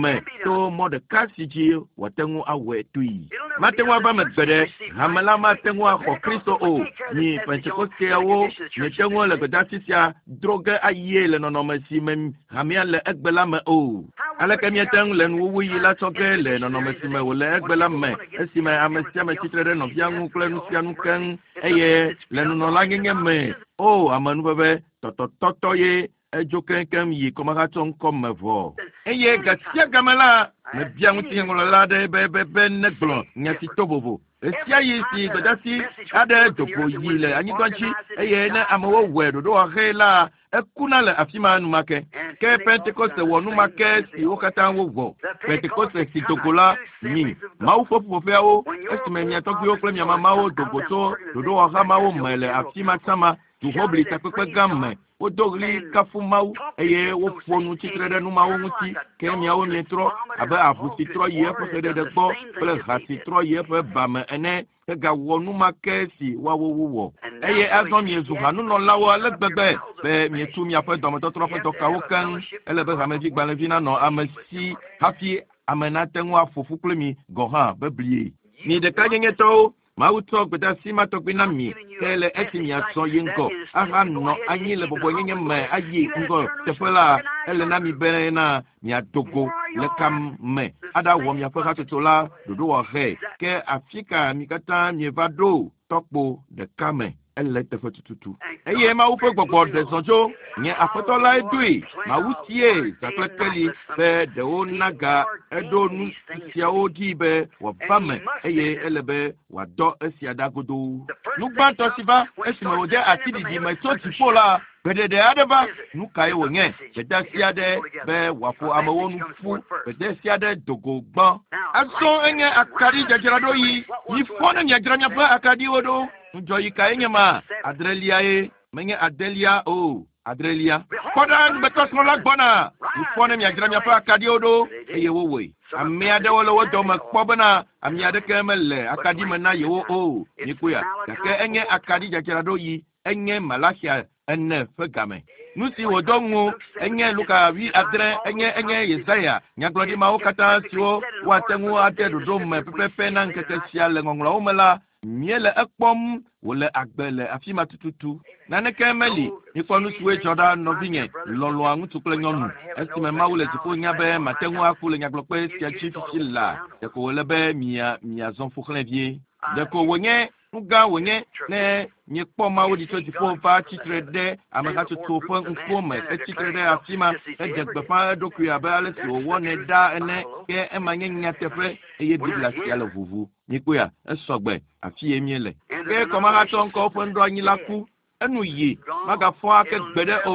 me to mɔ ɖeka si dzi wòate ŋu awɔe toe. Mate ŋu ava eme gbe ɖe hame la mate ŋu axɔ Kristo o. Mi Pentekosteawo miete ŋu le gbedeasi sia dro ge ayie le nɔnɔme si me hamea le egbe la me o. Aleke míate ŋu le nuwuwuɣi la tsɔ ge le nɔnɔme si me wòle egbe la me, esime ame sia ame tsitre ɖe nɔvia ŋu kple nu sia nu keŋ, eye le nunɔlanyenye me, o amenuveve tɔtɔtɔtɔ ye edzo keŋkeŋ yi kɔmehatsɔ ŋkɔ me vɔ. Eye gasia game la, mebia ŋutinyaŋlɔla aɖe be be be negblɔ nya si to vovo. Ɣesiaɣi si gbedeasi aɖe do go yi le anyigba dzi eye ne amewo wɔe ɖoɖowɔɣi la, ekuna le afi ma enumake. Ke Pentekoste wɔ numake si wo katã wowɔ. Pentekoste si do go la, mi, Mawu ƒe ƒuƒoƒeawo, esime mia tɔgbuiwo kple mia mamawo do go tso ɖoɖowɔha mawo me le afi ma tsã ma, duhoʋli takpekpe gã me, wodo ɣli kafu Mawu eye woƒo nu tsitre ɖe nu mawo ŋuti, ke miawo mietrɔ abe avu si trɔ yi eƒe xeɖeɖe gbɔ kple ha si trɔ yi eƒe ba me ene, hegawɔ nu ma ke si woawo wowɔ. Eye azɔ miezu hanunɔlawo ale gbegbe be mietu miaƒe dɔmetɔtrɔ ƒe dɔkawo keŋ. Ele be hamevigbalẽvi nanɔ ame si hafi ame nate ŋu aƒo ƒu kple mi gɔ̃ hã beblie. Mi ɖekanyenyetɔwo, Mawu tsɔ gbedeasi ma tɔgbi na mi, ke le esi miazɔ yi ŋgɔ ahanɔ anyi le bɔbɔenyenye me ayi ŋgɔ teƒe la, ele na mi bena miado go le ka me aɖawɔ miaƒe hatsotso la ɖoɖowɔɣe. Ke afi ka mi katã mieva ɖo tɔkpo ɖeka me? Ele teƒe tututu. Eye Mawu ƒe gbɔgbɔ ɖe zɔ tso nye aƒetɔ lae doe. Mawu sie zã kple keli be ɖewo naga eɖo nu siawo dzi be wòava me eye ele be wòadɔ esia ɖa godoo. Nu gbãtɔ si va esime wòde asi ɖiɖi me tso dziƒo la, gbeɖeɖe aɖe va. Nu kae wònye? Gbedeasi aɖe be wòaƒo amewo nu ƒu. Gbedeasi aɖe do go gbã. Azɔ enye akaɖi dzadzraɖoɣi. Mifɔ ne miadzra miaƒe akaɖiwo ɖo. Ŋudzɔɣi kae nye ma? Adreliae. Menye adelia o, adrelia. Kpɔ ɖa, ŋugbetɔsrɔ̃ la gbɔna. Mifɔ ne miadzra miaƒe akaɖiwo ɖo, eye wowɔe. Ame aɖewo le wo dome kpɔ bena ame aɖeke mele akaɖi me na yewo o. Mikpɔea? Gake enye akaɖi dzadzraɖoɣi. Enye Malaxia ene ƒe game. Nu si wòdɔ ŋu enye Luka 7, enye enye Yesaya, nyagblɔɖi mawo katã siwo woate ŋu ade ɖoɖo me pɛpɛpɛ na ŋkeke sia le ŋɔŋlɔawo me la, míele ekpɔm wòle agbe le afi ma tututu. Naneke meli. Mikpɔ nu siwoe dzɔ ɖa, nɔvinye, lɔlɔ̃a ŋutsu kple nyɔnu. Esime Mawu le dziƒo nya be mate ŋu aku le nyagblɔkpe sia dzi fifi la, ɖeko wòle be mia miazɔ ƒo xlẽ vie. Ɖeko wònye Nu gã wònye ne miekpɔ Mawu ɖi tso dziƒo va tsitre ɖe amehatsotso ƒe ŋkuwo me hetsitre ɖe afi ma heɖe gbeƒã eɖokui abe ale si wòwɔnɛ ɖaa ene ke ema nye nyateƒe eye Biblia sia le ʋuʋu. Mikpɔea, esɔgbe afi ye míele. Ke kɔmahatsɔ ŋkɔwo ƒe nuɖoanyi la ku. Enu yi magafɔ ake gbeɖe o,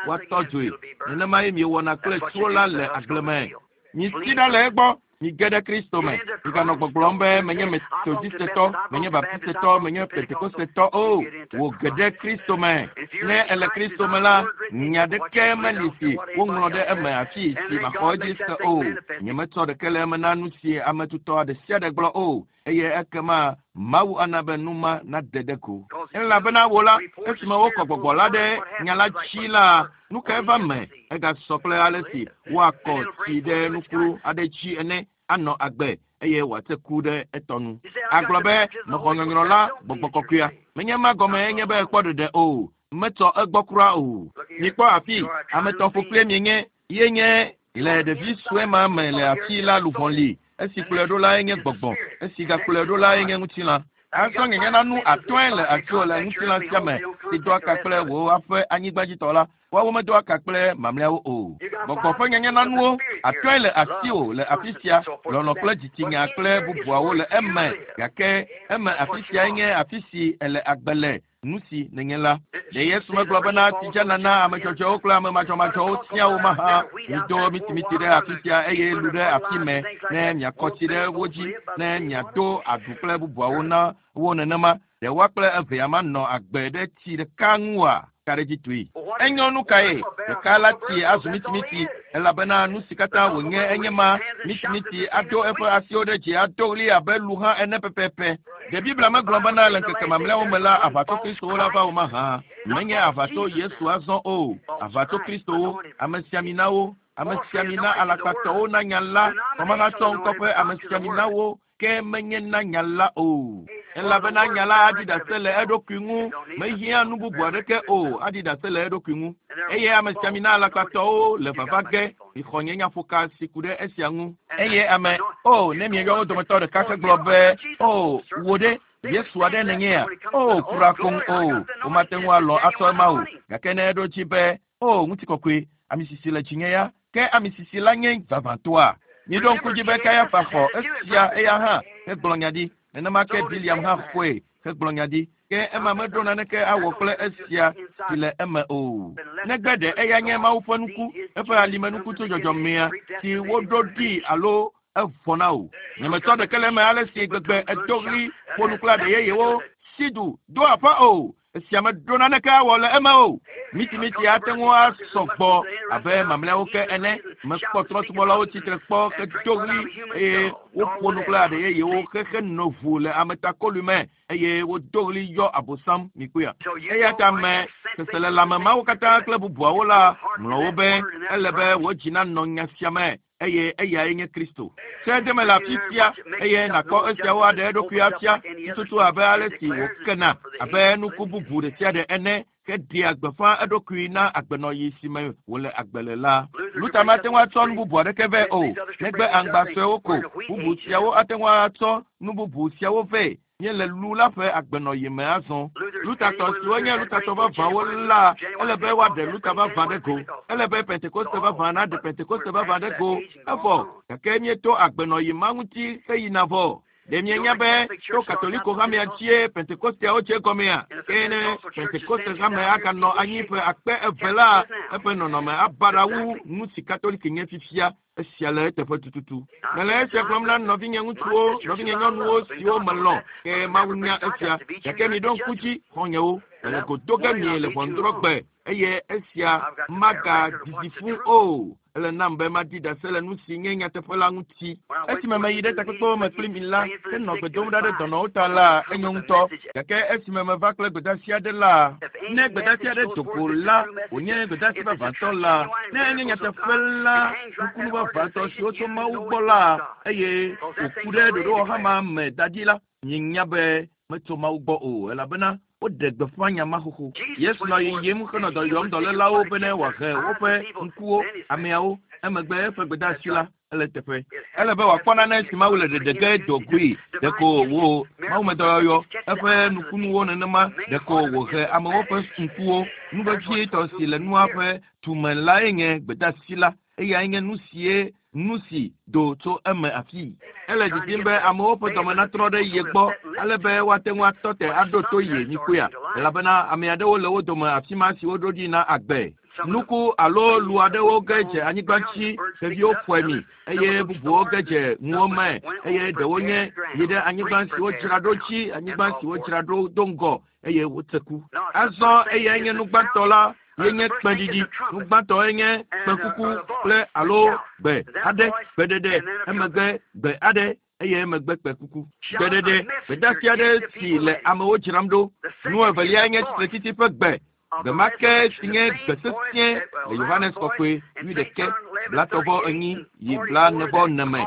woatɔ dzoe. Nenema ye miewɔna kple tsuwo la le agble me. Misi ɖa le egbɔ, mige ɖe Kristo me. Miganɔ gbɔgblɔm be menye Metodistetɔ, menye Baptistetɔ, menye Pentekostetɔ o. Wò ge ɖe Kristo me. Ne ele Kristo me la, nya ɖeke meli si woŋlɔ ɖe eme afi si maxɔ edzi se o. Nyemetsɔ ɖeke le eme na nu si ame tutɔ ɖe sia ɖe gblɔ o. Eye ekema Mawu ana be nu ma nade ɖe go. Elabena wò la, esime wokɔ gbɔgbɔ la ɖe nya la dzi la, nu kae va me? Egasɔ kple ale si woakɔ tsi ɖe nuklu aɖe dzi ene anɔ agbe eye wòate ku ɖe etɔ nu. Agblɔ be mexɔ nyɔnyrɔ la gbɔgbɔ kɔkɔea. Menye ma gɔme enye be ekpɔ ɖeɖe o. Metsɔ egbɔ kura o. Mikpɔ afi, ame etɔ̃ ƒokplie mienye ye nye le ɖevi sue ma me le afi la luʋɔ li. Esi kplɔe ɖo lae nye gbɔgbɔ, esi gakplɔe ɖo lae nye ŋutilã. Azɔ nye nanu atɔ̃e le asiwò le ŋutilã sia me si doa ka kple wò aƒe anyigbadzitɔ la. Woawo medoa ka kple mamlɛawo o. Gbɔgbɔ ƒe nyanyenanuwo atɔ̃e le asiwò le afi sia, lɔlɔ̃ kple dzitsinya kple bubuawo le eme, gake eme afi siae nye afi si ele agbe le nu si nenye la. Ɖe Yesu megblɔ bena tsidzana na ame dzɔdzɔewo kple ame madzɔmadzɔwo sia wo mahã. Mido mitimiti ɖe afi sia eye lu ɖe afi me ne miakɔ tsi ɖe wo dzi ne miado aɖu kple bubuawo na wo nenema. Ɖe woa kple evea manɔ agbe ɖe tsi ɖeka ŋua? Ka ɖe dzi tui. Enyo nu kae? Ɖeka la tsi azu mitimiti elabena nu si katã wònye enye ma. Mitimiti ado eƒe asiwo ɖe dzi ado ɣli abe lu hã ene pɛpɛpɛ. Ɖe Biblia megblɔ bena le ŋkeke mamlɛawo me la aʋatso Kristowo la va wo mahã. Menye aʋatso Yesu azɔ o. Aʋatso Kristowo, amesiaminawo, amesiamina alakpatɔwo na nya la, kɔmahatsɔ ŋkɔ ƒe amesiaminawo ke menye na nya la o. Elabena nya la aɖi ɖase le eɖokui ŋu, mehiã nu bubu aɖeke o, aɖi ɖase le eɖokui ŋu. Eye amesiamina alakpatɔwo le vava ge, mixɔ nye nyaƒoka si ku ɖe esia ŋu. Eye ame, o, ne mieyɔ wo dometɔ ɖeka hegblɔ be, o, wò ɖe, Yesu aɖe nenyea? O, kura koŋ o, womate ŋu alɔ̃ atsɔ ema o. Gake ne eɖo dzi be, o, ŋutikɔkɔe, ame sisi le dzinye ya, ke ame sisi la nye vavãtɔa? Miɖo ŋku dzi be Kayafa xɔ esia eya hã hegblɔ nya ɖi. Nenema ke Biliam hã xɔe hegblɔ nya ɖi. Ke ema meɖo naneke awɔ kple esia si le eme o. Negbe ɖe eya nye Mawu ƒe nuku, eƒe alimenuku tso dzɔdzɔmea si woɖo ɖi alo evɔ na o. Nyemetsɔ ɖeke le eme ale si gbegbe edo ɣli ƒo nu kple aɖe yeyewo si du do aƒe o. Esia meɖo naneke awɔ le eme o. Mitimiti ate ŋu asɔ gbɔ abe mamlɛawo ke ene. Mekpɔ trɔ̃subɔlawo tsitre kpɔ hedo ɣli eye woƒo nu kple aɖe yeyewo xexe nɔ ʋu le ametakoliʋi me eye wodo ɣli yɔ abosam mikpɔea. Eya ta me seselelãme mawo katã kple bubuawo la ŋlɔ wo be ele be wò dzi nanɔ nya sia me eye eyae nye Kristo. Se deme le afi sia eye nàkpɔ esiawo aɖe eɖokui afia tututu abe ale si wòkena abe nuku bubu ɖe sia ɖe ene heɖea gbeƒã eɖokui na agbenɔɣi si me wòle agbe le la. Luther mate ŋu atsɔ nu bubu aɖeke vɛ o, negbe aŋgba suewo ko. Bubu siawo ate ŋu atsɔ nu bubu siawo vɛ. Míele lu la ƒe agbenɔɣi me azɔ. Luthertɔ siwo nye Luthertɔ vavãwo la, ele be woaɖe Luther vavã ɖe go. Ele be Pentekoste vavã naɖe Pentekoste vavã ɖe go. Evɔ, gake míeto agbenɔɣi ma ŋuti heyina vɔ. Ɖe mienya be to Katoliko hamea dzie Pentekosteawo dze gɔmea? Ke ne Pentekoste hame aganɔ anyi ƒe akpe eve la, eƒe nɔnɔme abaɖa wu nu si Katoliki nye fifia. Esia le eteƒe tututu. Mele esia gblɔm na nɔvinye ŋutsuwo, nɔvinye nyɔnuwo siwo melɔ̃, ke Mawu nya esia. Gake miɖo ŋku dzi, xɔ̃nyewo, mele go do ge mie le ʋɔnudrɔ̃gbe eye esia magadidi fũu o. Ele nam be madi ɖase le nu si nye nyateƒe la ŋuti. Esime meyi ɖe takpekpewo me kpli mi la, henɔ gbe dom ɖa ɖe dɔnɔwo ta la, enyo ŋutɔ. Gake esime meva kple gbedeasi aɖe la, ne gbedeasi aɖe do go la, wònye gbedeasi vavãtɔ la, ne enye nyateƒe la, nukunu vavãtɔ siwo tso Mawu gbɔ la, eye wòku ɖe ɖoɖowɔhama me da ɖi la, mienya be metso Mawu gbɔ o, elabena woɖe gbeƒã nya ma xoxo. Yesu nɔ yiyim henɔ dɔ yɔm dɔlélawo bene wòahe woƒe ŋkuwo, ameawo, emegbe eƒe gbedeasi la ele teƒe. Ele be wòakpɔ nane si Mawu le ɖeɖe ge do goe. Ɖeko wò Mawumedɔyɔyɔ, eƒe nukunuwo nenema ɖeko wòhe amewo ƒe ŋkuwo. Nu vevietɔ si le nua ƒe tume lae nye gbedeasi la. Eyae nye nu sie nu si do tso eme afii. Ele didim be amewo ƒe dɔme natrɔ ɖe ye gbɔ ale be woate ŋu atɔ te aɖo to ye mikpɔea, elabena ame aɖewo le wo dome afi ma siwo ɖo ɖi na agbe. Nuku alo lu aɖewo ge dze anyigba dzi, xeviwo ƒoe mi, eye bubuwo ge dze ŋuwo me, eye ɖewo nye yi ɖe anyigba si wodzra ɖo dzi, anyigba si wodzra ɖo do ŋgɔ, eye wotse ku. Azɔ eyae nye nu gbãtɔ la ye nye kpẽɖiɖi. Nu gbãtɔ nye kpẽkuku kple alo gbe aɖe, gbeɖeɖe, emegbe gbe aɖe eye emegbe kpẽkuku. Gbeɖeɖe, gbedeasi aɖe si le amewo dzram ɖo. Nu evelia nye tsitretsitsi ƒe gbe. Gbe ma ke si nye gbe sesĩe le Yohanes Kɔkɔe wuiɖekɛ, blatɔ̃-vɔ-enyi yi blaene-vɔ-ene me,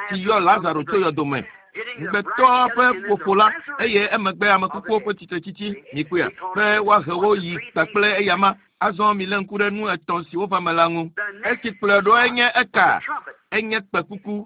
si yɔ Lazaro tso yɔdo me. Ŋugbetɔ ƒe ƒoƒo la, eye emegbe ame kukuwo ƒe tsitretsitsi, mikpɔea, be woahe wo yi kpakple eyama. Azɔ milé ŋku ɖe nu etɔ̃ siwo va me la ŋu. Esi kplɔe ɖoe nye eka? Enye kpẽkuku,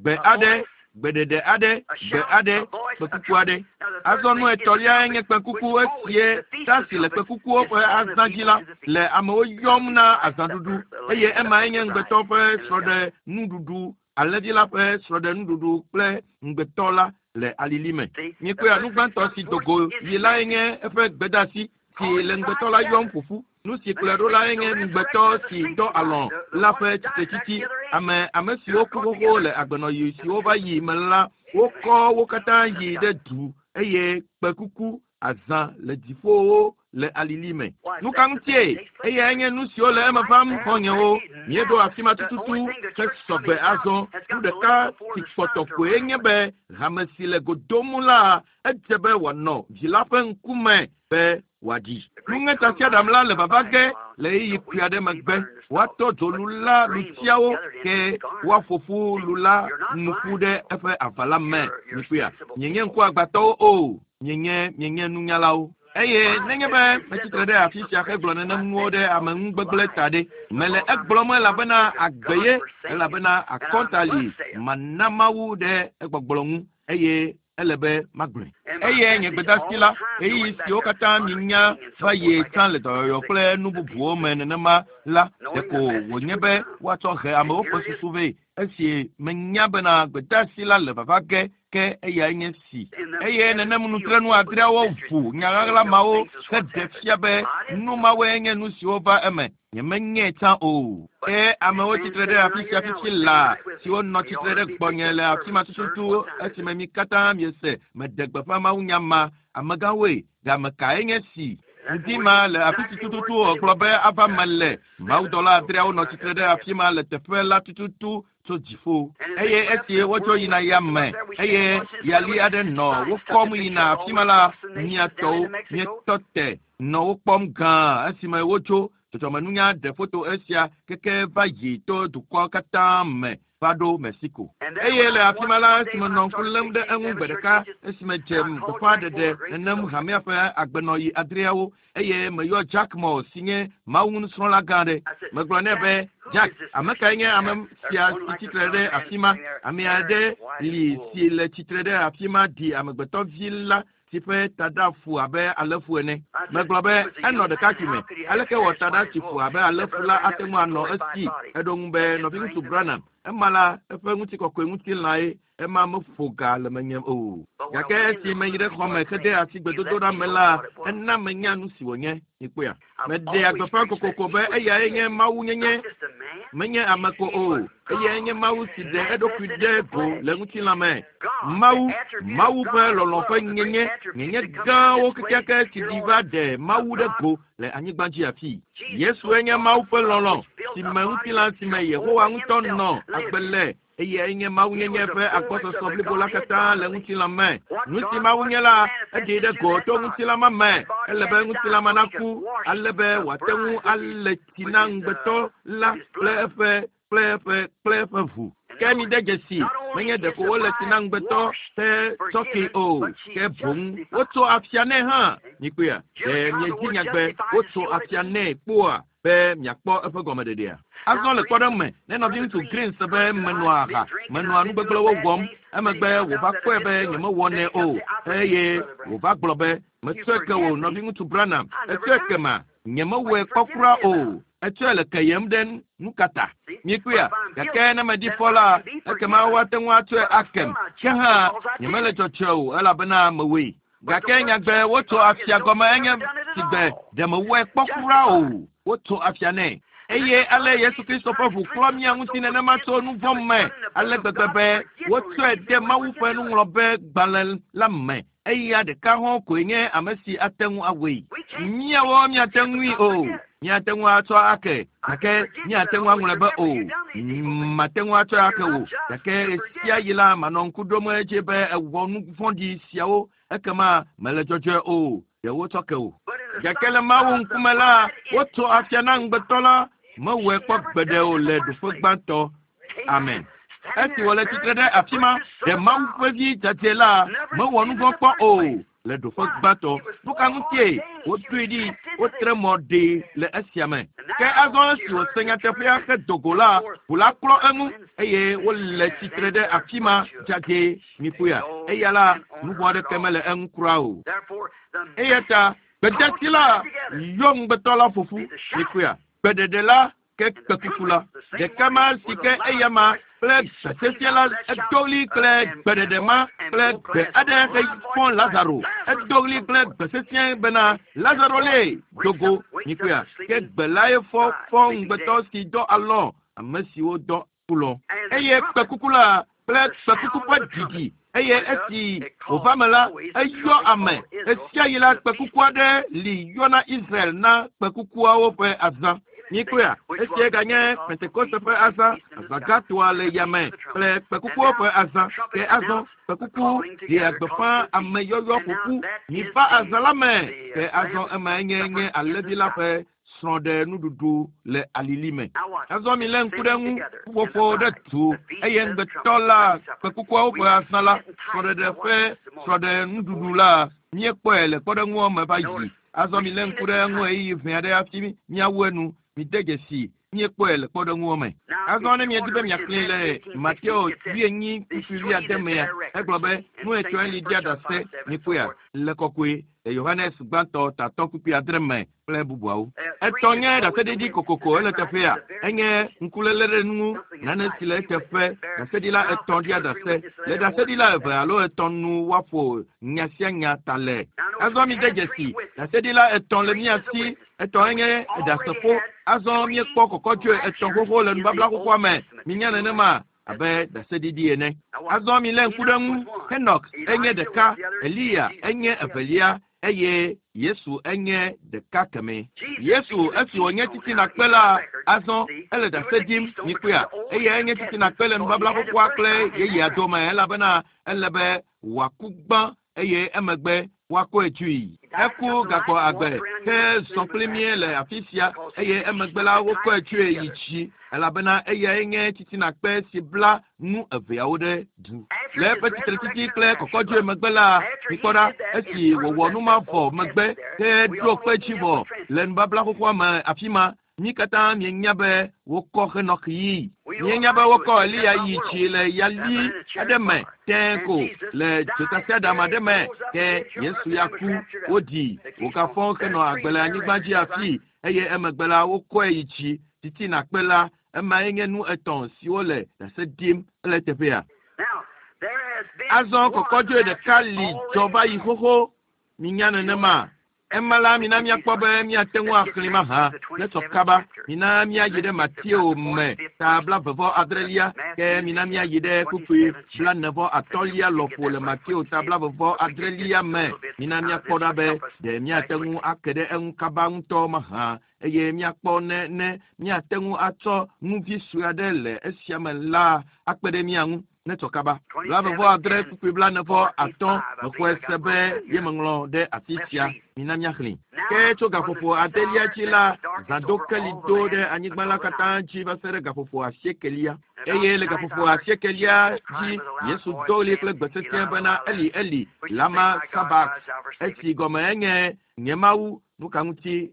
gbe aɖe, gbeɖeɖe aɖe, gbe aɖe, kpẽkuku aɖe. Azɔ nu etɔ̃liae nye kpẽkuku esie ta si le kpẽkukuwo ƒe azã dzi la le amewo yɔm na azãɖuɖu, eye emae nye ŋugbetɔ ƒe srɔ̃ɖenuɖuɖu Alẽvi la ƒe srɔ̃ɖenuɖuɖu kple ŋugbetɔ la le alili me. Míekpɔea, nu gbãtɔ si do go yi lae nye eƒe gbedeasi si le ŋugbetɔ la yɔm ƒo ƒu. Nu si kplɔe ɖo lae nye ŋugbetɔ si dɔ alɔ̃ la ƒe tsitretsitsi. Ame ame siwo ku xoxo le agbenɔɣi siwo va yi me la, wokɔ wo katã yi ɖe du eye kpẽkuku azã le dziƒowo le alili me. Nu ka ŋutie? Eyae nye nu siwo le eme vam, xɔ̃nyewo. Míeɖo afi ma tututu hesɔ gbe azɔ. Nu ɖeka si kpɔtɔ koe nye be hame si le go dom la, edze be wòanɔ vi la ƒe ŋkume be wòaɖi. Nuŋetasiaɖam la le vava ge le ɣeyiɣi kpui aɖe megbe. Woatɔ dzo lu la lutiawo ke woaƒo ƒu lu la nu ƒu ɖe eƒe aʋala me. Mikpɔea? Mienye ŋkuagbãtɔwo o. Mienye, mienye nunyalawo. Eye nenye be metsi tre ɖe afi sia hegblɔ nenem nuwo ɖe ameŋugbegblẽ ta ɖe, mele egblɔm elabena agbe ye, elabena akɔnta li mana Mawu ɖe egbɔgblɔ ŋu, eye ele be magblɔe. Eye nye gbedeasi la, ɣeyiɣi siwo katã minya va yi tsã le dɔyɔyɔ kple nu bubuwo me nenema la, ɖeko wònye be woatsɔ he amewo ƒe susu vɛ esi menya bena gbedeasi la le vava ge ke eyae nye si. Eye nenem nutrenu adreawo ʋu nya ɣaɣla mawo heɖe fia be nu mawoe nye nu siwo va eme. Nyemenyae tsã o. Ke amewo tsitre ɖe afi sia fifi laa siwo nɔ tsitre ɖe gbɔnye le afi ma tututu esime mi katã miese meɖe gbeƒã mawunya ma. Amegãwoe, game kae nye si? Ŋdi ma le afi si tututu wògblɔ be ava me le. Mawudɔla adreawo nɔ tsitre ɖe afi ma le teƒe la tututu tso dziƒo. Eye esi wodzo yina yame eye yali aɖe nɔ wo kɔm yina afi ma la, mia tɔwo mietɔ te nɔ wo kpɔm gãa esime wotso. Dzɔdzɔmenunya ɖe foto esia keke va yi to dukɔ katã me va ɖo Mexico. Eye le afi ma la, esime nɔ ŋku lém ɖe eŋu gbe ɖeka esime dze gbeƒãɖeɖe nenem hamea ƒe agbenɔɣi adreawo eye meyɔ Jack Moore si nye Mawu nusrɔ̃la gã aɖe. Megblɔ nɛ be, Jack, ame kae nye ame sia si tsitre ɖe afi ma? Ame aɖe li si le tsitre ɖe afi ma ɖi amegbetɔvi la si ƒe taɖa fu abe alẽfu ene. Megblɔ be, enɔ ɖekakpui me. Aleke wɔ taɖa si fu abe alẽfu la ate ŋu anɔ esi? Eɖo ŋu be, Nɔviŋutsu Branham, ema la eƒe ŋutikɔkɔe ŋutilãe, ema meƒo ga le menye o. Gake esi meyi ɖe xɔme hede asi gbedodoɖa me la, ena menya nu si wònye. Mikpɔea? Meɖea gbeƒã kokoko be eyae nye Mawu nyenye, menye ame ko o. Eyae nye Mawu si ɖe eɖokui ɖe go le ŋutilã me. Mawu, Mawu ƒe lɔlɔ̃ ƒe nyenye, nyenye gãwo kekeake si ɖi va ɖe Mawu ɖe go le anyigba dzi afii. Yesue nye Mawu ƒe lɔlɔ̃ si me ŋutilã si me Yehowa ŋutɔ nɔ agbe le eyae nye Mawu nyenye ƒe agbɔsɔsɔ blibo la katã le ŋutilã me. Nu si Mawu nye la, eɖee ɖe go to ŋutilã ma me. Ele be ŋutilã ma naku ale be wòate ŋu alé tsi na ŋugbetɔ la kple eƒe kple eƒe kple eƒe ʋu. Ke mide dzesi, menye ɖeko wole tsi na ŋugbetɔ ƒe tsɔkɛ o, ke boŋ wotso afia nɛ hã. Mikpɔea? Ɖe miedzi nyagbe wotso afia nɛ kpoa? Be miakpɔ eƒe gɔmeɖeɖea. Azɔ le kpɔɖeŋu me, ne nɔviŋutsu Green se be menɔa aha, menɔa nu gbegblẽwo wɔm, emegbe wòva kpɔe be nyemewɔnɛ o, eye wòva gblɔ be, Metsɔe ke wò, nɔviŋutsu Branham, etsɔe ke ma, nyemewɔe kpɔ kura o. Etsɔe le keyem ɖe nu ka ta? Mikpɔea? Gake ne meɖi fɔ la, ekema woate ŋu atsɔe akem. Ke hã, nyemele dzɔdzɔe o, elabena mewɔe. Gake nyagbe wotso afia gɔme enye sigbe ɖe mewɔe kpɔ kura o. Wotso afia nɛ. Eye ale Yesu Kristo ƒe ʋu klɔ mía ŋuti nenema tso nu vɔ̃ me ale gbegbe be wotsɔe de Mawu ƒe nuŋlɔbe gbalẽ la me. Eya ɖeka hɔ̃ koe nye ame si ate ŋu awɔe. Míawo míate ŋui o. Míate ŋu atsɔ ake, gake míate ŋu aŋlɔe be o. Mate ŋu atsɔe ake o, gake ɣesiaɣi la manɔ ŋku ɖom edzi be ewɔ nu vɔ̃ɖi siawo, ekema mele dzɔdzɔe o. Ɖe wotsɔ ke o. Gake le Mawu ŋkume la, wotso afia na ŋugbetɔ la, mewɔe kpɔ gbeɖe o le ɖoƒe gbãtɔ. Amen. Esi wòle tsitre ɖe afi ma, ɖe Mawu ƒe vi dzadzɛ la mewɔ nu vɔ̃ kpɔ o le ɖoƒe gbãtɔ. Nu ka ŋutie woɖoe ɖi, wotre mɔ ɖee le esia me? Ke azɔ esi wòse nyateƒea hedo go la, ʋu la klɔ eŋu eye wole tsitre ɖe afi ma dzadzɛ. Mikpɔea? Eya la, nu vɔ̃ aɖeke mele eŋu kura o. Eya ta gbedasi la yɔ ŋugbetɔ la ƒo ƒu. Mikpɔea? Gbeɖeɖe la ke kpekuku la. Ɖeka ma si ke eya ma kple gbe sesẽ la edo ɣli kple gbeɖeɖe ma kple gbe aɖe hefɔ Lazaro. Edo ɣli kple gbe sesẽ bena, Lazaro lee, do go. Mikpɔea? Ke gbe lae fɔ fɔ ŋugbetɔ si dɔ alɔ̃ ame siwo dɔ kulɔ. Eye kpekuku la kple kpekuku ƒe ɖiɖi eye esi wòva me la, eyɔ ame. Ɣesiaɣi la, kpekuku aɖe li yɔna Israel na kpekukuawo ƒe azã. Mikpɔea? Esia ganye Pentekoste ƒe azã, azã gãtɔa le yame kple kpekukuawo ƒe azã. Ke azɔ kpekuku ɖea gbeƒã ameyɔyɔ ƒoƒu. Miva azã la me. Ke azɔ emae nye nye alẽvi la ƒe srɔ̃ɖenuɖuɖu le alili me. Azɔ milé ŋku ɖe eŋu, ƒuƒoƒo ɖe du, eye ŋugbetɔ la, kpekukuawo ƒe azã la, srɔ̃ɖeɖe ƒe srɔ̃ɖenuɖuɖu la, míekpɔe le kpɔɖeŋua me va yi. Azɔ milé ŋku ɖe eŋu ɣeyiɣi ʋɛ aɖe hafi míawu enu. Mide dzesi, míekpɔe le kpɔɖeŋua me. Azɔ ne miedi be miaxlẽe le Mateo wuienyi kpukpui wuiade mea, egblɔ be, Nu etɔ̃e li ɖia ɖase, mikpɔea, le kɔkɔe, le Yohanes gbãtɔ tatɔ kpukpui adre me kple bubuawo. Etɔ̃ nye ɖaseɖiɖi kokoko ele teƒea. Enye ŋkuléle ɖe nu ŋu, nane si le eteƒe. Ɖaseɖila etɔ̃ ɖia ɖase. Le ɖaseɖila eve alo etɔ̃ nu woaƒo nya sia nya ta le. Azɔ mide dzesi, ɖaseɖila etɔ̃ le mía si. Etɔ̃e nye ɖasefo. Azɔ míekpɔ kɔkɔdzoe etɔ̃ xoxo le nubabla xoxoa me. Minya nenema? abe ɖaseɖiɖi ene. Azɔ milé ŋku ɖe eŋu. Henok enye ɖeka, Eliya enye evelia, eye Yesu enye ɖeka kemɛ. Yesu, esi wònye titinakpe la, azɔ ele ɖase ɖim, mikpɔea, eyae nye titinakpe le nubabla xoxoa kple yeyea dome, elabena ele be wòaku gbã eye emegbe woakɔe dzoe. Eku gagbɔ agbe ke zɔ kpli mí le afi sia eye emegbe la wokɔe dzoe yi dzi elabena eyae nye titinakpe si bla nu eveawo ɖe du. Le eƒe tsitretsitsi kple kɔkɔdzoe megbe la, mikpɔ ɖa, esi wòwɔ nu ma vɔ megbe ke ɖo kpe dzi vɔ le nubabla xoxoa me afi ma, Mí katã míenya be wokɔ Henɔk yii. Míenya be wokɔ Eliya yi dzi le yali aɖe me tẽe ko le dzotasiaɖam aɖe me, ke Yesu ya ku, woɖii, wògafɔ henɔ agbe le anyigba dzi afii, eye emegbe la wokɔe yi dzi titina kpe la. Emae nye nu etɔ̃ siwo le ɖase ɖim ele eteƒea. Azɔ kɔkɔdzoe ɖeka li dzɔ va yi xoxo. Minya nenema? Ema la, mina míakpɔ be míate ŋu axlẽe mahã. Ne sɔ kaba, mina míayi ɖe Mateo me ta blaeve vɔ adrelia, ke mina míayi ɖe kpukpui blaene vɔ atɔ̃lia lɔƒo le Mateo ta blaeve vɔ adrelia me. Mina míakpɔ ɖa be ɖe míate ŋu ake ɖe eŋu kaba ŋutɔ mahã, eye míakpɔ ne ne míate ŋu atsɔ nu vi sue aɖe le esia me la akpe ɖe mía ŋu. Ne tsɔ kaba. 25 kpukpui 45 mexɔe se be ye meŋlɔ ɖe afi sia. Mina míaxlẽe. Ke tso gaƒoƒo adelia dzi la, zã do keli do ɖe anyigba la katã dzi va se ɖe gaƒoƒo asiekelia. Eye le gaƒoƒo asiekelia dzi, Yesu do ɣli kple gbe sesẽ bena, Eli, Eli, lama sabak, esi gɔme enye, Nye Mawu, nu ka ŋuti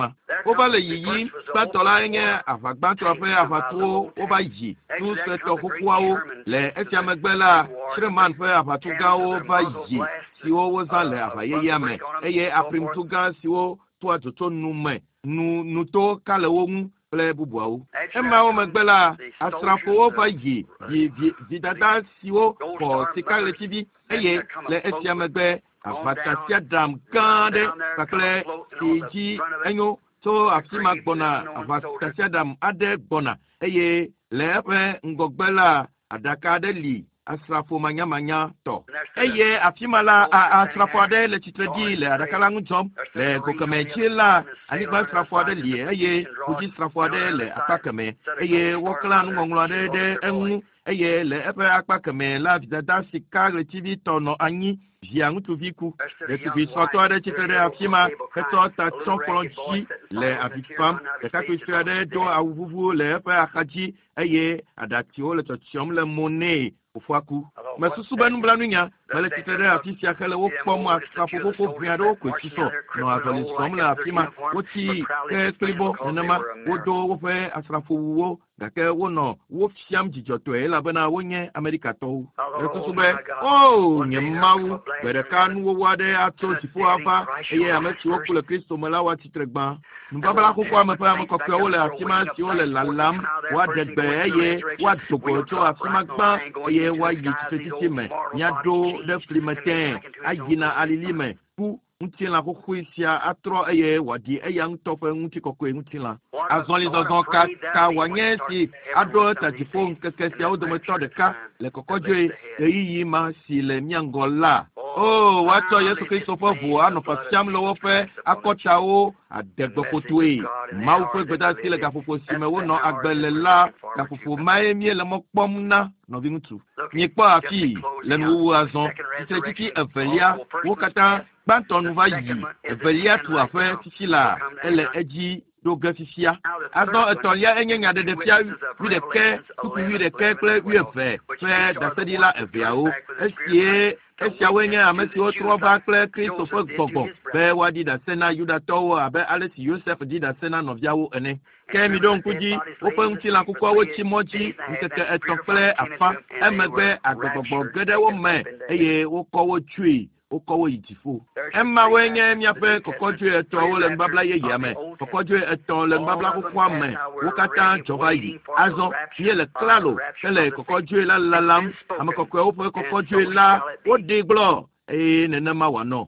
ma. Wova le yiyim. Gbãtɔ la enye aʋagbãtɔa ƒe aʋatuwo wova yi tu suetɔ xoxoawo. Le esia megbe la, Sherman ƒe aʋatu gãwo va yi siwo wozã le aʋa yeyea me eye aprimtu gã siwo toa dzo tso nu me nu nuto ka le wo ŋu kple bubuawo. Emawo megbe la, asrafowo va yi vi vi vidada siwo xɔ sikaɣletivi eye le esia megbe aʋatasiaɖam gã aɖe kpakple si dzi enyo tso afi ma gbɔna aʋatasiaɖam aɖe gbɔna eye le eƒe ŋgɔgbe la aɖaka aɖe li asrafo manyamanya tɔ eye afi ma la asrafo aɖe le tsitre ɖi le aɖaka la ŋu dzɔm le go kemɛ dzi la anyigba srafo aɖe li eye ƒudzisrafo aɖe le akpa kemɛ eye woklã nuŋɔŋlɔ aɖe ɖe eŋu eye le eƒe akpa kemɛ la vidada sika ɣletivi tɔ nɔ anyi via ŋutsuvi ku. Ɖetugbui srɔ̃tɔ aɖe tsitre ɖe afi ma hetsɔ ta tsɔ kplɔ dzi le avi fam. Ɖekakpui sue aɖe do awu vuvu le eƒe axadzi eye aɖatsiwo le tsɔtsiɔm le mo nɛ fofoa ku. Mesusu be nublanuinya mele tsitre ɖe afi sia hele wo kpɔm asrafo xoxo ʋɛ aɖewo koe susɔ nɔ azɔli zɔm le afi ma. Wotsi ke kplibɔ nenema wodo woƒe asrafowuwo gake wonɔ wo fiam dzidzɔtɔe elabena wonye Amerikatɔwo. Mesusu be, o nye Mawu, gbe ɖeka nuwɔwɔ aɖe atso dziƒo ava eye ame siwo ku le Kristo me la woatsitre gbã. Nubabla xoxoa me ƒe ame kɔkɔewo le afi ma siwo le lalam woaɖe gbe eye woado go tso afi ma gbã eye woayi tsitretsitsi me. Míaɖo ɖe fli me tẽe ayina alili me ku ŋutilã xoxoe sia atrɔ eye wòaɖi eya ŋutɔ ƒe ŋutikɔkɔe ŋutilã. Azɔlizɔzɔ ka ka wòanye si aɖo ta dziƒo ŋkeke siawo dometɔ ɖeka le kɔkɔdzoe ɣeyiɣi ma si le mía ŋgɔ la. O, woatsɔ Yesu Kristo ƒe ʋu anɔ fiafiam le woƒe akɔtawo adegbeƒotoe. Mawu ƒe gbedeasi le gaƒoƒo si me wonɔ agbe le la, gaƒoƒo mae míele mɔ kpɔm na nɔviŋutsu. Míekpɔ afii le nuwuwu azɔ tsitretsitsi evelia wo katã gbãtɔ nu va yi evelia tu aƒe fifi la ele edzi ɖo ge fifia. Azɔ etɔ̃lia enye nyaɖeɖefia wuiɖekɛ, kpukpui wuiɖekɛ kple wuieve ƒe ɖaseɖila eveawo. Esie esiawoe nye ame siwo trɔ va kple Kristo ƒe gbɔgbɔ be woaɖi ɖase na Yudatɔwo abe ale si Yosef ɖi ɖase na nɔviawo ene. Ke miɖo ŋku dzi, woƒe ŋutilã kukuawo tsi mɔ dzi ŋkeke etɔ̃ kple afã. Emegbe agbegbɔgbɔ ge ɖe wo me eye wokɔ wo tsoe wokɔ wo yi dziƒo. Emawoe nye míaƒe kɔkɔdzoe etɔ̃awo le nubabla yeyea me. Kɔkɔdzoe etɔ̃ le nubabla xoxoa me. Wo katã dzɔ va yi. Azɔ míele klalo hele kɔkɔdzoe la lalam. Ame kɔkɔewo ƒe kɔkɔdzoe la woɖee gblɔ eye nenema wòanɔ.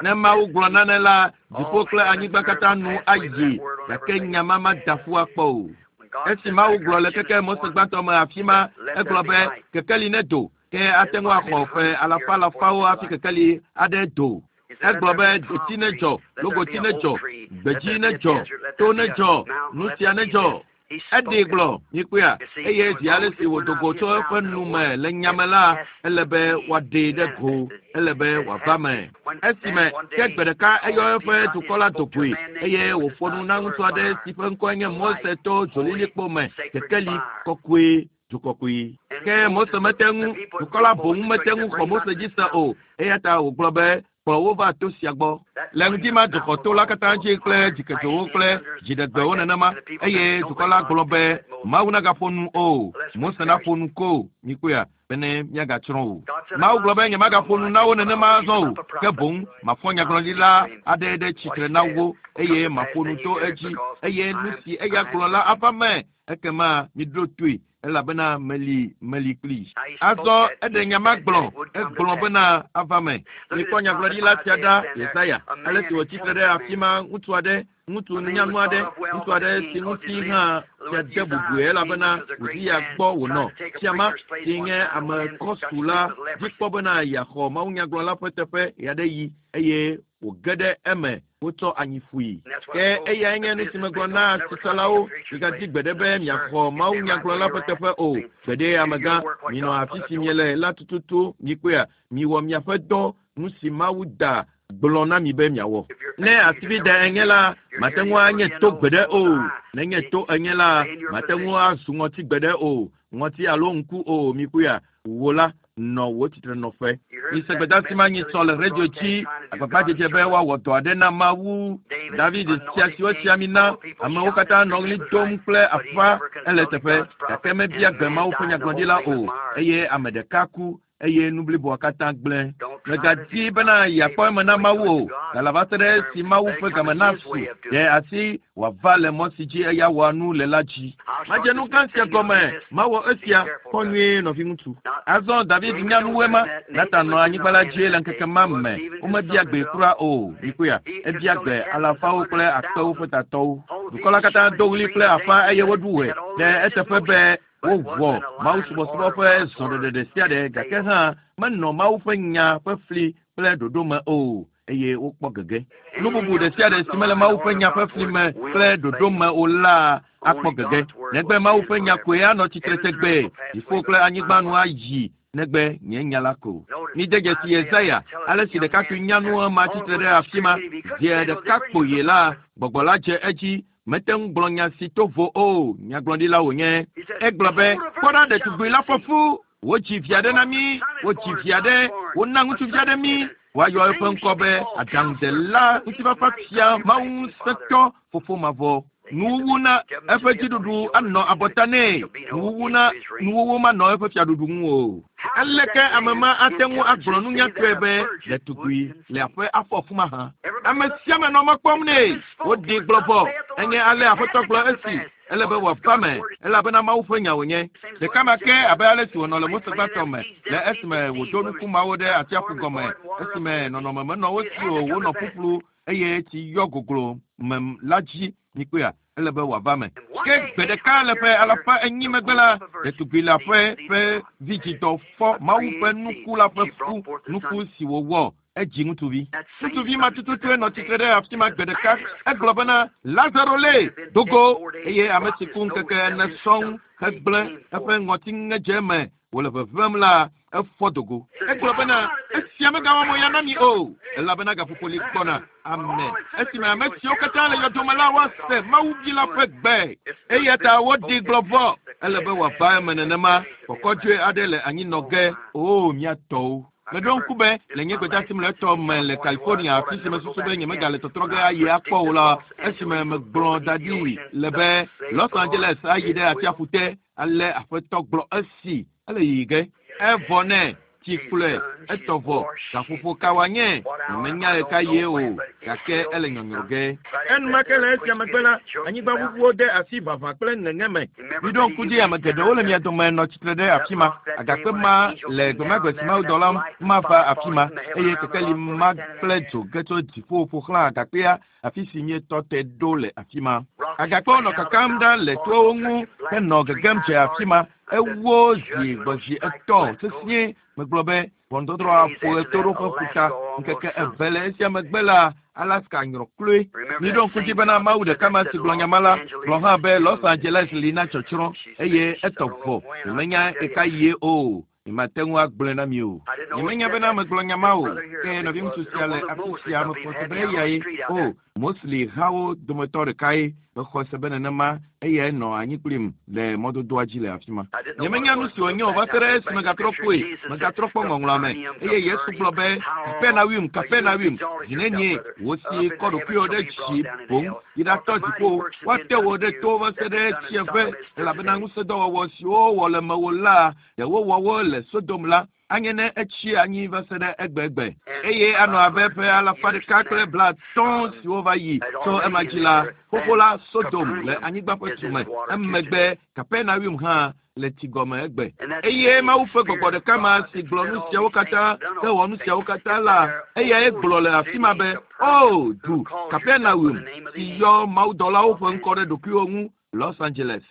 Ne Mawu gblɔ nane la, dziƒo kple anyigba katã nu ayi gake nya ma mada ƒu akpɔ o. Esi Mawu gblɔ le keke Mose gbãtɔ me afi ma, egblɔ be kekeli nedo ke ate ŋu axɔ ƒe alafa alafawo hafi kekeli aɖe do. Egblɔ be deti nedzɔ, logoti nedzɔ, gbedzi nedzɔ, to nedzɔ, nu sia nedzɔ. Eɖee gblɔ, mikpɔea, eye zi ale si wòdo go tso eƒe nu me le nyame la, ele be wòaɖee ɖe go, ele be wòava me. Esime ke gbe ɖeka eyɔ eƒe dukɔ la do goe eye wòƒo nu na ŋutsu aɖe si ƒe ŋkɔe nye Mose to dzolilikpo me, kekeli kɔkɔe du kɔkɔe. Ke Mose mete ŋu, dukɔ la boŋ mete ŋu xɔ Mose dzi se o, eya ta wògblɔ be kplɔ wo va to sia gbɔ. Le ŋdi ma dzuxɔ to la katã dzi kple dzikedzowo kple dziɖegbewo nenema eye dukɔ la gblɔ be Mawu nagaƒo nu o, Mose naƒo nu ko, mikpɔea, bene míagatsrɔ̃ o. Mawu gblɔ be nyemagaƒo nu na wo nenema azɔ o, ke boŋ mafɔ nyagblɔɖila aɖe ɖe tsitre na wo eye maƒo nu to edzi eye nu si eya gblɔ la ava me ekema miɖo toe elabena meli meli kpli. Azɔ eɖe nya ma gblɔ, egblɔ bena ava me. Mikpɔ nyagblɔɖila sia ɖa, Yesaya, ale si wòtsi tre ɖe afi ma ŋutsu aɖe, ŋutsu nyanu aɖe, ŋutsu aɖe si ŋuti hã fia de bubue elabena Uziya gbɔ wònɔ. Fia ma si nye ame kɔsu la dzi kpɔ bena yeaxɔ mawunyagblɔla ƒe teƒe ɣeaɖeɣi eye wòge ɖe eme wotsɔ anyi ƒui. Ke eyae nye nu si megblɔ na asitsalawo, migadi gbeɖe be miaxɔ mawunyagblɔla ƒe teƒe o. Gbeɖe amegã, minɔ afi si miele la tututu, mikpɔea, miwɔ miaƒe dɔ, nu si Mawu da gblɔ na mi be miawɔ. Ne asivi da enye la, mate ŋu anye to gbeɖe o. Nenye to enye la, mate ŋu azu ŋɔti gbeɖe o. Ŋɔti alo ŋku o, mikpɔea. Wò la, nɔ wò tsitrenɔƒe. Mise gbedeasi ma nyitsɔ le radio dzi, agbagbadzedze be woawɔ dɔ aɖe na Mawu. David sia si wosi ami na, amewo katã nɔ ɣli dom kple afa ele teƒe, gake mebia gbe Mawu ƒe nyagblɔɖila o, eye ame ɖeka ku eye nu bliboa katã gblẽ. Mègadi bena yeakpɔ eme na Mawu o, gale va se ɖe esi Mawu ƒe game nasu ɖe asi wòava le mɔ si dzi eya wɔa nu le la dzi. Madze nu gã sia gɔme, mawɔ esia, kpɔ nyuie, nɔviŋutsu. Azɔ David nya nuwoe ma. Natan nɔ anyigba la dzi le ŋkeke ma me. Womebia gbee kura o. Mikpɔea? Ebia gbe alafawo kple akpewo ƒe tatɔwo. Dukɔ la katã do ɣli kple afa eye woɖu ɣe ɖe eteƒe be wowɔ mawusubɔsubɔ ƒe zɔɖeɖe ɖe sia ɖe, gake hã menɔ Mawu ƒe nya ƒe fli kple ɖoɖo me o, eye wokpɔ gege. Nu bubu ɖe sia ɖe si mele Mawu ƒe nya ƒe fli me kple ɖoɖo me o la akpɔ gege. Negbe Mawu ƒe nya koe anɔ tsitre tegbee. Dziƒo kple anyigba nu ayi negbe nye nya la ko. Mide dzesi Yesaya, ale si ɖekakpui nyanu ema tsitre ɖe afi ma. Zi ɖeka kpoyi la, gbɔgbɔ la dze edzi. Mete ŋu gblɔ nya si to vo o, nyagblɔɖila wònye. Egblɔ be, kpɔ ɖa, ɖetugbui la fɔ fu, wodzi vi aɖe na mí, wodzi vi aɖe, wona ŋutsuvi aɖe mí, woayɔ eƒe ŋkɔ be aɖaŋudela, ŋutifafa fia, Mawu ŋusẽtɔ, fofo mavɔ. Nuwuwu na eƒe dziɖuɖu anɔ abɔta nɛ, nuwuwu na nuwuwu manɔ eƒe fiaɖuɖu ŋu o. Aleke ame ma ate ŋu agblɔ nunyatɔe be ɖetugbui le aƒe afɔ fu mahã? Ame sia ame nɔ mɔ kpɔm nɛ. Woɖi gblɔ vɔ. Enye ale Aƒetɔ gblɔ esi. Ele be wòava me, elabena Mawu ƒe nya wònye. Ɖeka ma ke abe ale si wònɔ le Mose gbãtɔ me, le esime wòdo nuku mawo ɖe atsiaƒu gɔme, esime nɔnɔme menɔ wo si o, wonɔ ƒuƒlu eye tsi yɔ goglo me la dzi. Mikpɔea? Ele be wòava me. Ke gbe ɖeka le ƒe alafa enyi megbe la, ɖetugbui le aƒe ƒe vidzidɔ fɔ Mawu ƒe nuku la ƒe fu, nuku si wòwɔ. Edzi ŋutsuvi. Ŋutsuvi ma tututue nɔ tsitre ɖe afi ma gbe ɖeka. Egblɔ bena, Lazaro lé, do go! Eye ame si ku ŋkeke ene sɔŋ hegblẽ eƒe ŋɔtiŋedze me wòle ʋeʋẽm la, efɔ do go. Egblɔ bena, esia megawɔ mo ya na mi o, elabena gaƒoƒo li gbɔna. Amen. Esime ame siwo katã le yɔdo me la woase Mawu vi la ƒe gbe. Eya ta woɖi gblɔ vɔ. Ele be wòava eme nenema. Kɔkɔdzoe aɖe le anyi nɔ ge. Oo, mía tɔwo. Meɖo ŋku be le nye gbedeasi mlɔetɔ me le California, afi si mesusu be nyemegale tɔtrɔ ge ayi akpɔ o la, esime megblɔ da ɖi le be Los Angeles ayi ɖe atsiaƒu te, ale Aƒetɔ gblɔ esi ele yiyi ge. Evɔ nɛ, tsi kplɔe, etɔ vɔ, gaƒoƒo ka wòanye? Nyemenya ɣekaɣie o, gake ele nyɔnyrɔ ge. Enumake le esia megbe la, anyigbaʋuʋuwo de asi ʋaʋã kple ŋeŋe me. Miɖo ŋku dzi, ame geɖewo le mia dome nɔ tsitre ɖe afi ma. Agakpe ma le gbemagbe si mawudɔla ma va afi ma, eye kekeli ma kple dzo ge tso dziƒo ƒo xlã agakpea, afi si míetɔ te ɖo le afi ma. Agakpewo nɔ kakam ɖa le toawo ŋu henɔ gegem dze afi ma. Ewo zi gbɔ zi etɔ̃ sesĩe. Megblɔ be ʋɔnudɔdrɔ̃ aƒo ɣetoɖoƒe ƒuta. Ŋkeke eve le esia megbe la, Alaska nyrɔ kloe. Miɖo ŋku dzi bena Mawu ɖeka ma si gblɔ nya ma la, gblɔ hã be Los Angeles li na tsɔtsrɔ̃, eye etɔ vɔ. Nyemenya ɣekaɣie o. Nyemate ŋu agblɔe na mi o. Nyemenya bena megblɔ nya ma o. Ke nɔviŋutsu sia le afi sia, mexɔ se be eyae. O, Mosley hawo dometɔ ɖekae. Mexɔ se be nenema eyae nɔ anyi kplim le mɔdodoa dzi le afi ma. Nyemenya nu si wònye o va se ɖe esi megatrɔ kpɔe, megatrɔ kpɔ ŋɔŋlɔa me. Eye Yesu gblɔ be, Kapernaum, Kapernaum, zi nenie wò si kɔ ɖokuiwò ɖe dzi boŋ yi ɖatɔ dziƒo, woate wò ɖe to va se ɖe tsiẽƒe, elabena ŋusẽdɔwɔwɔ siwo wowɔ le mewò la, ɖe wowɔ wo le Sodom la, anye ne etsi anyi va se ɖe egbegbe. Eye anɔ abe ƒe alafa ɖeka kple blaatɔ̃ siwo va yi tso ema dzi la, xoxo la Sodom le anyigba ƒe tume, emegbe Kapernaum hã le tsi gɔme egbe. Eye Mawu ƒe gbɔgbɔ ɖeka ma si gblɔ nu siawo katã hewɔ nu siawo katã la, eyae gblɔ le afi ma be, O, du Kapernaum, si yɔ mawudɔlawo ƒe ŋkɔ ɖe ɖokuiwò ŋu, Los Angeles.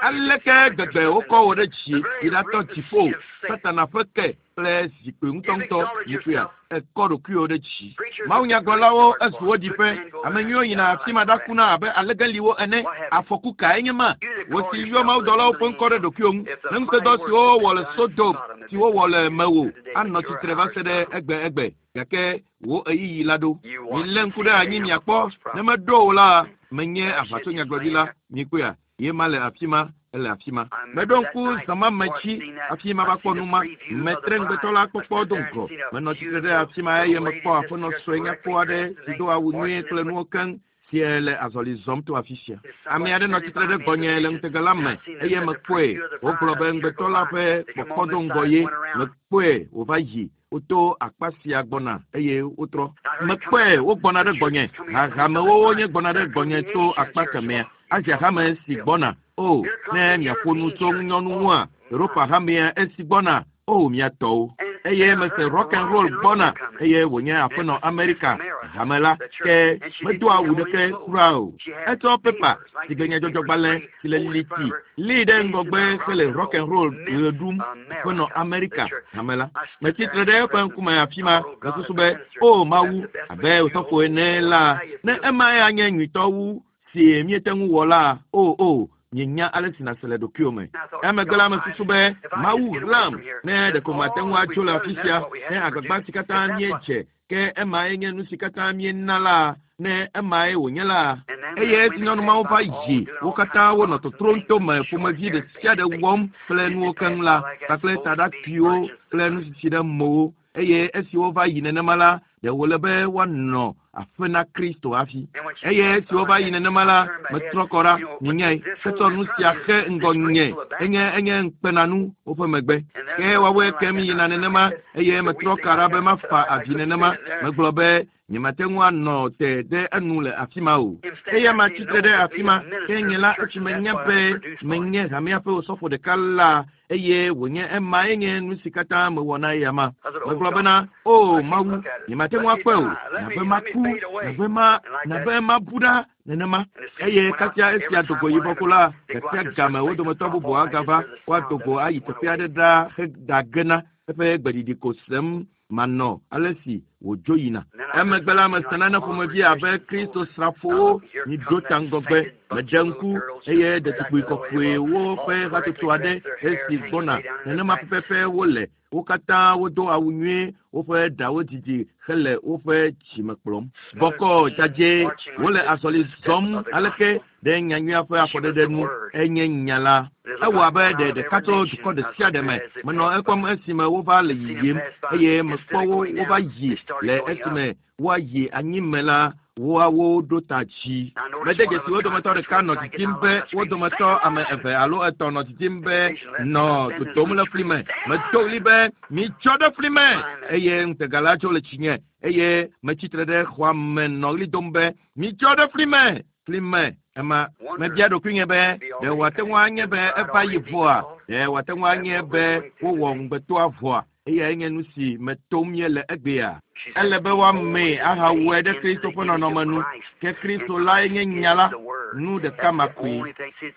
Aleke gbegbe wokɔ wò ɖe dzi yi ɖatɔ dziƒo, Satana ƒe ke kple zikpui ŋutɔŋutɔ nyikpea, ekɔ ɖokuiwò ɖe dzi. Mawunyagblɔlawo ezu wo ɖiƒe, ame nyuiwo yina afi ma ɖakuna abe alegeliwo ene. Afɔku kae nye ma? Wò si yɔ mawudɔlawo ƒe ŋkɔ ɖe ɖokuiwò ŋu, ne ŋusẽdɔ siwo wowɔ le Sodom, si wowɔ le mewò, anɔ tsitre va se ɖe egbe egbe. Gake wò ɣeyiɣi la ɖo. Milé ŋku ɖe anyi miakpɔ, ne meɖo o la, menye aʋatsonyagblɔɖila. Mikpɔea? Ye ma le afi ma, ele afi ma. Meɖo ŋku zã ma me tsi hafi mava kpɔ nu ma. Metre ŋugbetɔ la kpɔkpɔ do ŋgɔ. Menɔ tsitre ɖe afi ma eye mekpɔ aƒenɔ sue nyakpɔ aɖe si do awu nyuie kple nuwo keŋ si le azɔli zɔm to afi sia. Ame aɖe nɔ tsitre ɖe gbɔnye le ŋutega la me eye mekpɔe. Wogblɔ be ŋugbetɔ la ƒe kpɔkpɔ do ŋgɔ ye. Mekpɔe wòva yi. Woto akpa sia gbɔna eye wotrɔ. Mekpɔe wogbɔna ɖe gbɔnye. Hahamewo wonye gbɔna ɖe gbɔnye tso akpa kemɛa. Asia hame si gbɔna. O, ne miaƒo nu tso ŋunyɔnu ŋua, Europa hamea esi gbɔna. O, mia tɔwo. Eye mese rock and roll gbɔna eye wònye aƒenɔ Amerika hame la ke medo awu ɖeke kura o. Etsɔ pepa si ke nyadzɔdzɔgbalẽ si le liti lée ɖe ŋgɔgbe hele rock and roll ɣe ɖum aƒenɔ Amerika hame la. Metsi tre ɖe eƒe ŋkume afi ma mesusu be, o Mawu, abe osɔfo ene la, ne emae anye nyuitɔ wu si míete ŋu wɔ la, o o, mienya ale si nàse le ɖokuiwò me. Emegbe la mesusu be, Mawu ɣlam, ne ɖeko mate ŋu atso le afi sia, ne agbagba si katã míedze, ke emae nye nu si katã míena la, ne emae wònye la. Eye esi nyɔnu mawo va yi, wo katã wonɔ totrom to me ƒomevi ɖe sia ɖe wɔm kple nuwo keŋ la, kpakple taɖakuiwo kple nusisi ɖe mowo. Eye esi wova yi nenema la, ɖe wòle be woanɔ aƒe na Kristo hafi. Eye esi wova yi nenema la, metrɔ kɔ ɖa, minyae, hetsɔ nu sia xe ŋgɔ nye, enye enye ŋukpenanu woƒe megbe. Ke woawoe kem yina nenema, eye metrɔ ka ɖa be mafa avi nenema. Megblɔ be, nyemate ŋu anɔ te ɖe enu le afi ma o. Eya ma tsitre ɖe afi ma, ke nye la esi menya be menye hamea ƒe osɔfo ɖeka la, eye wònye emae nye nu si katã mewɔ na eya ma. Megblɔ bena, o Mawu, nyemate ŋu akpɔe o, nabe maku, nabe ma, nabe mabu ɖa nenema. Eye kasia esia do go yibɔ ko la, gasia game wo dometɔ bubu agava, woado go ayi teƒe aɖe ɖa heɖagena eƒe gbeɖiɖi ko sem manɔ ale si wòdzo yina. Emegbe la mese nane ƒomevi abe Kristo srafowo miɖo ta ŋgɔgbe. Medze ŋku eye ɖetugbui kɔkɔewo ƒe hatsotso aɖe esi gbɔna nenema pɛpɛpɛ wole. Wo katã wodo awu nyuie, woƒe ɖawo didi hele woƒe dzime kplɔm. Bɔkɔ dzadzɛ wole azɔli zɔm aleke ɖe nyanyuia ƒe afɔɖeɖe nu enye nya la. Ewɔ abe ɖe ɖeka tso dukɔ ɖe sia ɖe me. Menɔ ekpɔm esime wova le yiyim eye mekpɔ wo wova yi le esime woayi anyime la, woawo ɖo ta dzi. Mede dzesi wo dometɔ ɖeka nɔ didim be wo dometɔ ame eve alo etɔ̃ nɔ didim be nɔ dodom le fli me. Medo ɣli be mitsɔ ɖe fli me eye ŋutega la tso le tsinye eye metsitre ɖe xɔa me nɔ ɣli dom be mitsɔ ɖe fli me, fli me. Ema mebia ɖokuinye be ɖe wòate ŋu anye be eva yi vɔa, ɖe wòate ŋu anye be wowɔ ŋugbetɔa vɔa. Eyae nye nu si me tom míele egbea. Ele be woamee ahawɔe ɖe Kristo ƒe nɔnɔme nu. Ke Kristo lae nye nya la, nu ɖeka ma koe.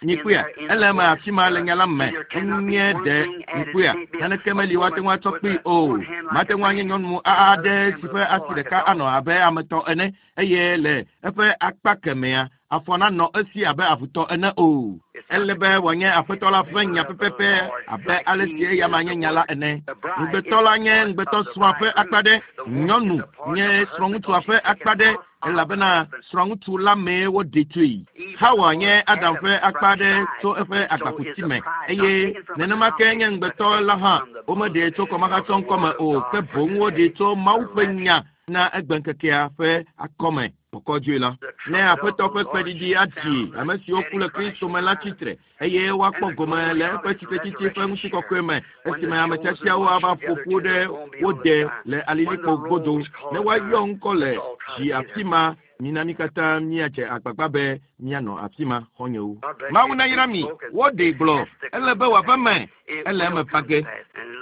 Mikpɔea, ele eme afi ma le nya la me. Enye ɖe mikpɔea, naneke meli woate ŋu atsɔ kpee o. Mate ŋu anye nyɔnu aɖe si ƒe asi ɖeka anɔ abe ame tɔ ene eye le eƒe akpa kemɛa, afɔ nanɔ esi abe avutɔ ene o. Ele be wòanye aƒetɔ la ƒe nya pɛpɛpɛ abe ale si eya ma nye nya la ene. Ŋugbetɔ la nye ŋugbetɔ srɔ̃a ƒe akpa ɖe, nyɔnu nye srɔ̃ŋutsua ƒe akpa ɖe elabena srɔ̃ŋutsu la mee woɖe tsoe. Hawa nye Adam ƒe akpa ɖe tso eƒe agbakuti me eye nenema ke nye ŋugbetɔ la hã. Womeɖee tso kɔmahatsɔ ŋkɔme o, ke boŋ woɖee tso Mawu ƒe nya na egbeŋkekea ƒe akɔme kɔkɔdzoe la. Ne aƒetɔ ƒe kpeɖiɖi aɖi ame siwo ku le Kristo me la tsitre eye woakpɔ gome le eƒe tsitretsitsi ƒe ŋutikɔkɔe me esime ame tiatiawo ava ƒo ƒu ɖe wo de le alilikpo godo ne woayɔ ŋkɔ le dzi afi ma. Mina mí katã míadze agbagba be míanɔ afi ma xɔnyewo. Mawu nayra mi. Woɖee gblɔ. Ele be wòava eme. Ele eme va ge.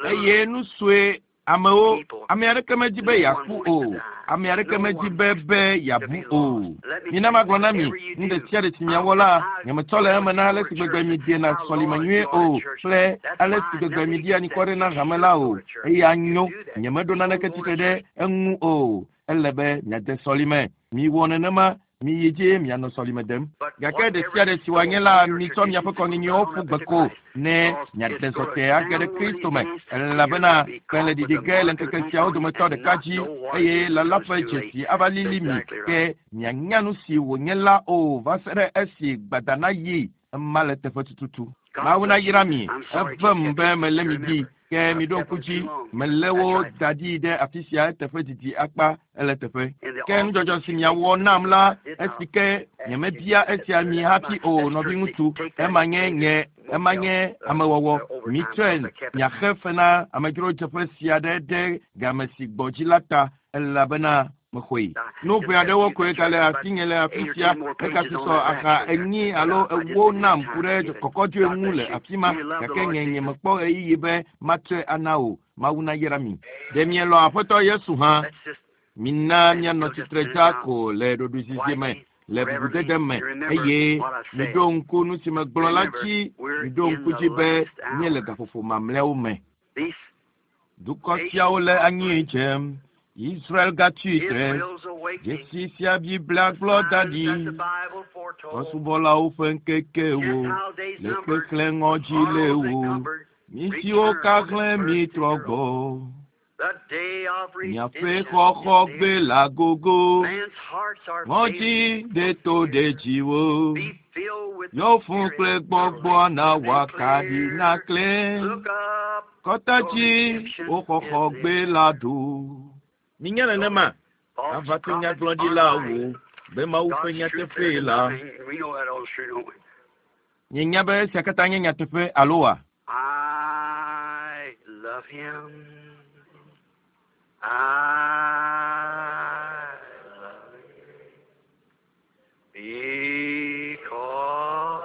Eye nu sue amewo, ame aɖeke medi be yeaku o. Ame aɖeke medi be yeabu o. Mina magblɔ na mi, nu ɖe sia ɖe si miawɔ la, nyemetsɔ le eme na ale si gbegbe miedena sɔlime nyuie o kple ale si gbegbe mieɖia anikɔ na hame la o. Eya nyo, nyemeɖo naneke tsitre ɖe eŋu o. Ele be miade sɔlime. Miwɔ nenema, miyi dzi mianɔ sɔlime dem. Gake ɖe sia ɖe si wòanye la, mitsɔ miaƒe kɔnyinyiwo ƒu gbe ko ne miade zɔte age ɖe Kristo me, elabena kpẽ le ɖiɖi ge le ŋkeke siawo dometɔ ɖeka dzi eye lala ƒe dzesi ava lili mi ke mianya nu si wònye la o va se ɖe esi gbada nayi. Ema le teƒe tututu. Mawu nayra mi. Evem be melé mi ɖi. Ke miɖo ŋku dzi, melé wo da ɖi ɖe afi sia eteƒe didi akpa ele teƒe. Ke nudzɔdzɔ si miawɔ nam la, esi ke nyemebia esia mi hafi o, nɔviŋutsu, ema nye nye ema nye amewɔwɔ. Mitsɔe miaxe fe na amedzrodzeƒe sia ɖe ɖe game si gbɔ dzi la ta elabena mexɔe. Nu ʋɛ aɖewo koe gale asinye le afi sia. Egasusɔ axa 4 alo 4 nam ku ɖe kɔkɔdzoe ŋu le afi ma gake nye nyemekpɔ ɣeyiɣi be matsɔe ana o. Mawu nayra mi. Ɖe mielɔ̃ Aƒetɔ Yesu hã? Mina mianɔ tsitre dza ko le ɖoɖoezizi me, le bubudede me eye miɖo ŋku nu si megblɔ la dzi. Miɖo ŋku dzi be míele gaƒoƒo mamlɛawo me. Dukɔ siawo le anyi dzem. Israel gatsi tre. Dzesi sia Biblia gblɔ da ɖi. Trɔ̃subɔlawo ƒe ŋkekewo le kpekple ŋɔdzi le wo. Mi siwo kahlẽ mi trɔ gbɔ. Miaƒe xɔxɔ gbe la gogo. Ŋɔdzi ɖe to ɖe dziwo. Yɔ fũ kple gbɔgbɔ na wòakaɖi naklẽ. Kɔta dzi wo xɔxɔ gbe la ɖo. Minya nenema, ava to nyagblɔɖilawo be Mawu ƒe nyateƒee la. Mienya be esia katã nye nyateƒe alo wa? I love him. I love him. Because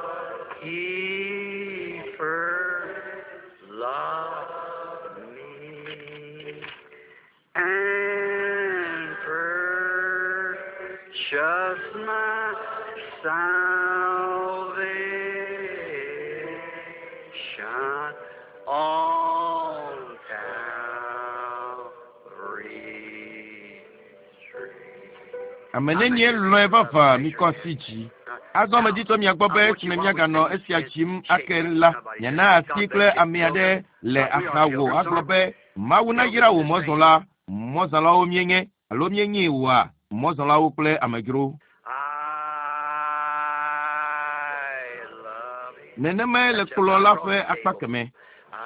he first loved me and purchased my salvation on Calvary's tree. Ame nenie lɔ̃e vavã mikɔ asi dzi. Azɔ meditɔ mia gbɔ be esime miaganɔ esia dzim ake la, miana asi kple ame aɖe le axawò agblɔ be Mawu nayra wò mɔzɔla. Mɔzɔlawo míenye alo míenyi wòa mɔzɔlawo kple amedzro. I love him. Nenemae le kplɔ̃ la ƒe akpa keme. I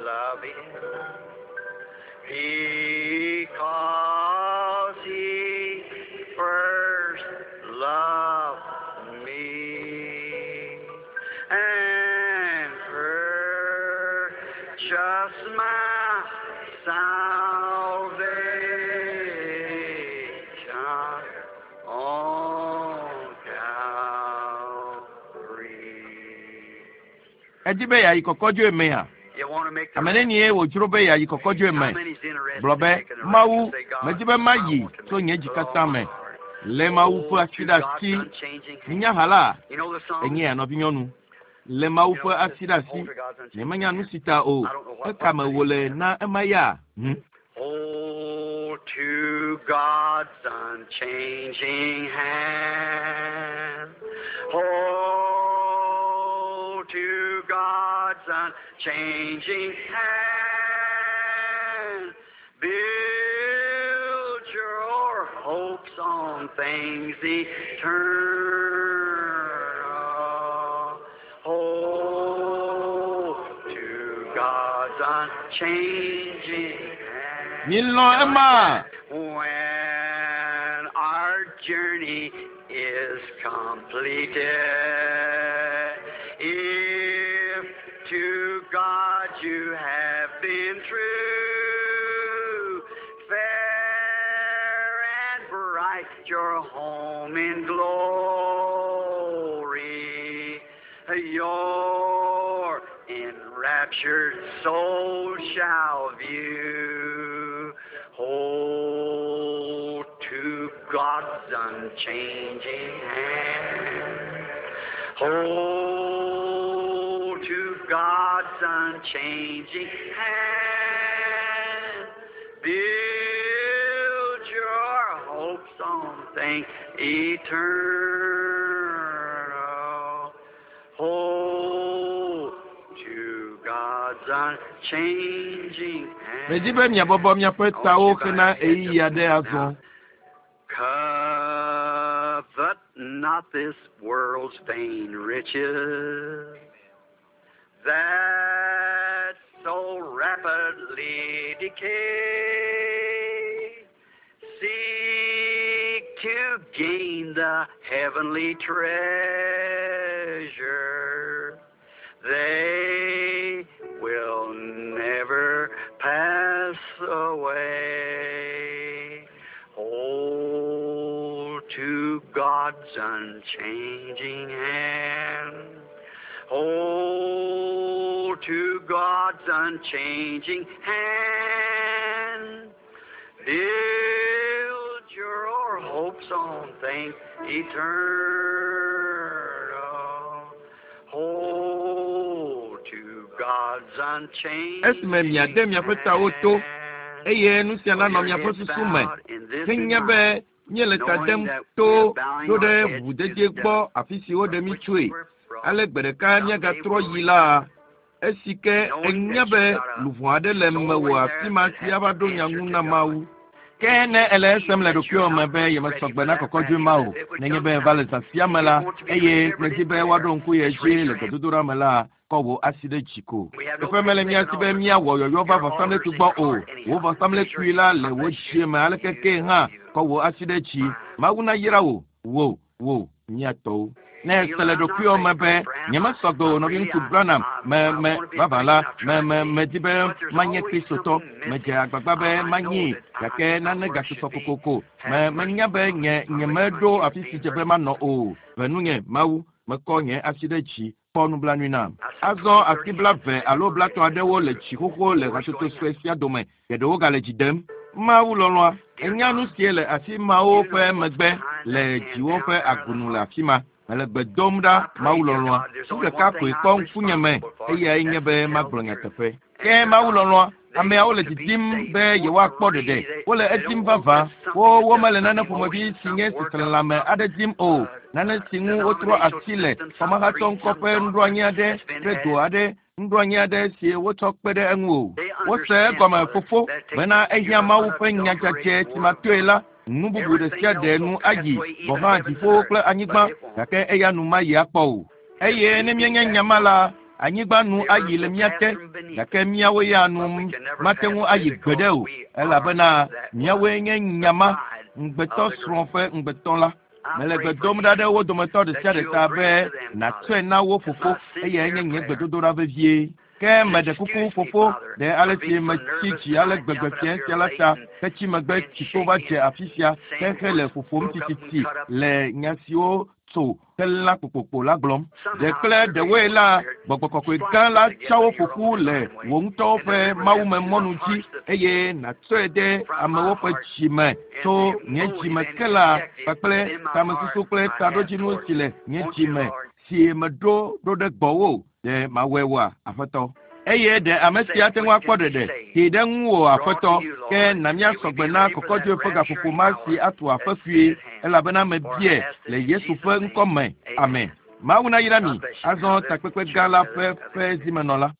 love him because he first loved me and purchased my salvation on Calvary. Edi be yeayi kɔkɔdzoe mea? You want to make the Ame nenie wòdzro be yeayi kɔkɔdzoe How me? many's interested Gblɔ in be, making the Mawu, rapture? Say, God, medi be I mayi want to tso make nye it dzi with all katã my me. heart. Le Mawu ƒe Oh, asi to ɖe God's asi. unchanging hand. Minya ha la, You know the song? enye ya nɔvinyɔnu. Le Mawu You ƒe know, asi just ɖe asi. hold to God's unchanging Nyemenya nu hand. si ta o. I don't know what Eka me what wòle na ema ya. Hold to God's unchanging hand. Hold to God's unchanging hand. Build your hopes on things eternal. Hold to God's unchanging hand. Milɔ̃ ema. When our journey is completed, if to God you have been true, fair and bright your home in glory, your enraptured soul shall view. Hold to God's unchanging hand. Hold to God's unchanging hand. Build your hopes on things eternal. Hold to God's unchanging Medi hand. be miabɔbɔ miaƒe I want tawo you to bow hena your head ɣeyiɣi just a aɖe minute azɔ. now. Covet Not this world's vain riches that so rapidly decay. Seek to gain the heavenly treasure. They will never pass away. Hold to God's unchanging hand. Hold to God's unchanging hand. Build your hopes on things eternal. Hold to God's unchanging Esime miade miaƒe tawo to, hand. eye nu sia nanɔ miaƒe susu me. Henya be míele ta dem to ɖo ɖe ʋuʋudedi gbɔ afi si woɖe mí tsoe. Ale gbe ɖeka míagatrɔ yi la, esi ke enya be luʋɔ aɖe le mewò afi ma si ava ɖo nya ŋu na Mawu. Ke ne ele esem le ɖokuiwò me be yemesɔ gbe na kɔkɔdzoe ma o, nenye be eva le zã sia me la, eye nèdi be woaɖo ŋku ye dzi le gbedodoɖa me la, kɔ wò asi ɖe dzi ko. Teƒe mele mía si be míawɔ yɔyɔ va vɔsamlekpui gbɔ o. Wò vɔsamlekpui la le wò dzie me aleke ke hã, kɔ wò asi ɖe dzi. Mawu nayra wò, wò, wò, mía tɔwo. Ne ese le ɖokuiwò me be nyemesɔ gbe o nɔviŋutsu Branham, me me vavã la, me me medi be manye Kristotɔ. Medze agbagba be manyee gake nane gasusɔ kokoko. Me menya be nye nyemeɖo afi si dze be manɔ o. Ve nunye Mawu, mekɔ nye asi ɖe dzi kpɔ nublanui nam. Azɔ asi 20 alo 30 aɖewo le dzi xoxo le hatsotso sue sia dome. Geɖewo gale dzi dem. Mawu lɔlɔ̃a, enya nu sie le asi mawo ƒe megbe le dziwo ƒe agunu le afi ma. Mele gbe dom ɖa Mawu lɔlɔ̃a. Nu ɖeka koe kpɔ ŋkunye me eyae nye be magblɔ nyateƒe. Ke Mawu lɔlɔ̃a, ameawo le didim be yewoakpɔ ɖeɖe. Wole edim vavã. Wo womele nane ƒomevi si nye seselelãme aɖe dim o. Nane si ŋu wotrɔ asi le xɔmehatɔ ŋkɔ ƒe nuɖoanyi aɖe kple do aɖe nuɖoanyi aɖe si wotsɔ kpe ɖe eŋu o. Wose egɔme fofo bena ehiã Mawu ƒe nya dzadzɛ si matoe la, nu bubu ɖe sia ɖe nu ayi gɔ̃ hã dziƒowo kple anyigba gake eya nu mayi akpɔ o. Eye ne míenye nya ma la, anyigba nu ayi le mía te gake míawo ya nu mate ŋu ayi gbeɖe o elabena míawoe nye nya ma ŋugbetɔ srɔ̃ ƒe ŋugbetɔ la. Mele gbe dom ɖa ɖe wo dometɔ ɖe sia ɖe ta be nàtsɔe na wo fofo eyae nye nye gbedodoɖa vevie. Ke meɖe kuku fofo ɖe ale si metsi dzi ale gbegbe fiẽ sia la ta hetsi megbe tsikpo va dze afi sia hehe le ƒoƒom tititi le nya siwo tso helã kpokpokpo la gblɔm. Ɖe kple ɖewoe la, gbɔgbɔ kɔkɔe gã la tsa wo ƒo ƒu le wò ŋutɔwo ƒe mawumemɔnu dzi eye nàtsɔe ɖe amewo ƒe dzi me tso nye dzi me ke la kpakple tamesusu kple taɖodzinu si le nye dzi me si meɖo ɖo ɖe gbɔwò ɖe mawɔe woa, Aƒetɔ. Eye ɖe ame sia ate ŋu akpɔ ɖeɖe tee ɖe ŋuwò Aƒetɔ, ke na míasɔ gbe na kɔkɔdzoe ƒe gaƒoƒo ma si atu aƒe kpuie elabena mebia le Yesu ƒe ŋkɔ me. Amen. Mawu nayra mi. Azɔ takpekpe gã la ƒe ƒe zimenɔla.